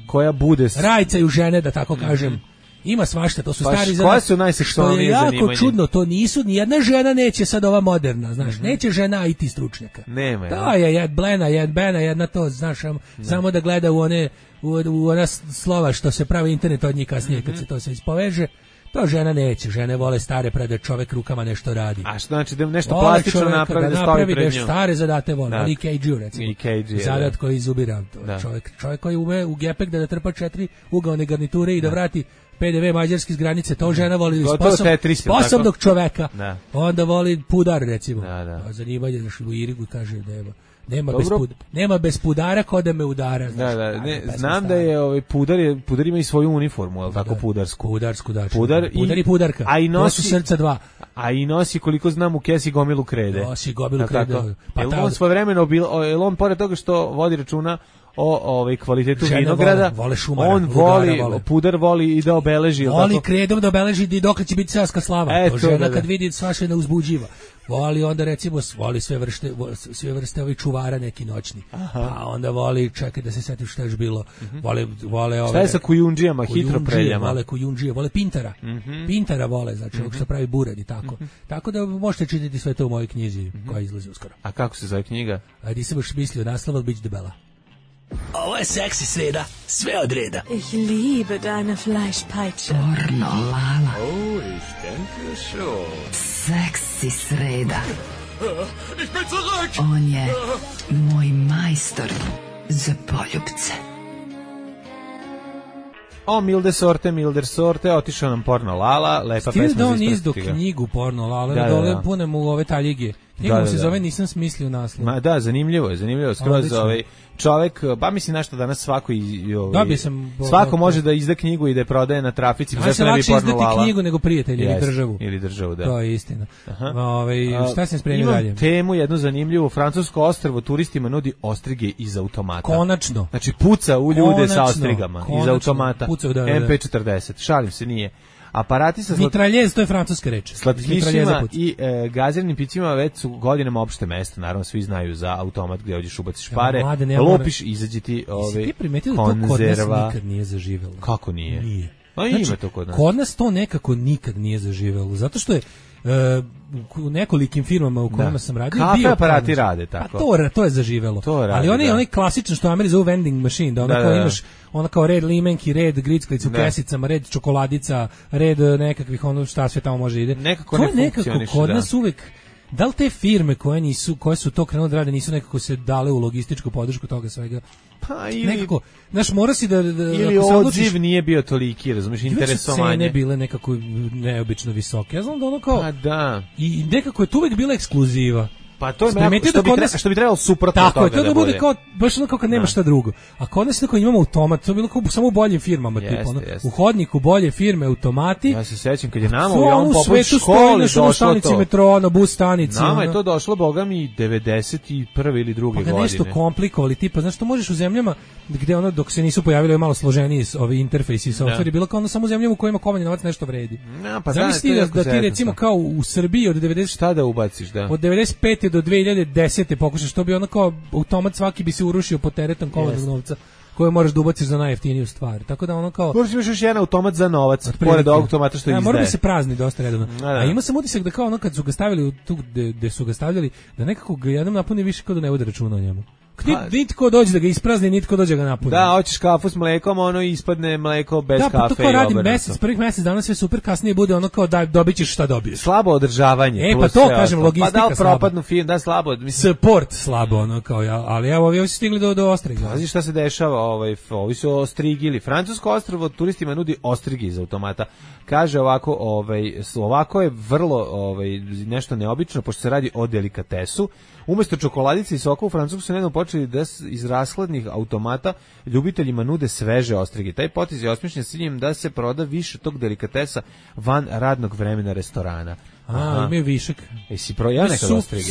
koja bude... Rajcaju žene, da tako kažem. Ima svašta, to su stari zanimanja. Koja su najseksualnije zanimanja? Što je jako čudno, to nisu, nijedna žena neće sad ova moderna, znaš, neće žena IT stručnjaka. Nema, to je jed Blena, jed Bena, jedna to, znaš, samo da gleda u ona slova što se pravi internet od njih kasnije, kad se to sve ispoveže. To žena neće, žene vole stare prede čovek rukama nešto radi. A što znači da nešto plastično napravi, da stoji pred njom? Stare zadate vole, ali EKG recimo. Zadat koji izubira, čovjek koji ume u gepek da trpa 4 ugaone garniture i da vrati PDV mađarski s granice, to žena voli sposobnog čoveka. Onda voli pudar recimo. Zanimanje za u Irigu kaže nema bez pudara ko da me udara. Znam da je pudar ima i svoju uniformu, al tako pudarsku. Pudar i pudarka. To su srca dva. A i nosi, koliko znam, u kesi gomilu krede. Nosi gomilu krede. Pa on svojevremeno on pored toga što vodi računa o kvalitetu vinograda, on voli, pudar voli i da obeleži. Voli kredom da obeleži i dok će biti carska slava. To žena kad vidi svaše ne uzbuđiva. Voli onda recimo, voli sve vrste ovih čuvara neki noćni. Pa onda voli, čekaj da se setim šta je bilo. Vole ove... Šta je sa kujundžijama, hitropreljama? Vole kujundžije, vole pintara. Pintara vole, znači ovog što pravi bured i tako. Tako da možete čitati sve to u mojoj knjizi koja izlazi uskoro. A kako se zove knjiga? Nisam baš mislio naslov, ali bit debela. Ovo je seksi sreda, sve od reda. Ich liebe deine Fleischpeitsche. Pornolala. Oh, ich denke schon. Seksi sreda. Ich bin zurück. On je moj majstor za poljubce. Milde sorte, otišao nam Pornolala, lepa pesma za isprostiti ga. Stil da on izdo knjigu Pornolala, da dole punem u ove taljige. Knjigu se zove Nisam smislio naslov. Da, zanimljivo je, skroz čovek, pa mislim nešto danas svako može da izda knjigu i da je prodaje na trafici, a se lakše izdati knjigu nego prijatelj ili državu, da. To je istina. Šta sam spremio dalje? Imam temu jednu zanimljivu, francusko ostrvo turistima nudi ostrige iz automata. Konačno. Znači puca u ljude sa ostrigama iz automata. MP40, šalim se, nije. Aparati sa mitraljez, to je francuska reč. Slatkišima i gaziranim pićima već su godinama opšte mesto, naravno svi znaju za automat gdje dođeš ubaciš pare, lopiš, izađe ti ti primetili da to kod nas nikad nije zaživelo? Kako nije? Nije. Ima to kod nas. Kod nas to nekako nikad nije zaživelo, zato što je u nekolikim firmama u kojima sam radio kafe aparati rade tako. To je zaživelo. Ali onaj klasično što Ameri zove vending machine, da onako imaš ona kao red limenki, red grickalica u kesicama, red čokoladica, red nekakvih ono šta sve tamo može ide. Nekako ne funkcioniše. Kod nas uvek da li te firme koje su to krenule da rade nisu nekako se dale u logističku podršku toga svega? Pa ili nekako, znaš, mora si da ili odziv nije bio toliki, razumiješ, interesovanje. Cene bile nekako neobično visoke. Ja znam da ono kao... Pa da. I nekako je to uvek bila ekskluziva. Pa to je što bi trebalo suprotno tako toga. Tako je, to da bude kao, baš ono kao kad nema šta drugo. A kod nas tako imamo automat, to je bilo kao samo u boljim firmama. U hodniku bolje firme, automati. Ja se sećam kad je nama u ovom poput školi došlo stanici metroa, na bus stanici. Nama je to došlo, boga mi, 91. ili druge godine. Pa nešto komplikovali, tipa, znaš što možeš u zemljama gde ono, dok se nisu pojavili malo složeniji ovi interfejsi i softveri, bilo kao ono samo u zemljama u kojima komanje novac nešto vredi. Zamisli da ti recimo kao u Srbiji od 90... Šta da ubaciš, da? Od 95. do 2010. pokušaš, to bi ono kao automat svaki bi se urušio pod teretom kovanog novca koje možeš da ubaciš za najjeftiniju stvar. Tako da ono kao... Možeš imaš još jedan automat za novac, pored automata što izdaje. Mora da se prazni dosta redovno. A ima sam utisak da kao ono kad su ga stavili tu gde su ga stavljali, da nekako ga jednom napuni više kao da ne vode računa o njemu. Nitko dođe da ga isprazni, nitko dođe da ga napuni. Da, hoćeš kafu s mlekom, ono ispadne mleko bez kafe. Da, pa to kao radim prvih mesec dana sve super, kasnije bude ono kao da dobićeš šta dobiješ. Slabo održavanje. Pa to kažem, logistika slabo. Pa da, propadnu film, da, slabo. Support slabo, ono kao ja, ali evo, ovi su stigli do ostriga. Pazi šta se dešava, ovi su ostrigili. Francusko ostrvo turistima nudi ostrigi iz automata. Kaže ovako je vrlo nešto neobično, pošto se radi o delikatesu. Umjesto čokoladice i soka u Francusku su nedavno počeli da iz rashladnih automata ljubiteljima nude sveže ostrige. Taj potez je osmišljen s ciljem da se proda više tog delikatesa van radnog vremena restorana. Imaju višak. Jesi ja nekad ostrige?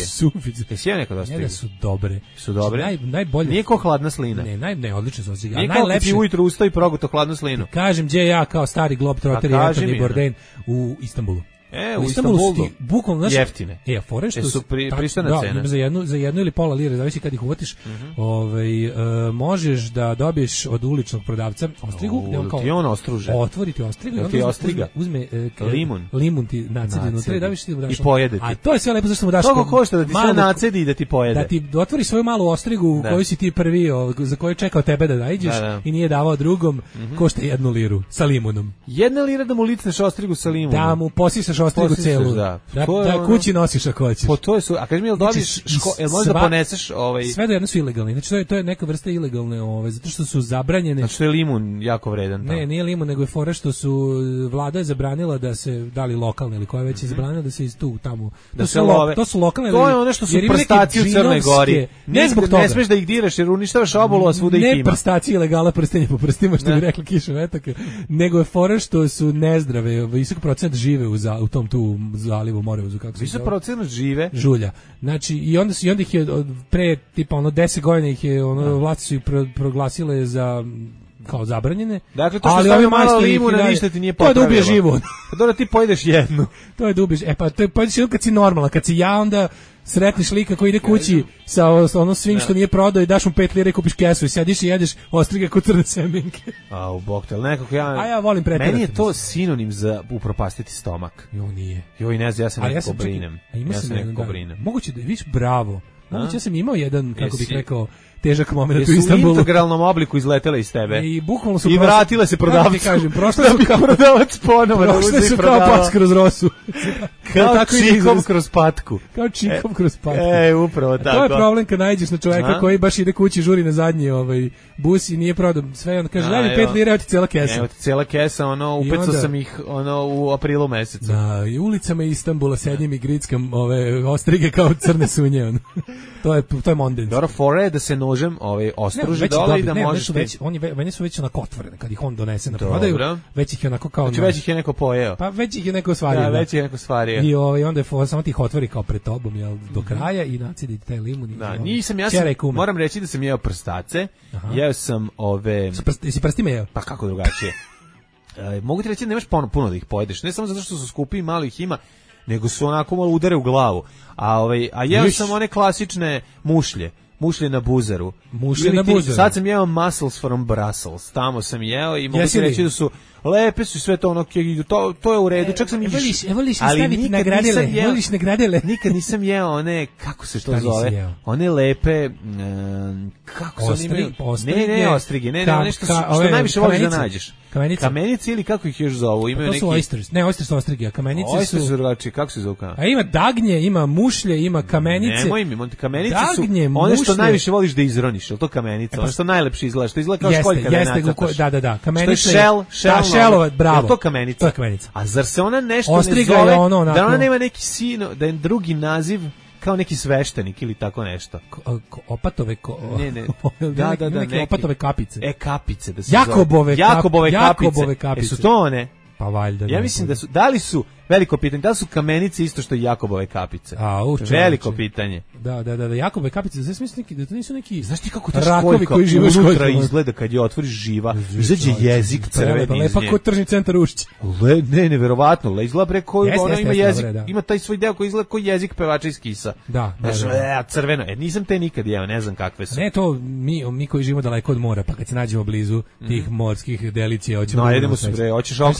Jesi ja nekad ostrige? Njega su dobre. Su dobre? Najbolje. Nije ko hladna slina. Ne, odlične su ostrige. Nije kao ti ujutru ustao i proguto hladnu slinu. Kažem, gdje ja kao stari globetrotter i Anthony Bourdain u Istanbulu. U Istanbulu bukvalno jeftine. Fore što su pristojna cena. Za jednu ili pola lire, zavisi kad ih uvatiš. Možeš da dobiješ od uličnog prodavca ostrigu, ti on ostruže. Otvoriti ostrigu, ti ostriga uzme limun ti nacedi unutra i daš ti i pojede ti. A to je sve lepo zašto mu daš. Koliko košta da ti sve nacedi i da ti pojede? Da ti otvori svoju malu ostrigu koju si ti prvi, za koju je čekao tebe da nađeš i nije davao drugom, košta 1 liru sa limunom. 1 lira da mu licneš ostrigu sa limunom. Da mu posisaš ostrigu celu. Da kući nosiš ako hoćeš. Po to je a kaži mi jel dobiješ jel možeš da poneseš sve do jedno su ilegalni. Znači to je neka vrsta ilegalne, zato što su zabranjene. Znači je limun jako vredan tamo. Ne, nije limun, nego je fora što su vlada je zabranila da se dali lokalne ili koja već je zabranila da se iz tu tamo. To su lokalne. To je ono što su prstaci u Crnoj Gori. Ne smeš da ih diraš jer uništavaš obolu, a svuda ih ima. Ne prstaci ilegala prstenje po prstima što bi rekla Kiša Vetaka, nego je fora što su nezdrave, visok procenat žive u tom tu zalivu Morevozu, kako se visok procenat žive žulja. Znači i onda ih je pre tipa 10 godina ih je vlasti su ih proglasile za kao zabranjene. Dakle, to što stavio malo limuna, ništa ti nije popravilo. To je da ubije život. Pa dobro, ti pojedeš jednu. To je da ubiješ. To je pojedeš jednu kad si normalna. Kad si ja, onda sretniš lika koji ide kući sa ono svim što nije prodao i daš mu 5 lira i kupiš kesu i sediš i jedeš ostrige kod crne semenke. U boktel, nekako ja volim preterati. Meni je to sinonim za upropastiti stomak. Nije. Ne znam, ja sam nekako brinem. Ja sam nekako brinem. Moguće da viš bravo. Moguće ja sam imao jedan, kako bih rekao, težak moment u Istanbulu. U integralnom obliku izletele iz tebe. I bukvalno su vratile se prodavcu. Kako ti kažem, prošle su kao prodavac ponovo da uzme i prodava. Kao pas kroz rosu. Kao čikov kroz patku. Kao čikov kroz patku. Upravo tako. To je problem kad nađeš na čoveka koji baš ide kući, žuri na zadnji bus i nije prodao sve. On kaže, daj mi 5 lira, evo ti cela kesa. Evo ti cela kesa, upecao sam ih u aprilu mesecu. Da, i ulicama Istanbula sedim i grickam ostrige kao crne sunje. To je mondens. Dobro, fore da se nožem ostruži dole i da možeš meni su već onako otvorene kad ih on donese na prodaju. Već ih je onako kao znači već ih je neko pojeo. Pa već ih je neko stvario. Da, već je neko stvario. I onda je samo ti ih otvori kao pred tobom do kraja i nacidi taj limun. Da, moram reći da sam jeo prstace. Jeo sam Jesi prstima jeo? Pa kako drugačije. Mogu ti reći da nemaš puno da ih pojedeš. Ne samo zato što su skupi i malo ih ima, nego su onako malo udare u glavu. A jeo sam one klasične mušlje na buzaru. Sad sam jeo mussels from Brussels. Tamo sam jeo i mogu ti reći da su lepe su sve to to je u redu. Čak sam voliš staviti nagradele. Nikad nisam jeo one, kako se to zove? One lepe, kako se oni ne ostrige, ne, nešto što najviše voliš da nađeš. Kamenice ili kako ih još zovu? To su oysters. Ne, oysters su ostrige, a kamenice su... Oysters su drugačije, kako se zovu? A ima dagnje, ima mušlje, ima kamenice. Nemoj mi, kamenice su one što najviše voliš da izroniš, je li to kamenica? Ono što najlepše izgleda, što izgleda kao školjka da je nacrtaš. Da, kamenica je... Šelova, bravo. Je to kamenica? To je kamenica. A zar se ona nešto ne zove, da ona nema neki da je drugi naziv kao neki sveštenik ili tako nešto. Opatove neke opatove kapice. Kapice da se Jakobove kapice. Su to one? Pa valjda. Ja mislim da li su veliko pitanje, da li su kamenice isto što i Jakobove kapice? Veliko pitanje. Da, Jakobove kapice, znači mislim da to nisu neki. Znaš ti kako ta školjka unutra izgleda kad je otvoriš živa, izađe jezik crveni iz nje. Lepa kao tržni centar Ušća. Neverovatno, izgleda preko ona ima jezik, ima taj svoj deo koji izgleda kao jezik pevača iz Kisa. Da. Crveno. Nisam te nikad jeo, ne znam kakve su. Ne, to mi koji živimo daleko od mora, pa kad se nađemo blizu tih morskih delicija, hoćemo. No, jedemo se bre, hoćeš hoćeš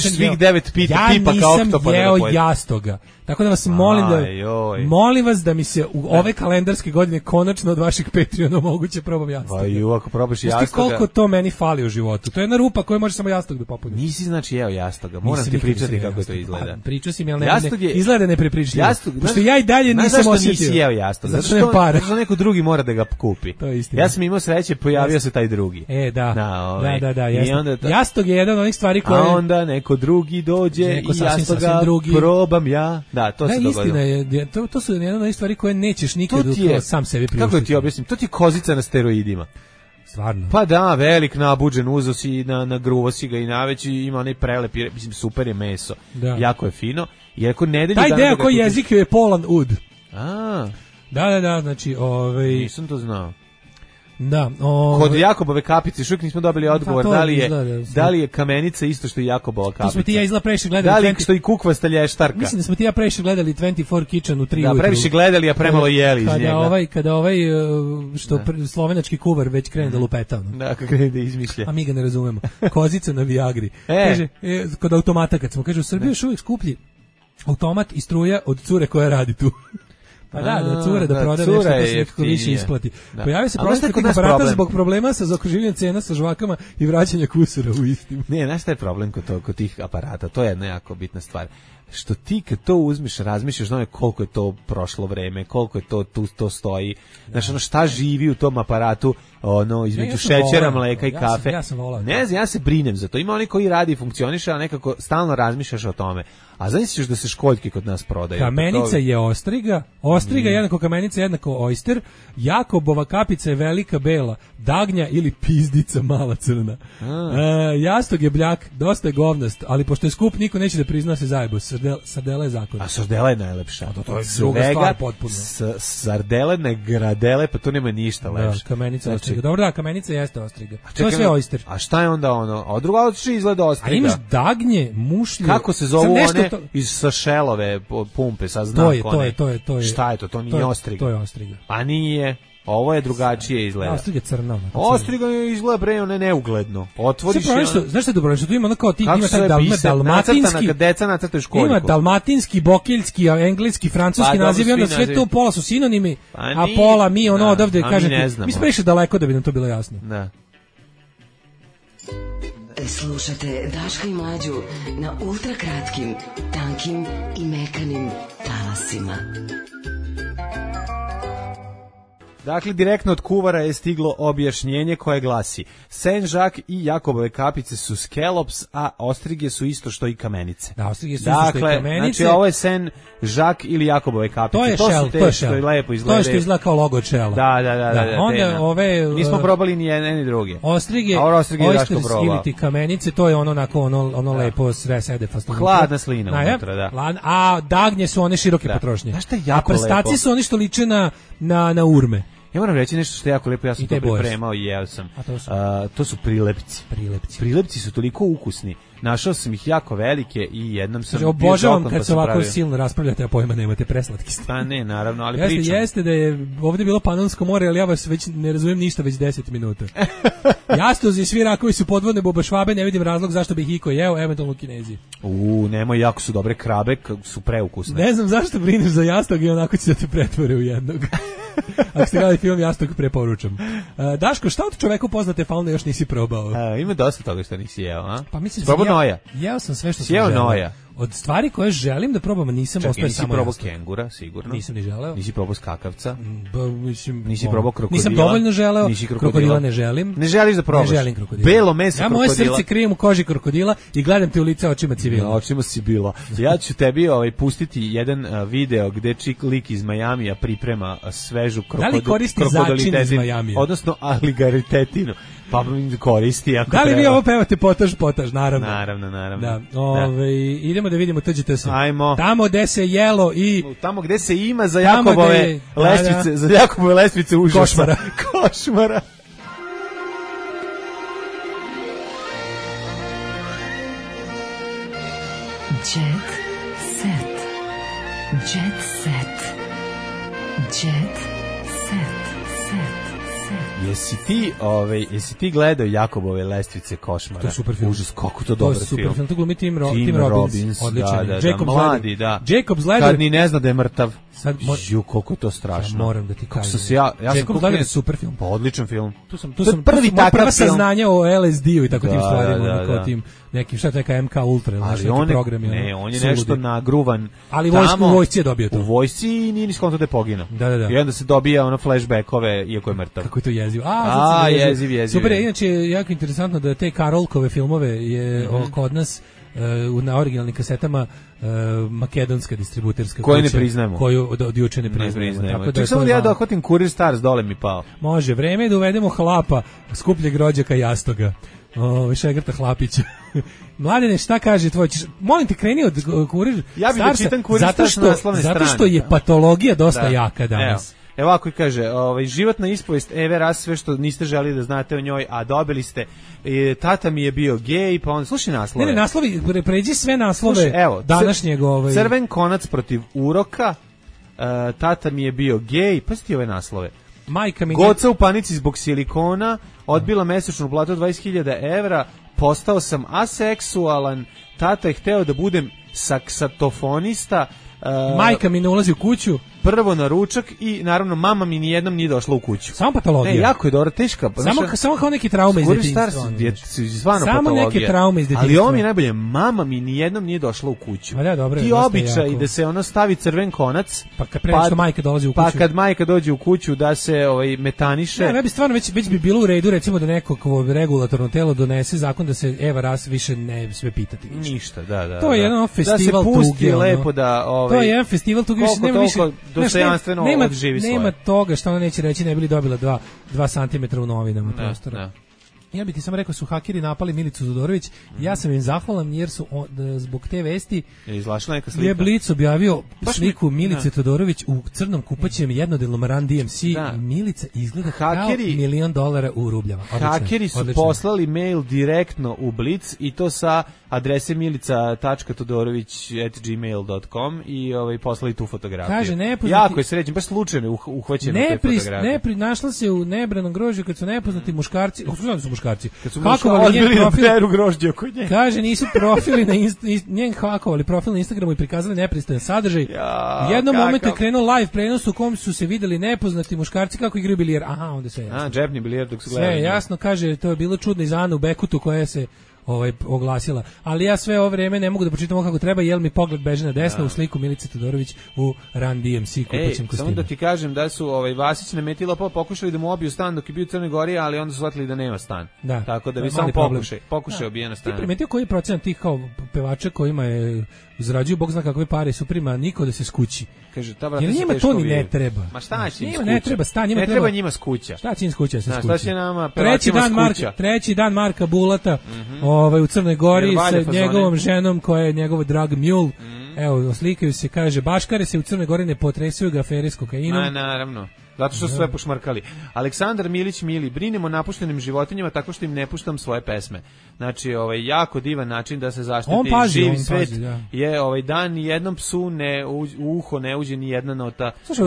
svih 9 tipa kao oktopoda. Ja nisam jeo jastoga. Tako da vas molim vas da mi se u ove kalendarske godine konačno od vaših Patreona moguće probam jastoga. Ako probaš jastoga. Znaš koliko to meni fali u životu? To je jedna rupa koja može samo jastog da popuni. Nisi znači jeo jastoga. Moram ti pričati kako to izgleda. Pričao si mi, ali izgleda neprepričljivo. Pošto ja i dalje nisam osjetio. Nisi jeo jastoga? Zato što neko drugi mora da ga kupi. To je istina. Ja sam imao sreće, pojavio se taj drugi. Da. Jastog je jedan od onih stvari koje... A onda neko drugi dođe i jastoga probam ja. Da, to se dogodilo. Istina je, to su jedna od onih stvari koje nećeš nikad sam sebi priuštiti. Kako ti objasnim? To ti je kozica na steroidima. Stvarno. Pa da, velik nabuđen, uzo si na gruvo si ga i naveći, ima onaj prelep, mislim, super je meso. Jako je fino. I ako nedelju taj deo koji jezik je polan ud. A. Da, znači, Nisam to znao. Da, kod Jakobove kapice, šuk nismo dobili odgovor da li je kamenica isto što i Jakobova kapica. To smo ti ja izgleda previše gledali. Da li što i kukvasta lještarka. Mislim da smo ti ja previše gledali 24 Kitchen u 3 ujutru. Da, previše gledali, a premalo jeli iz njega. Kada što slovenački kuvar već krene da lupeta. Da, kad krene da izmišlja. A mi ga ne razumemo. Kozica na Viagri. Kaže, kod automata kad smo, kaže, u Srbiji još uvijek skuplji automat i struja od cure koja radi tu. Pa da cure da proda nešto da se nekako više isplati. Pojavio se problem kod aparata zbog problema sa zaokruživanjem cena sa žvakama i vraćanja kusura u istim. Ne, znaš šta je problem kod tih aparata? To je jedna jako bitna stvar. Što ti kad to uzmeš, razmišljaš koliko je to prošlo vreme, koliko je to stoji, znaš, šta živi u tom aparatu, između šećera, mleka i kafe. Ja sam volao. Ne znam, ja se brinem za to. Ima oni koji radi i funkcioniše, a nekako stalno razmišljaš o tome. A zamisliš da se školjke kod nas prodaju. Kamenica je ostriga, jednako kamenica jednako oyster, Jakobova kapica je velika bela, dagnja ili pizdica mala crna. Jastog je bljak, dosta je govnast, ali pošto je skup, niko neće da prizna se zajebo. Sardela je zakon. A sardela je najlepša. To je druga stvar potpuno. Sardele, gradele, pa tu nema ništa lepše. Da, kamenica je ostriga. Dobro, da, kamenica jeste ostriga. To je sve oyster. A šta je onda ono? A druga ostriga izgleda ostriga. A imaš dagnje, mušlje. Kako se zovu one iz Sašelove pumpe sa znakom? To je. Šta je to? To nije ostriga. To je ostriga. Pa nije. Ovo je drugačije izgleda. Ostriga je crna. Ostriga izgleda bre, one neugledno. Otvoriš je. Znaš šta je dobro? Što tu ima ono kao ti ima taj dalmatinski, kad deca nacrtaju školjku. Ima dalmatinski, bokeljski, engleski, francuski naziv i onda sve to pola su sinonimi, a pola mi odavde kažete. Mi smo previše daleko da bi nam to bilo jasno. Da. Slušate Daška i Mlađu na ultrakratkim, tankim i mekanim talasima. Dakle, direktno od kuvara je stiglo objašnjenje koje glasi: Saint-Jacques i Jakobove kapice su scallops, a ostrige su isto što i kamenice. Da, ostrige su isto što i kamenice. Znači, ovo je Saint-Jacques ili Jakobove kapice. To je shell, što je lepo izgleda. To je što izgleda kao logo od shella. Da. Onda ove... Nismo probali ni jedne ni druge. Ostrige, oysters ili ti kamenice, to je ono lepo sede fastom. Hladna slina unutra, da. A dagnje su one široke potrošnje. Znaš šta je jako lepo? A prstaci su oni što liče na urme. Ja moram reći nešto što je jako lepo, ja sam to pripremao i jeo sam. To su prilepci. Prilepci su toliko ukusni. Našao sam ih jako velike i jednom sam... Obožavam kad se ovako silno raspravljate, a pojma nemate, preslatki ste. Pa ne, naravno, ali pričam. Jeste da je ovdje bilo Panonsko more, ali ja vas već ne razumijem ništa već 10 minuta. Jastozi i svi rakovi su podvodne bubašvabe, ne vidim razlog zašto bih iko jeo, eventualno u Kinezi. Nemoj, jako su dobre krabe, su preukusne. Ne znam zašto brineš za jastog i onako će da te pretvore u jednog. Ako ste gledali film, Jastog preporučam. Daško, šta od čoveku poznate faune još nisi probao? Ima dosta toga što nisi jeo, a? Pa mislim, noja. Jeo sam sve što sam želeo. Noja. Od stvari koje želim da probam, nisam ostao samo nisi probao kengura, sigurno. Nisam ni želeo. Nisi probao skakavca. Nisi probao krokodila. Nisam dovoljno želeo. Krokodila ne želim. Ne želiš da probaš? Ne želim krokodila. Belo meso krokodila. Ja moje srce krijem u koži krokodila i gledam te u lice očima civila. Očima Sibila. Ja ću tebi pustiti jedan video gde lik iz Majamija priprema svežu krokodilitetinu. Da li koristi začin iz Majamija? Odnosno aligaretetinu. Pa koristi ako da li vi ovo pevate potaž, naravno. Naravno. Da. Idemo da vidimo tuđite se. Ajmo. Tamo gde se jelo i... Tamo gde se ima za Jakobove lestvice, za Jakobove lestvice užasa. Košmara. Jet set. Jet set. Jet set. Jesi ti gledao Jakobove lestvice Košmara? To je super film. Užas, kako to dobar film. To je super film. To glumi Tim Robbins. Odličan. Da, mladi, da. Jacob's Ladder. Kad ni ne zna da je mrtav. Koliko je to strašno. Ja moram da ti kažem. Jacob's Ladder je super film. Pa odličan film. Tu sam prva saznanja o LSD-u i tako tim stvarima. Kao tim nekim, šta je neka MK Ultra ili neki program. Ne, on je nešto nagruvan. Ali u vojsci je dobio to. U vojsci i nije ni skonto da je poginuo. Da. I onda se dobija ono flashbackove, iako je mrtav. Kako je to jezivo. Jeziv. Super, inače je jako interesantno da te Karolkove filmove je kod nas na originalnim kasetama makedonska distributerska koju ne priznajemo. Koju od juče ne priznajemo. Tako da samo ja dohvatim Kurir Stars, dole mi pao. Može, vreme je da uvedemo hlapa, skupljeg rođaka Jastoga. Šegrta Hlapića. Mladene, šta kaže tvoj? Molim te, kreni od Kurir. Ja bih da čitam Kurir Stars na naslovne strane. Zato što je patologija dosta jaka danas. Evo ovako kaže, životna ispovest Eve Ras, sve što niste želi da znate o njoj, a dobili ste. Tata mi je bio gej, pa on slušaj naslove. Ne, naslovi, pređi sve naslove. Slušaj, evo, današnjeg Crven konac protiv uroka. Tata mi je bio gej, pa sti ove naslove. Majka mi Goca u panici zbog silikona, odbila mesečnu platu 20.000 evra, postao sam aseksualan, tata je hteo da budem saksofonista. Majka mi ne ulazi u kuću. Prvo na ručak i naravno mama mi nijednom nije došla u kuću. Samo patologija. Ne, jako je dobro, teška. Samo kao neke traume iz detinjstva. Samo neke traume iz detinjstva. Ali ovo mi je najbolje, mama mi nijednom nije došla u kuću. Da, dobro, ti običaj da se ono stavi crven konac, pa kad majka dolazi u kuću. Pa kad majka dođe u kuću da se metaniše. Ne bi stvarno već bi bilo u redu recimo da neko regulatorno telo donese zakon da se Eva Ras više ne sve pitati. Ništa, da. To je jedan festival tuge. Da se pusti lepo da to je jedan festival tuge, nema više dostojanstveno odživi svoje. Nema toga što ona neće reći, ne bili dobila 2 cm u novinama prostora. Ja bih ti samo rekao, su hakeri napali Milicu Todorović, ja sam im zahvalan jer su zbog te vesti izlašla neka slika. Je Blic objavio sliku Milice Todorović u crnom kupaćem jednodelnom Run DMC i Milica izgleda kao $1.000.000 u rubljama. Hakeri su poslali mail direktno u Blic i to sa adrese milica.todorović@gmail.com i poslali tu fotografiju. Kaže, jako je srećen, baš slučajno uhvaćeno te fotografije. Našla se u nebranom grožđu kad su nepoznati muškarci, kad su odbili da peru grožđe oko nje. Kaže, nisu profili njen hakovali profil na Instagramu i prikazali nepristojan sadržaj. U jednom momentu je krenuo live prenos u kom su se videli nepoznati muškarci kako igraju bilijer. Aha, onda sve jasno. Džepni bilijer dok su gledali. Sve jasno, kaže, to je bilo čudno iz Anu Bekutu koja se oglasila. Ali ja sve ovo vreme ne mogu da pročitam ovo kako treba, jer mi pogled beže na desno u sliku Milice Todorović u Run DMC kupaćem kostimu. Samo da ti kažem da su Vasić Nemetila pokušali da mu obiju stan dok je bio u Crnoj Gori, ali onda su shvatili da nema stan. Da. Tako da bi samo pokušaj obijena stan. Ti primetio koji je procenat tih kao pevača kojima je zarađuju bog zna kakve pare su prima niko da se skući. Kaže, ta brate, njima to ni ne treba. Ma šta će im skuća? Ne treba stan, njima treba njima skuća. Šta će im skuća? Šta će nama treći dan Marka Bulata, u Crnoj Gori sa njegovom ženom koja je njegov drag mule. Evo, slikaju se, kaže, baškare se u Crnoj Gori ne potresuju ga afere s kokainom. Naravno. Zato što su sve pošmarkali. Aleksandar Milić Mili, brinemo o napuštenim životinjama tako što im ne puštam svoje pesme. Znači, jako divan način da se zaštiti živi svet. Je dan ni jednom psu u uho ne uđe ni jedna nota. Slušaj,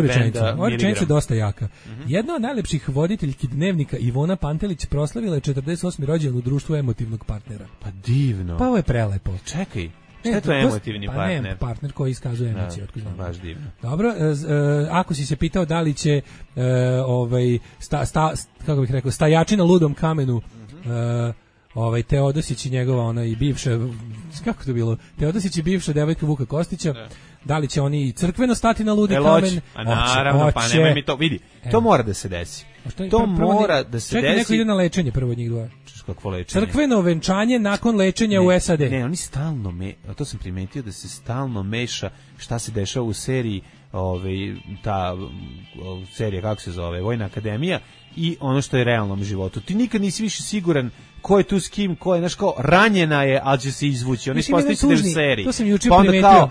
ova rečenica je dosta jaka. Jedna od najlepših voditeljki Dnevnika, Ivona Pantelić, proslavila je 48. rođendan u društvu emotivnog partnera. Pa divno. Pa ovo je prelepo. Čekaj. Šta je to emotivni partner? Ne, partner koji iskazuje emocije. Baš divno. Dobro, ako si se pitao da li će kako bih rekao, stajači na ludom kamenu Teodosić i njegova i bivša, kako to bilo, Teodosić i bivša devojka Vuka Kostića, da li će oni crkveno stati na ludi kamen? Naravno, pa nemoj mi to, vidi, to mora da se desi. To mora da se desi. Čekaj, neko ide na lečenje prvo od njih dvoje. Kakvo lečenje? Crkveno venčanje nakon lečenja u SAD. Ne, oni stalno to sam primetio da se stalno meša šta se dešava u seriji, ta serija, kako se zove, Vojna akademija, i ono što je u realnom životu. Ti nikad nisi više siguran ko je tu s kim, ko je, znaš, kao ranjena je, ali će se izvući. Oni ispostaviti da je u seriji. To sam juče primetio.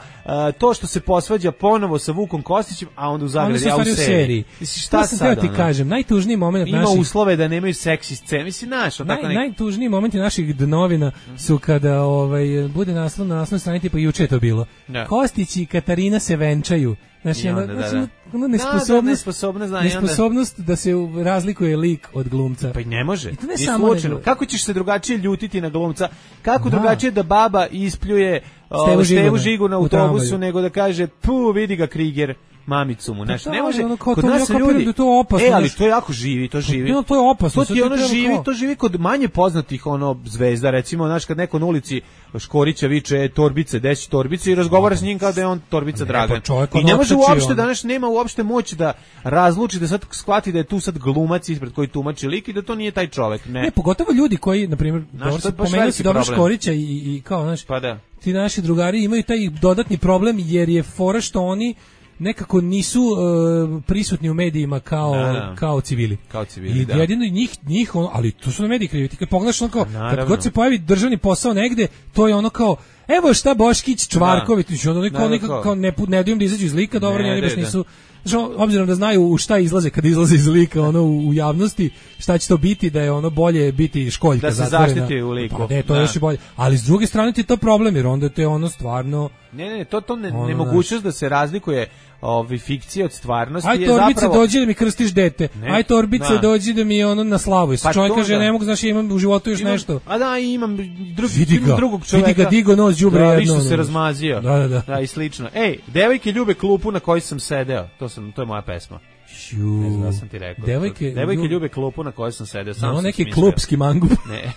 To što se posvađa ponovo sa Vukom Kostićem, a onda u zagradi, a u seriji. Šta sad ti kažem, najtužniji moment ima naših... uslove da nemaju seksi scene, mislim, znaš. Najtužniji momenti naših novina su kada bude naslov na naslovnoj strani, tipa juče je to bilo. Kostić i Katarina se venčaju. Znači, nesposobnost da se razlikuje lik od glumca. Pa i ne može. I to ne samo slučajno. Kako ćeš se drugačije ljutiti na glumca? Kako drugačije da baba ispljuje Stevu Žigu na autobusu nego da kaže, vidi ga Kriger, mamicu mu. Znači, ne može. Kod nas ljudi, ali to jako živi, to živi. To je opasno. To živi kod manje poznatih zvezda, recimo, znaš, kad neko na ulici Škorića viče torbice, desi torbice i razgovara s njim kao da je on torbica Dragan. I ne može uopšte, danas nema uopšte moć da razluči, da sad shvati da je tu sad glumac ispred koji tumači lik i da to nije taj čovjek. Ne, pogotovo ljudi koji, na primjer, pomenuo si dobro Škorića i kao, znaš, ti naši drugari imaju taj dodatni problem jer je fora što oni nekako nisu prisutni u medijima kao civili. I jedino njih ali to su na mediji krivi. Ti kad pogledaš kad god se pojavi državni posao negde, to je ono kao evo šta Boškić, Čvarković, ono nekako ne daju im da izađu iz lika, dobro, oni baš nisu, obzirom da znaju u šta izlaze kad izlaze iz lika ono u javnosti, šta će to biti, da je ono bolje biti školjka da se zaštiti u liku. Pa to je još i bolje. Ali s druge strane ti je to problem, jer onda te ono stvarno... Ne, to nemogućnost da se razlikuje fikcija od stvarnosti je zapravo... Aj Torbice, dođi da mi krstiš dete. Aj Torbice, dođi da mi ono na slavu. Pa čovjek kaže, ne mogu, znaš, imam u životu još nešto. A da, imam drugog čovjeka. Vidi ga, digo nos, đubre jedno. Da, se razmazio. Da, i slično. Ej, devojke ljube klupu na kojoj sam sedeo. To je moja pesma. Ne znam da sam ti rekao. Devojke ljube klupu na kojoj sam sedeo. No, neki klupski mangup. Ne.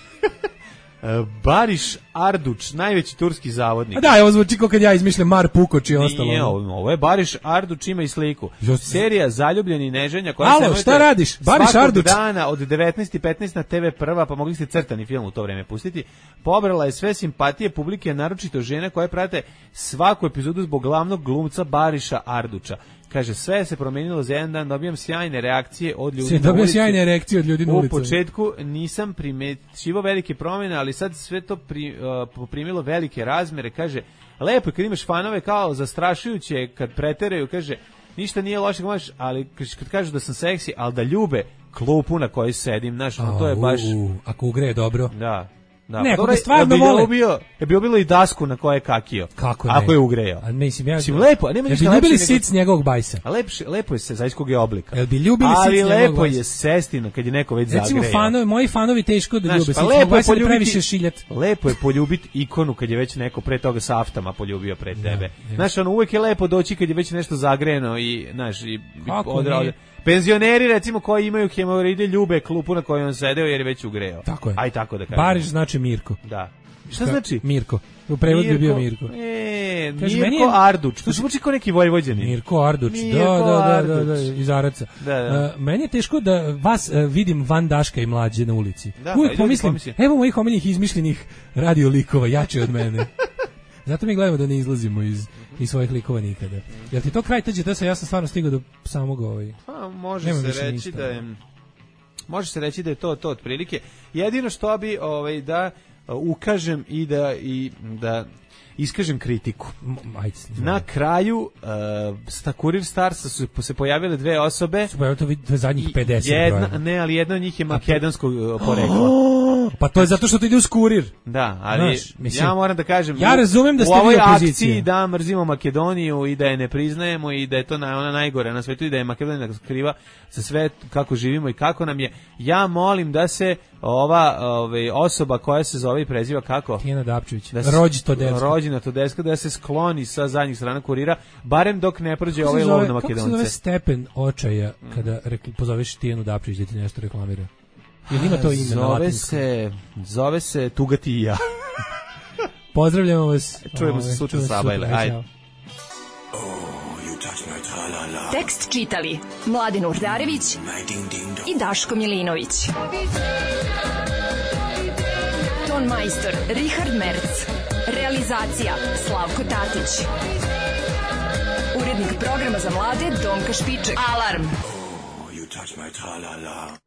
Bariš Arduč, najveći turski zavodnik. A da, ovo zvuči kao kad ja izmišljam Mar Pukoč i ostalo. Nije, ovo je Bariš Arduč, ima i sliku. Serija Zaljubljeni neženja koja se šta radiš? Bariš Arduč. Dana od 19:15 na TV Prva, pa mogli ste crtani film u to vreme pustiti. Pobrala je sve simpatije publike, naročito žene koje prate svaku epizodu zbog glavnog glumca Bariša Arduča. Kaže, sve se promenilo za jedan dan, dobijam sjajne reakcije od ljudi na ulici. U početku nisam primećivao velike promjene, ali sad sve to poprimilo velike razmere. Kaže, lepo je kad imaš fanove, kao zastrašujuće kad preteraju, kaže, ništa nije loše, ali kad kažu da sam seksi, ali da ljube klupu na kojoj sedim, znaš, to je baš... Ako ugreje dobro. Da. Ne, ako ga stvarno vole. Je bilo i dasku na koje je kakio. Kako ne? Ako je ugrejao. A mislim, lepo, nema ništa lepše. Ljubili sic njegovog bajsa. A lepo je se zajedskog je oblika. Jel bi ljubili sic njegovog bajsa? Ali lepo je sestina kad je neko već zagrejao. Recimo, moji fanovi teško da ljube sic njegovog bajsa, da previše šiljat. Lepo je poljubiti ikonu kad je već neko pre toga sa aftama poljubio pred tebe. Znaš, uvek je lepo doći kad je već nešto zagrejano i, znaš, i odradio. Penzioneri, recimo, koji imaju hemoroide, ljube klupu na kojoj on sedeo jer je već ugreo. Tako je. Aj tako da kažem. Bariš znači Mirko. Da. Šta znači? Mirko. U prevodu bi bio Mirko. Mirko Arduč. To zvuči kao neki Vojvođanin. Mirko Arduč. Da, iz Araca. Meni je teško da vas vidim van Daška i Mlađe na ulici. Uvijek pomislim, evo mojih omiljenih izmišljenih radio likova, jače od mene. Zato mi gledamo da ne izlazimo iz svojih likova nikada. Jel ti to kraj TGT-a? Ja sam stvarno stigao do samog može se reći da je to otprilike. Jedino što bi da ukažem i da iskažem kritiku. Na kraju Kurir Starsa su se pojavile dve osobe. Su pojavile to zadnjih 50 Ne, ali jedna od njih je makedonskog porekla. Pa to je zato što to ide uz Kurir. Da, ali ja moram da kažem, ja razumem da ste u ovoj akciji da mrzimo Makedoniju i da je ne priznajemo i da je to ona najgore na svetu i da je Makedonija kriva za sve kako živimo i kako nam je. Ja molim da se ova osoba koja se zove i preziva kako? Tijana Dapčević. Rođena Todeska, da se skloni sa zadnjih strana Kurira, barem dok ne prođe ovaj lov na Makedonce. Kako se zove stepen očaja kada pozoveš Tijanu Dapčević da ti nešto reklamira? Jel ima to ime na latinskom? Zove se Tugati i ja. Pozdravljamo vas. Čujemo se sutra Sabajle. Ajde. Tekst čitali Mladen Urdarević i Daško Milinović. Ton majstor Richard Merc. Realizacija Slavko Tatić. Urednik programa za mlade Donka Špiček. Alarm! You touch my tra-la-la.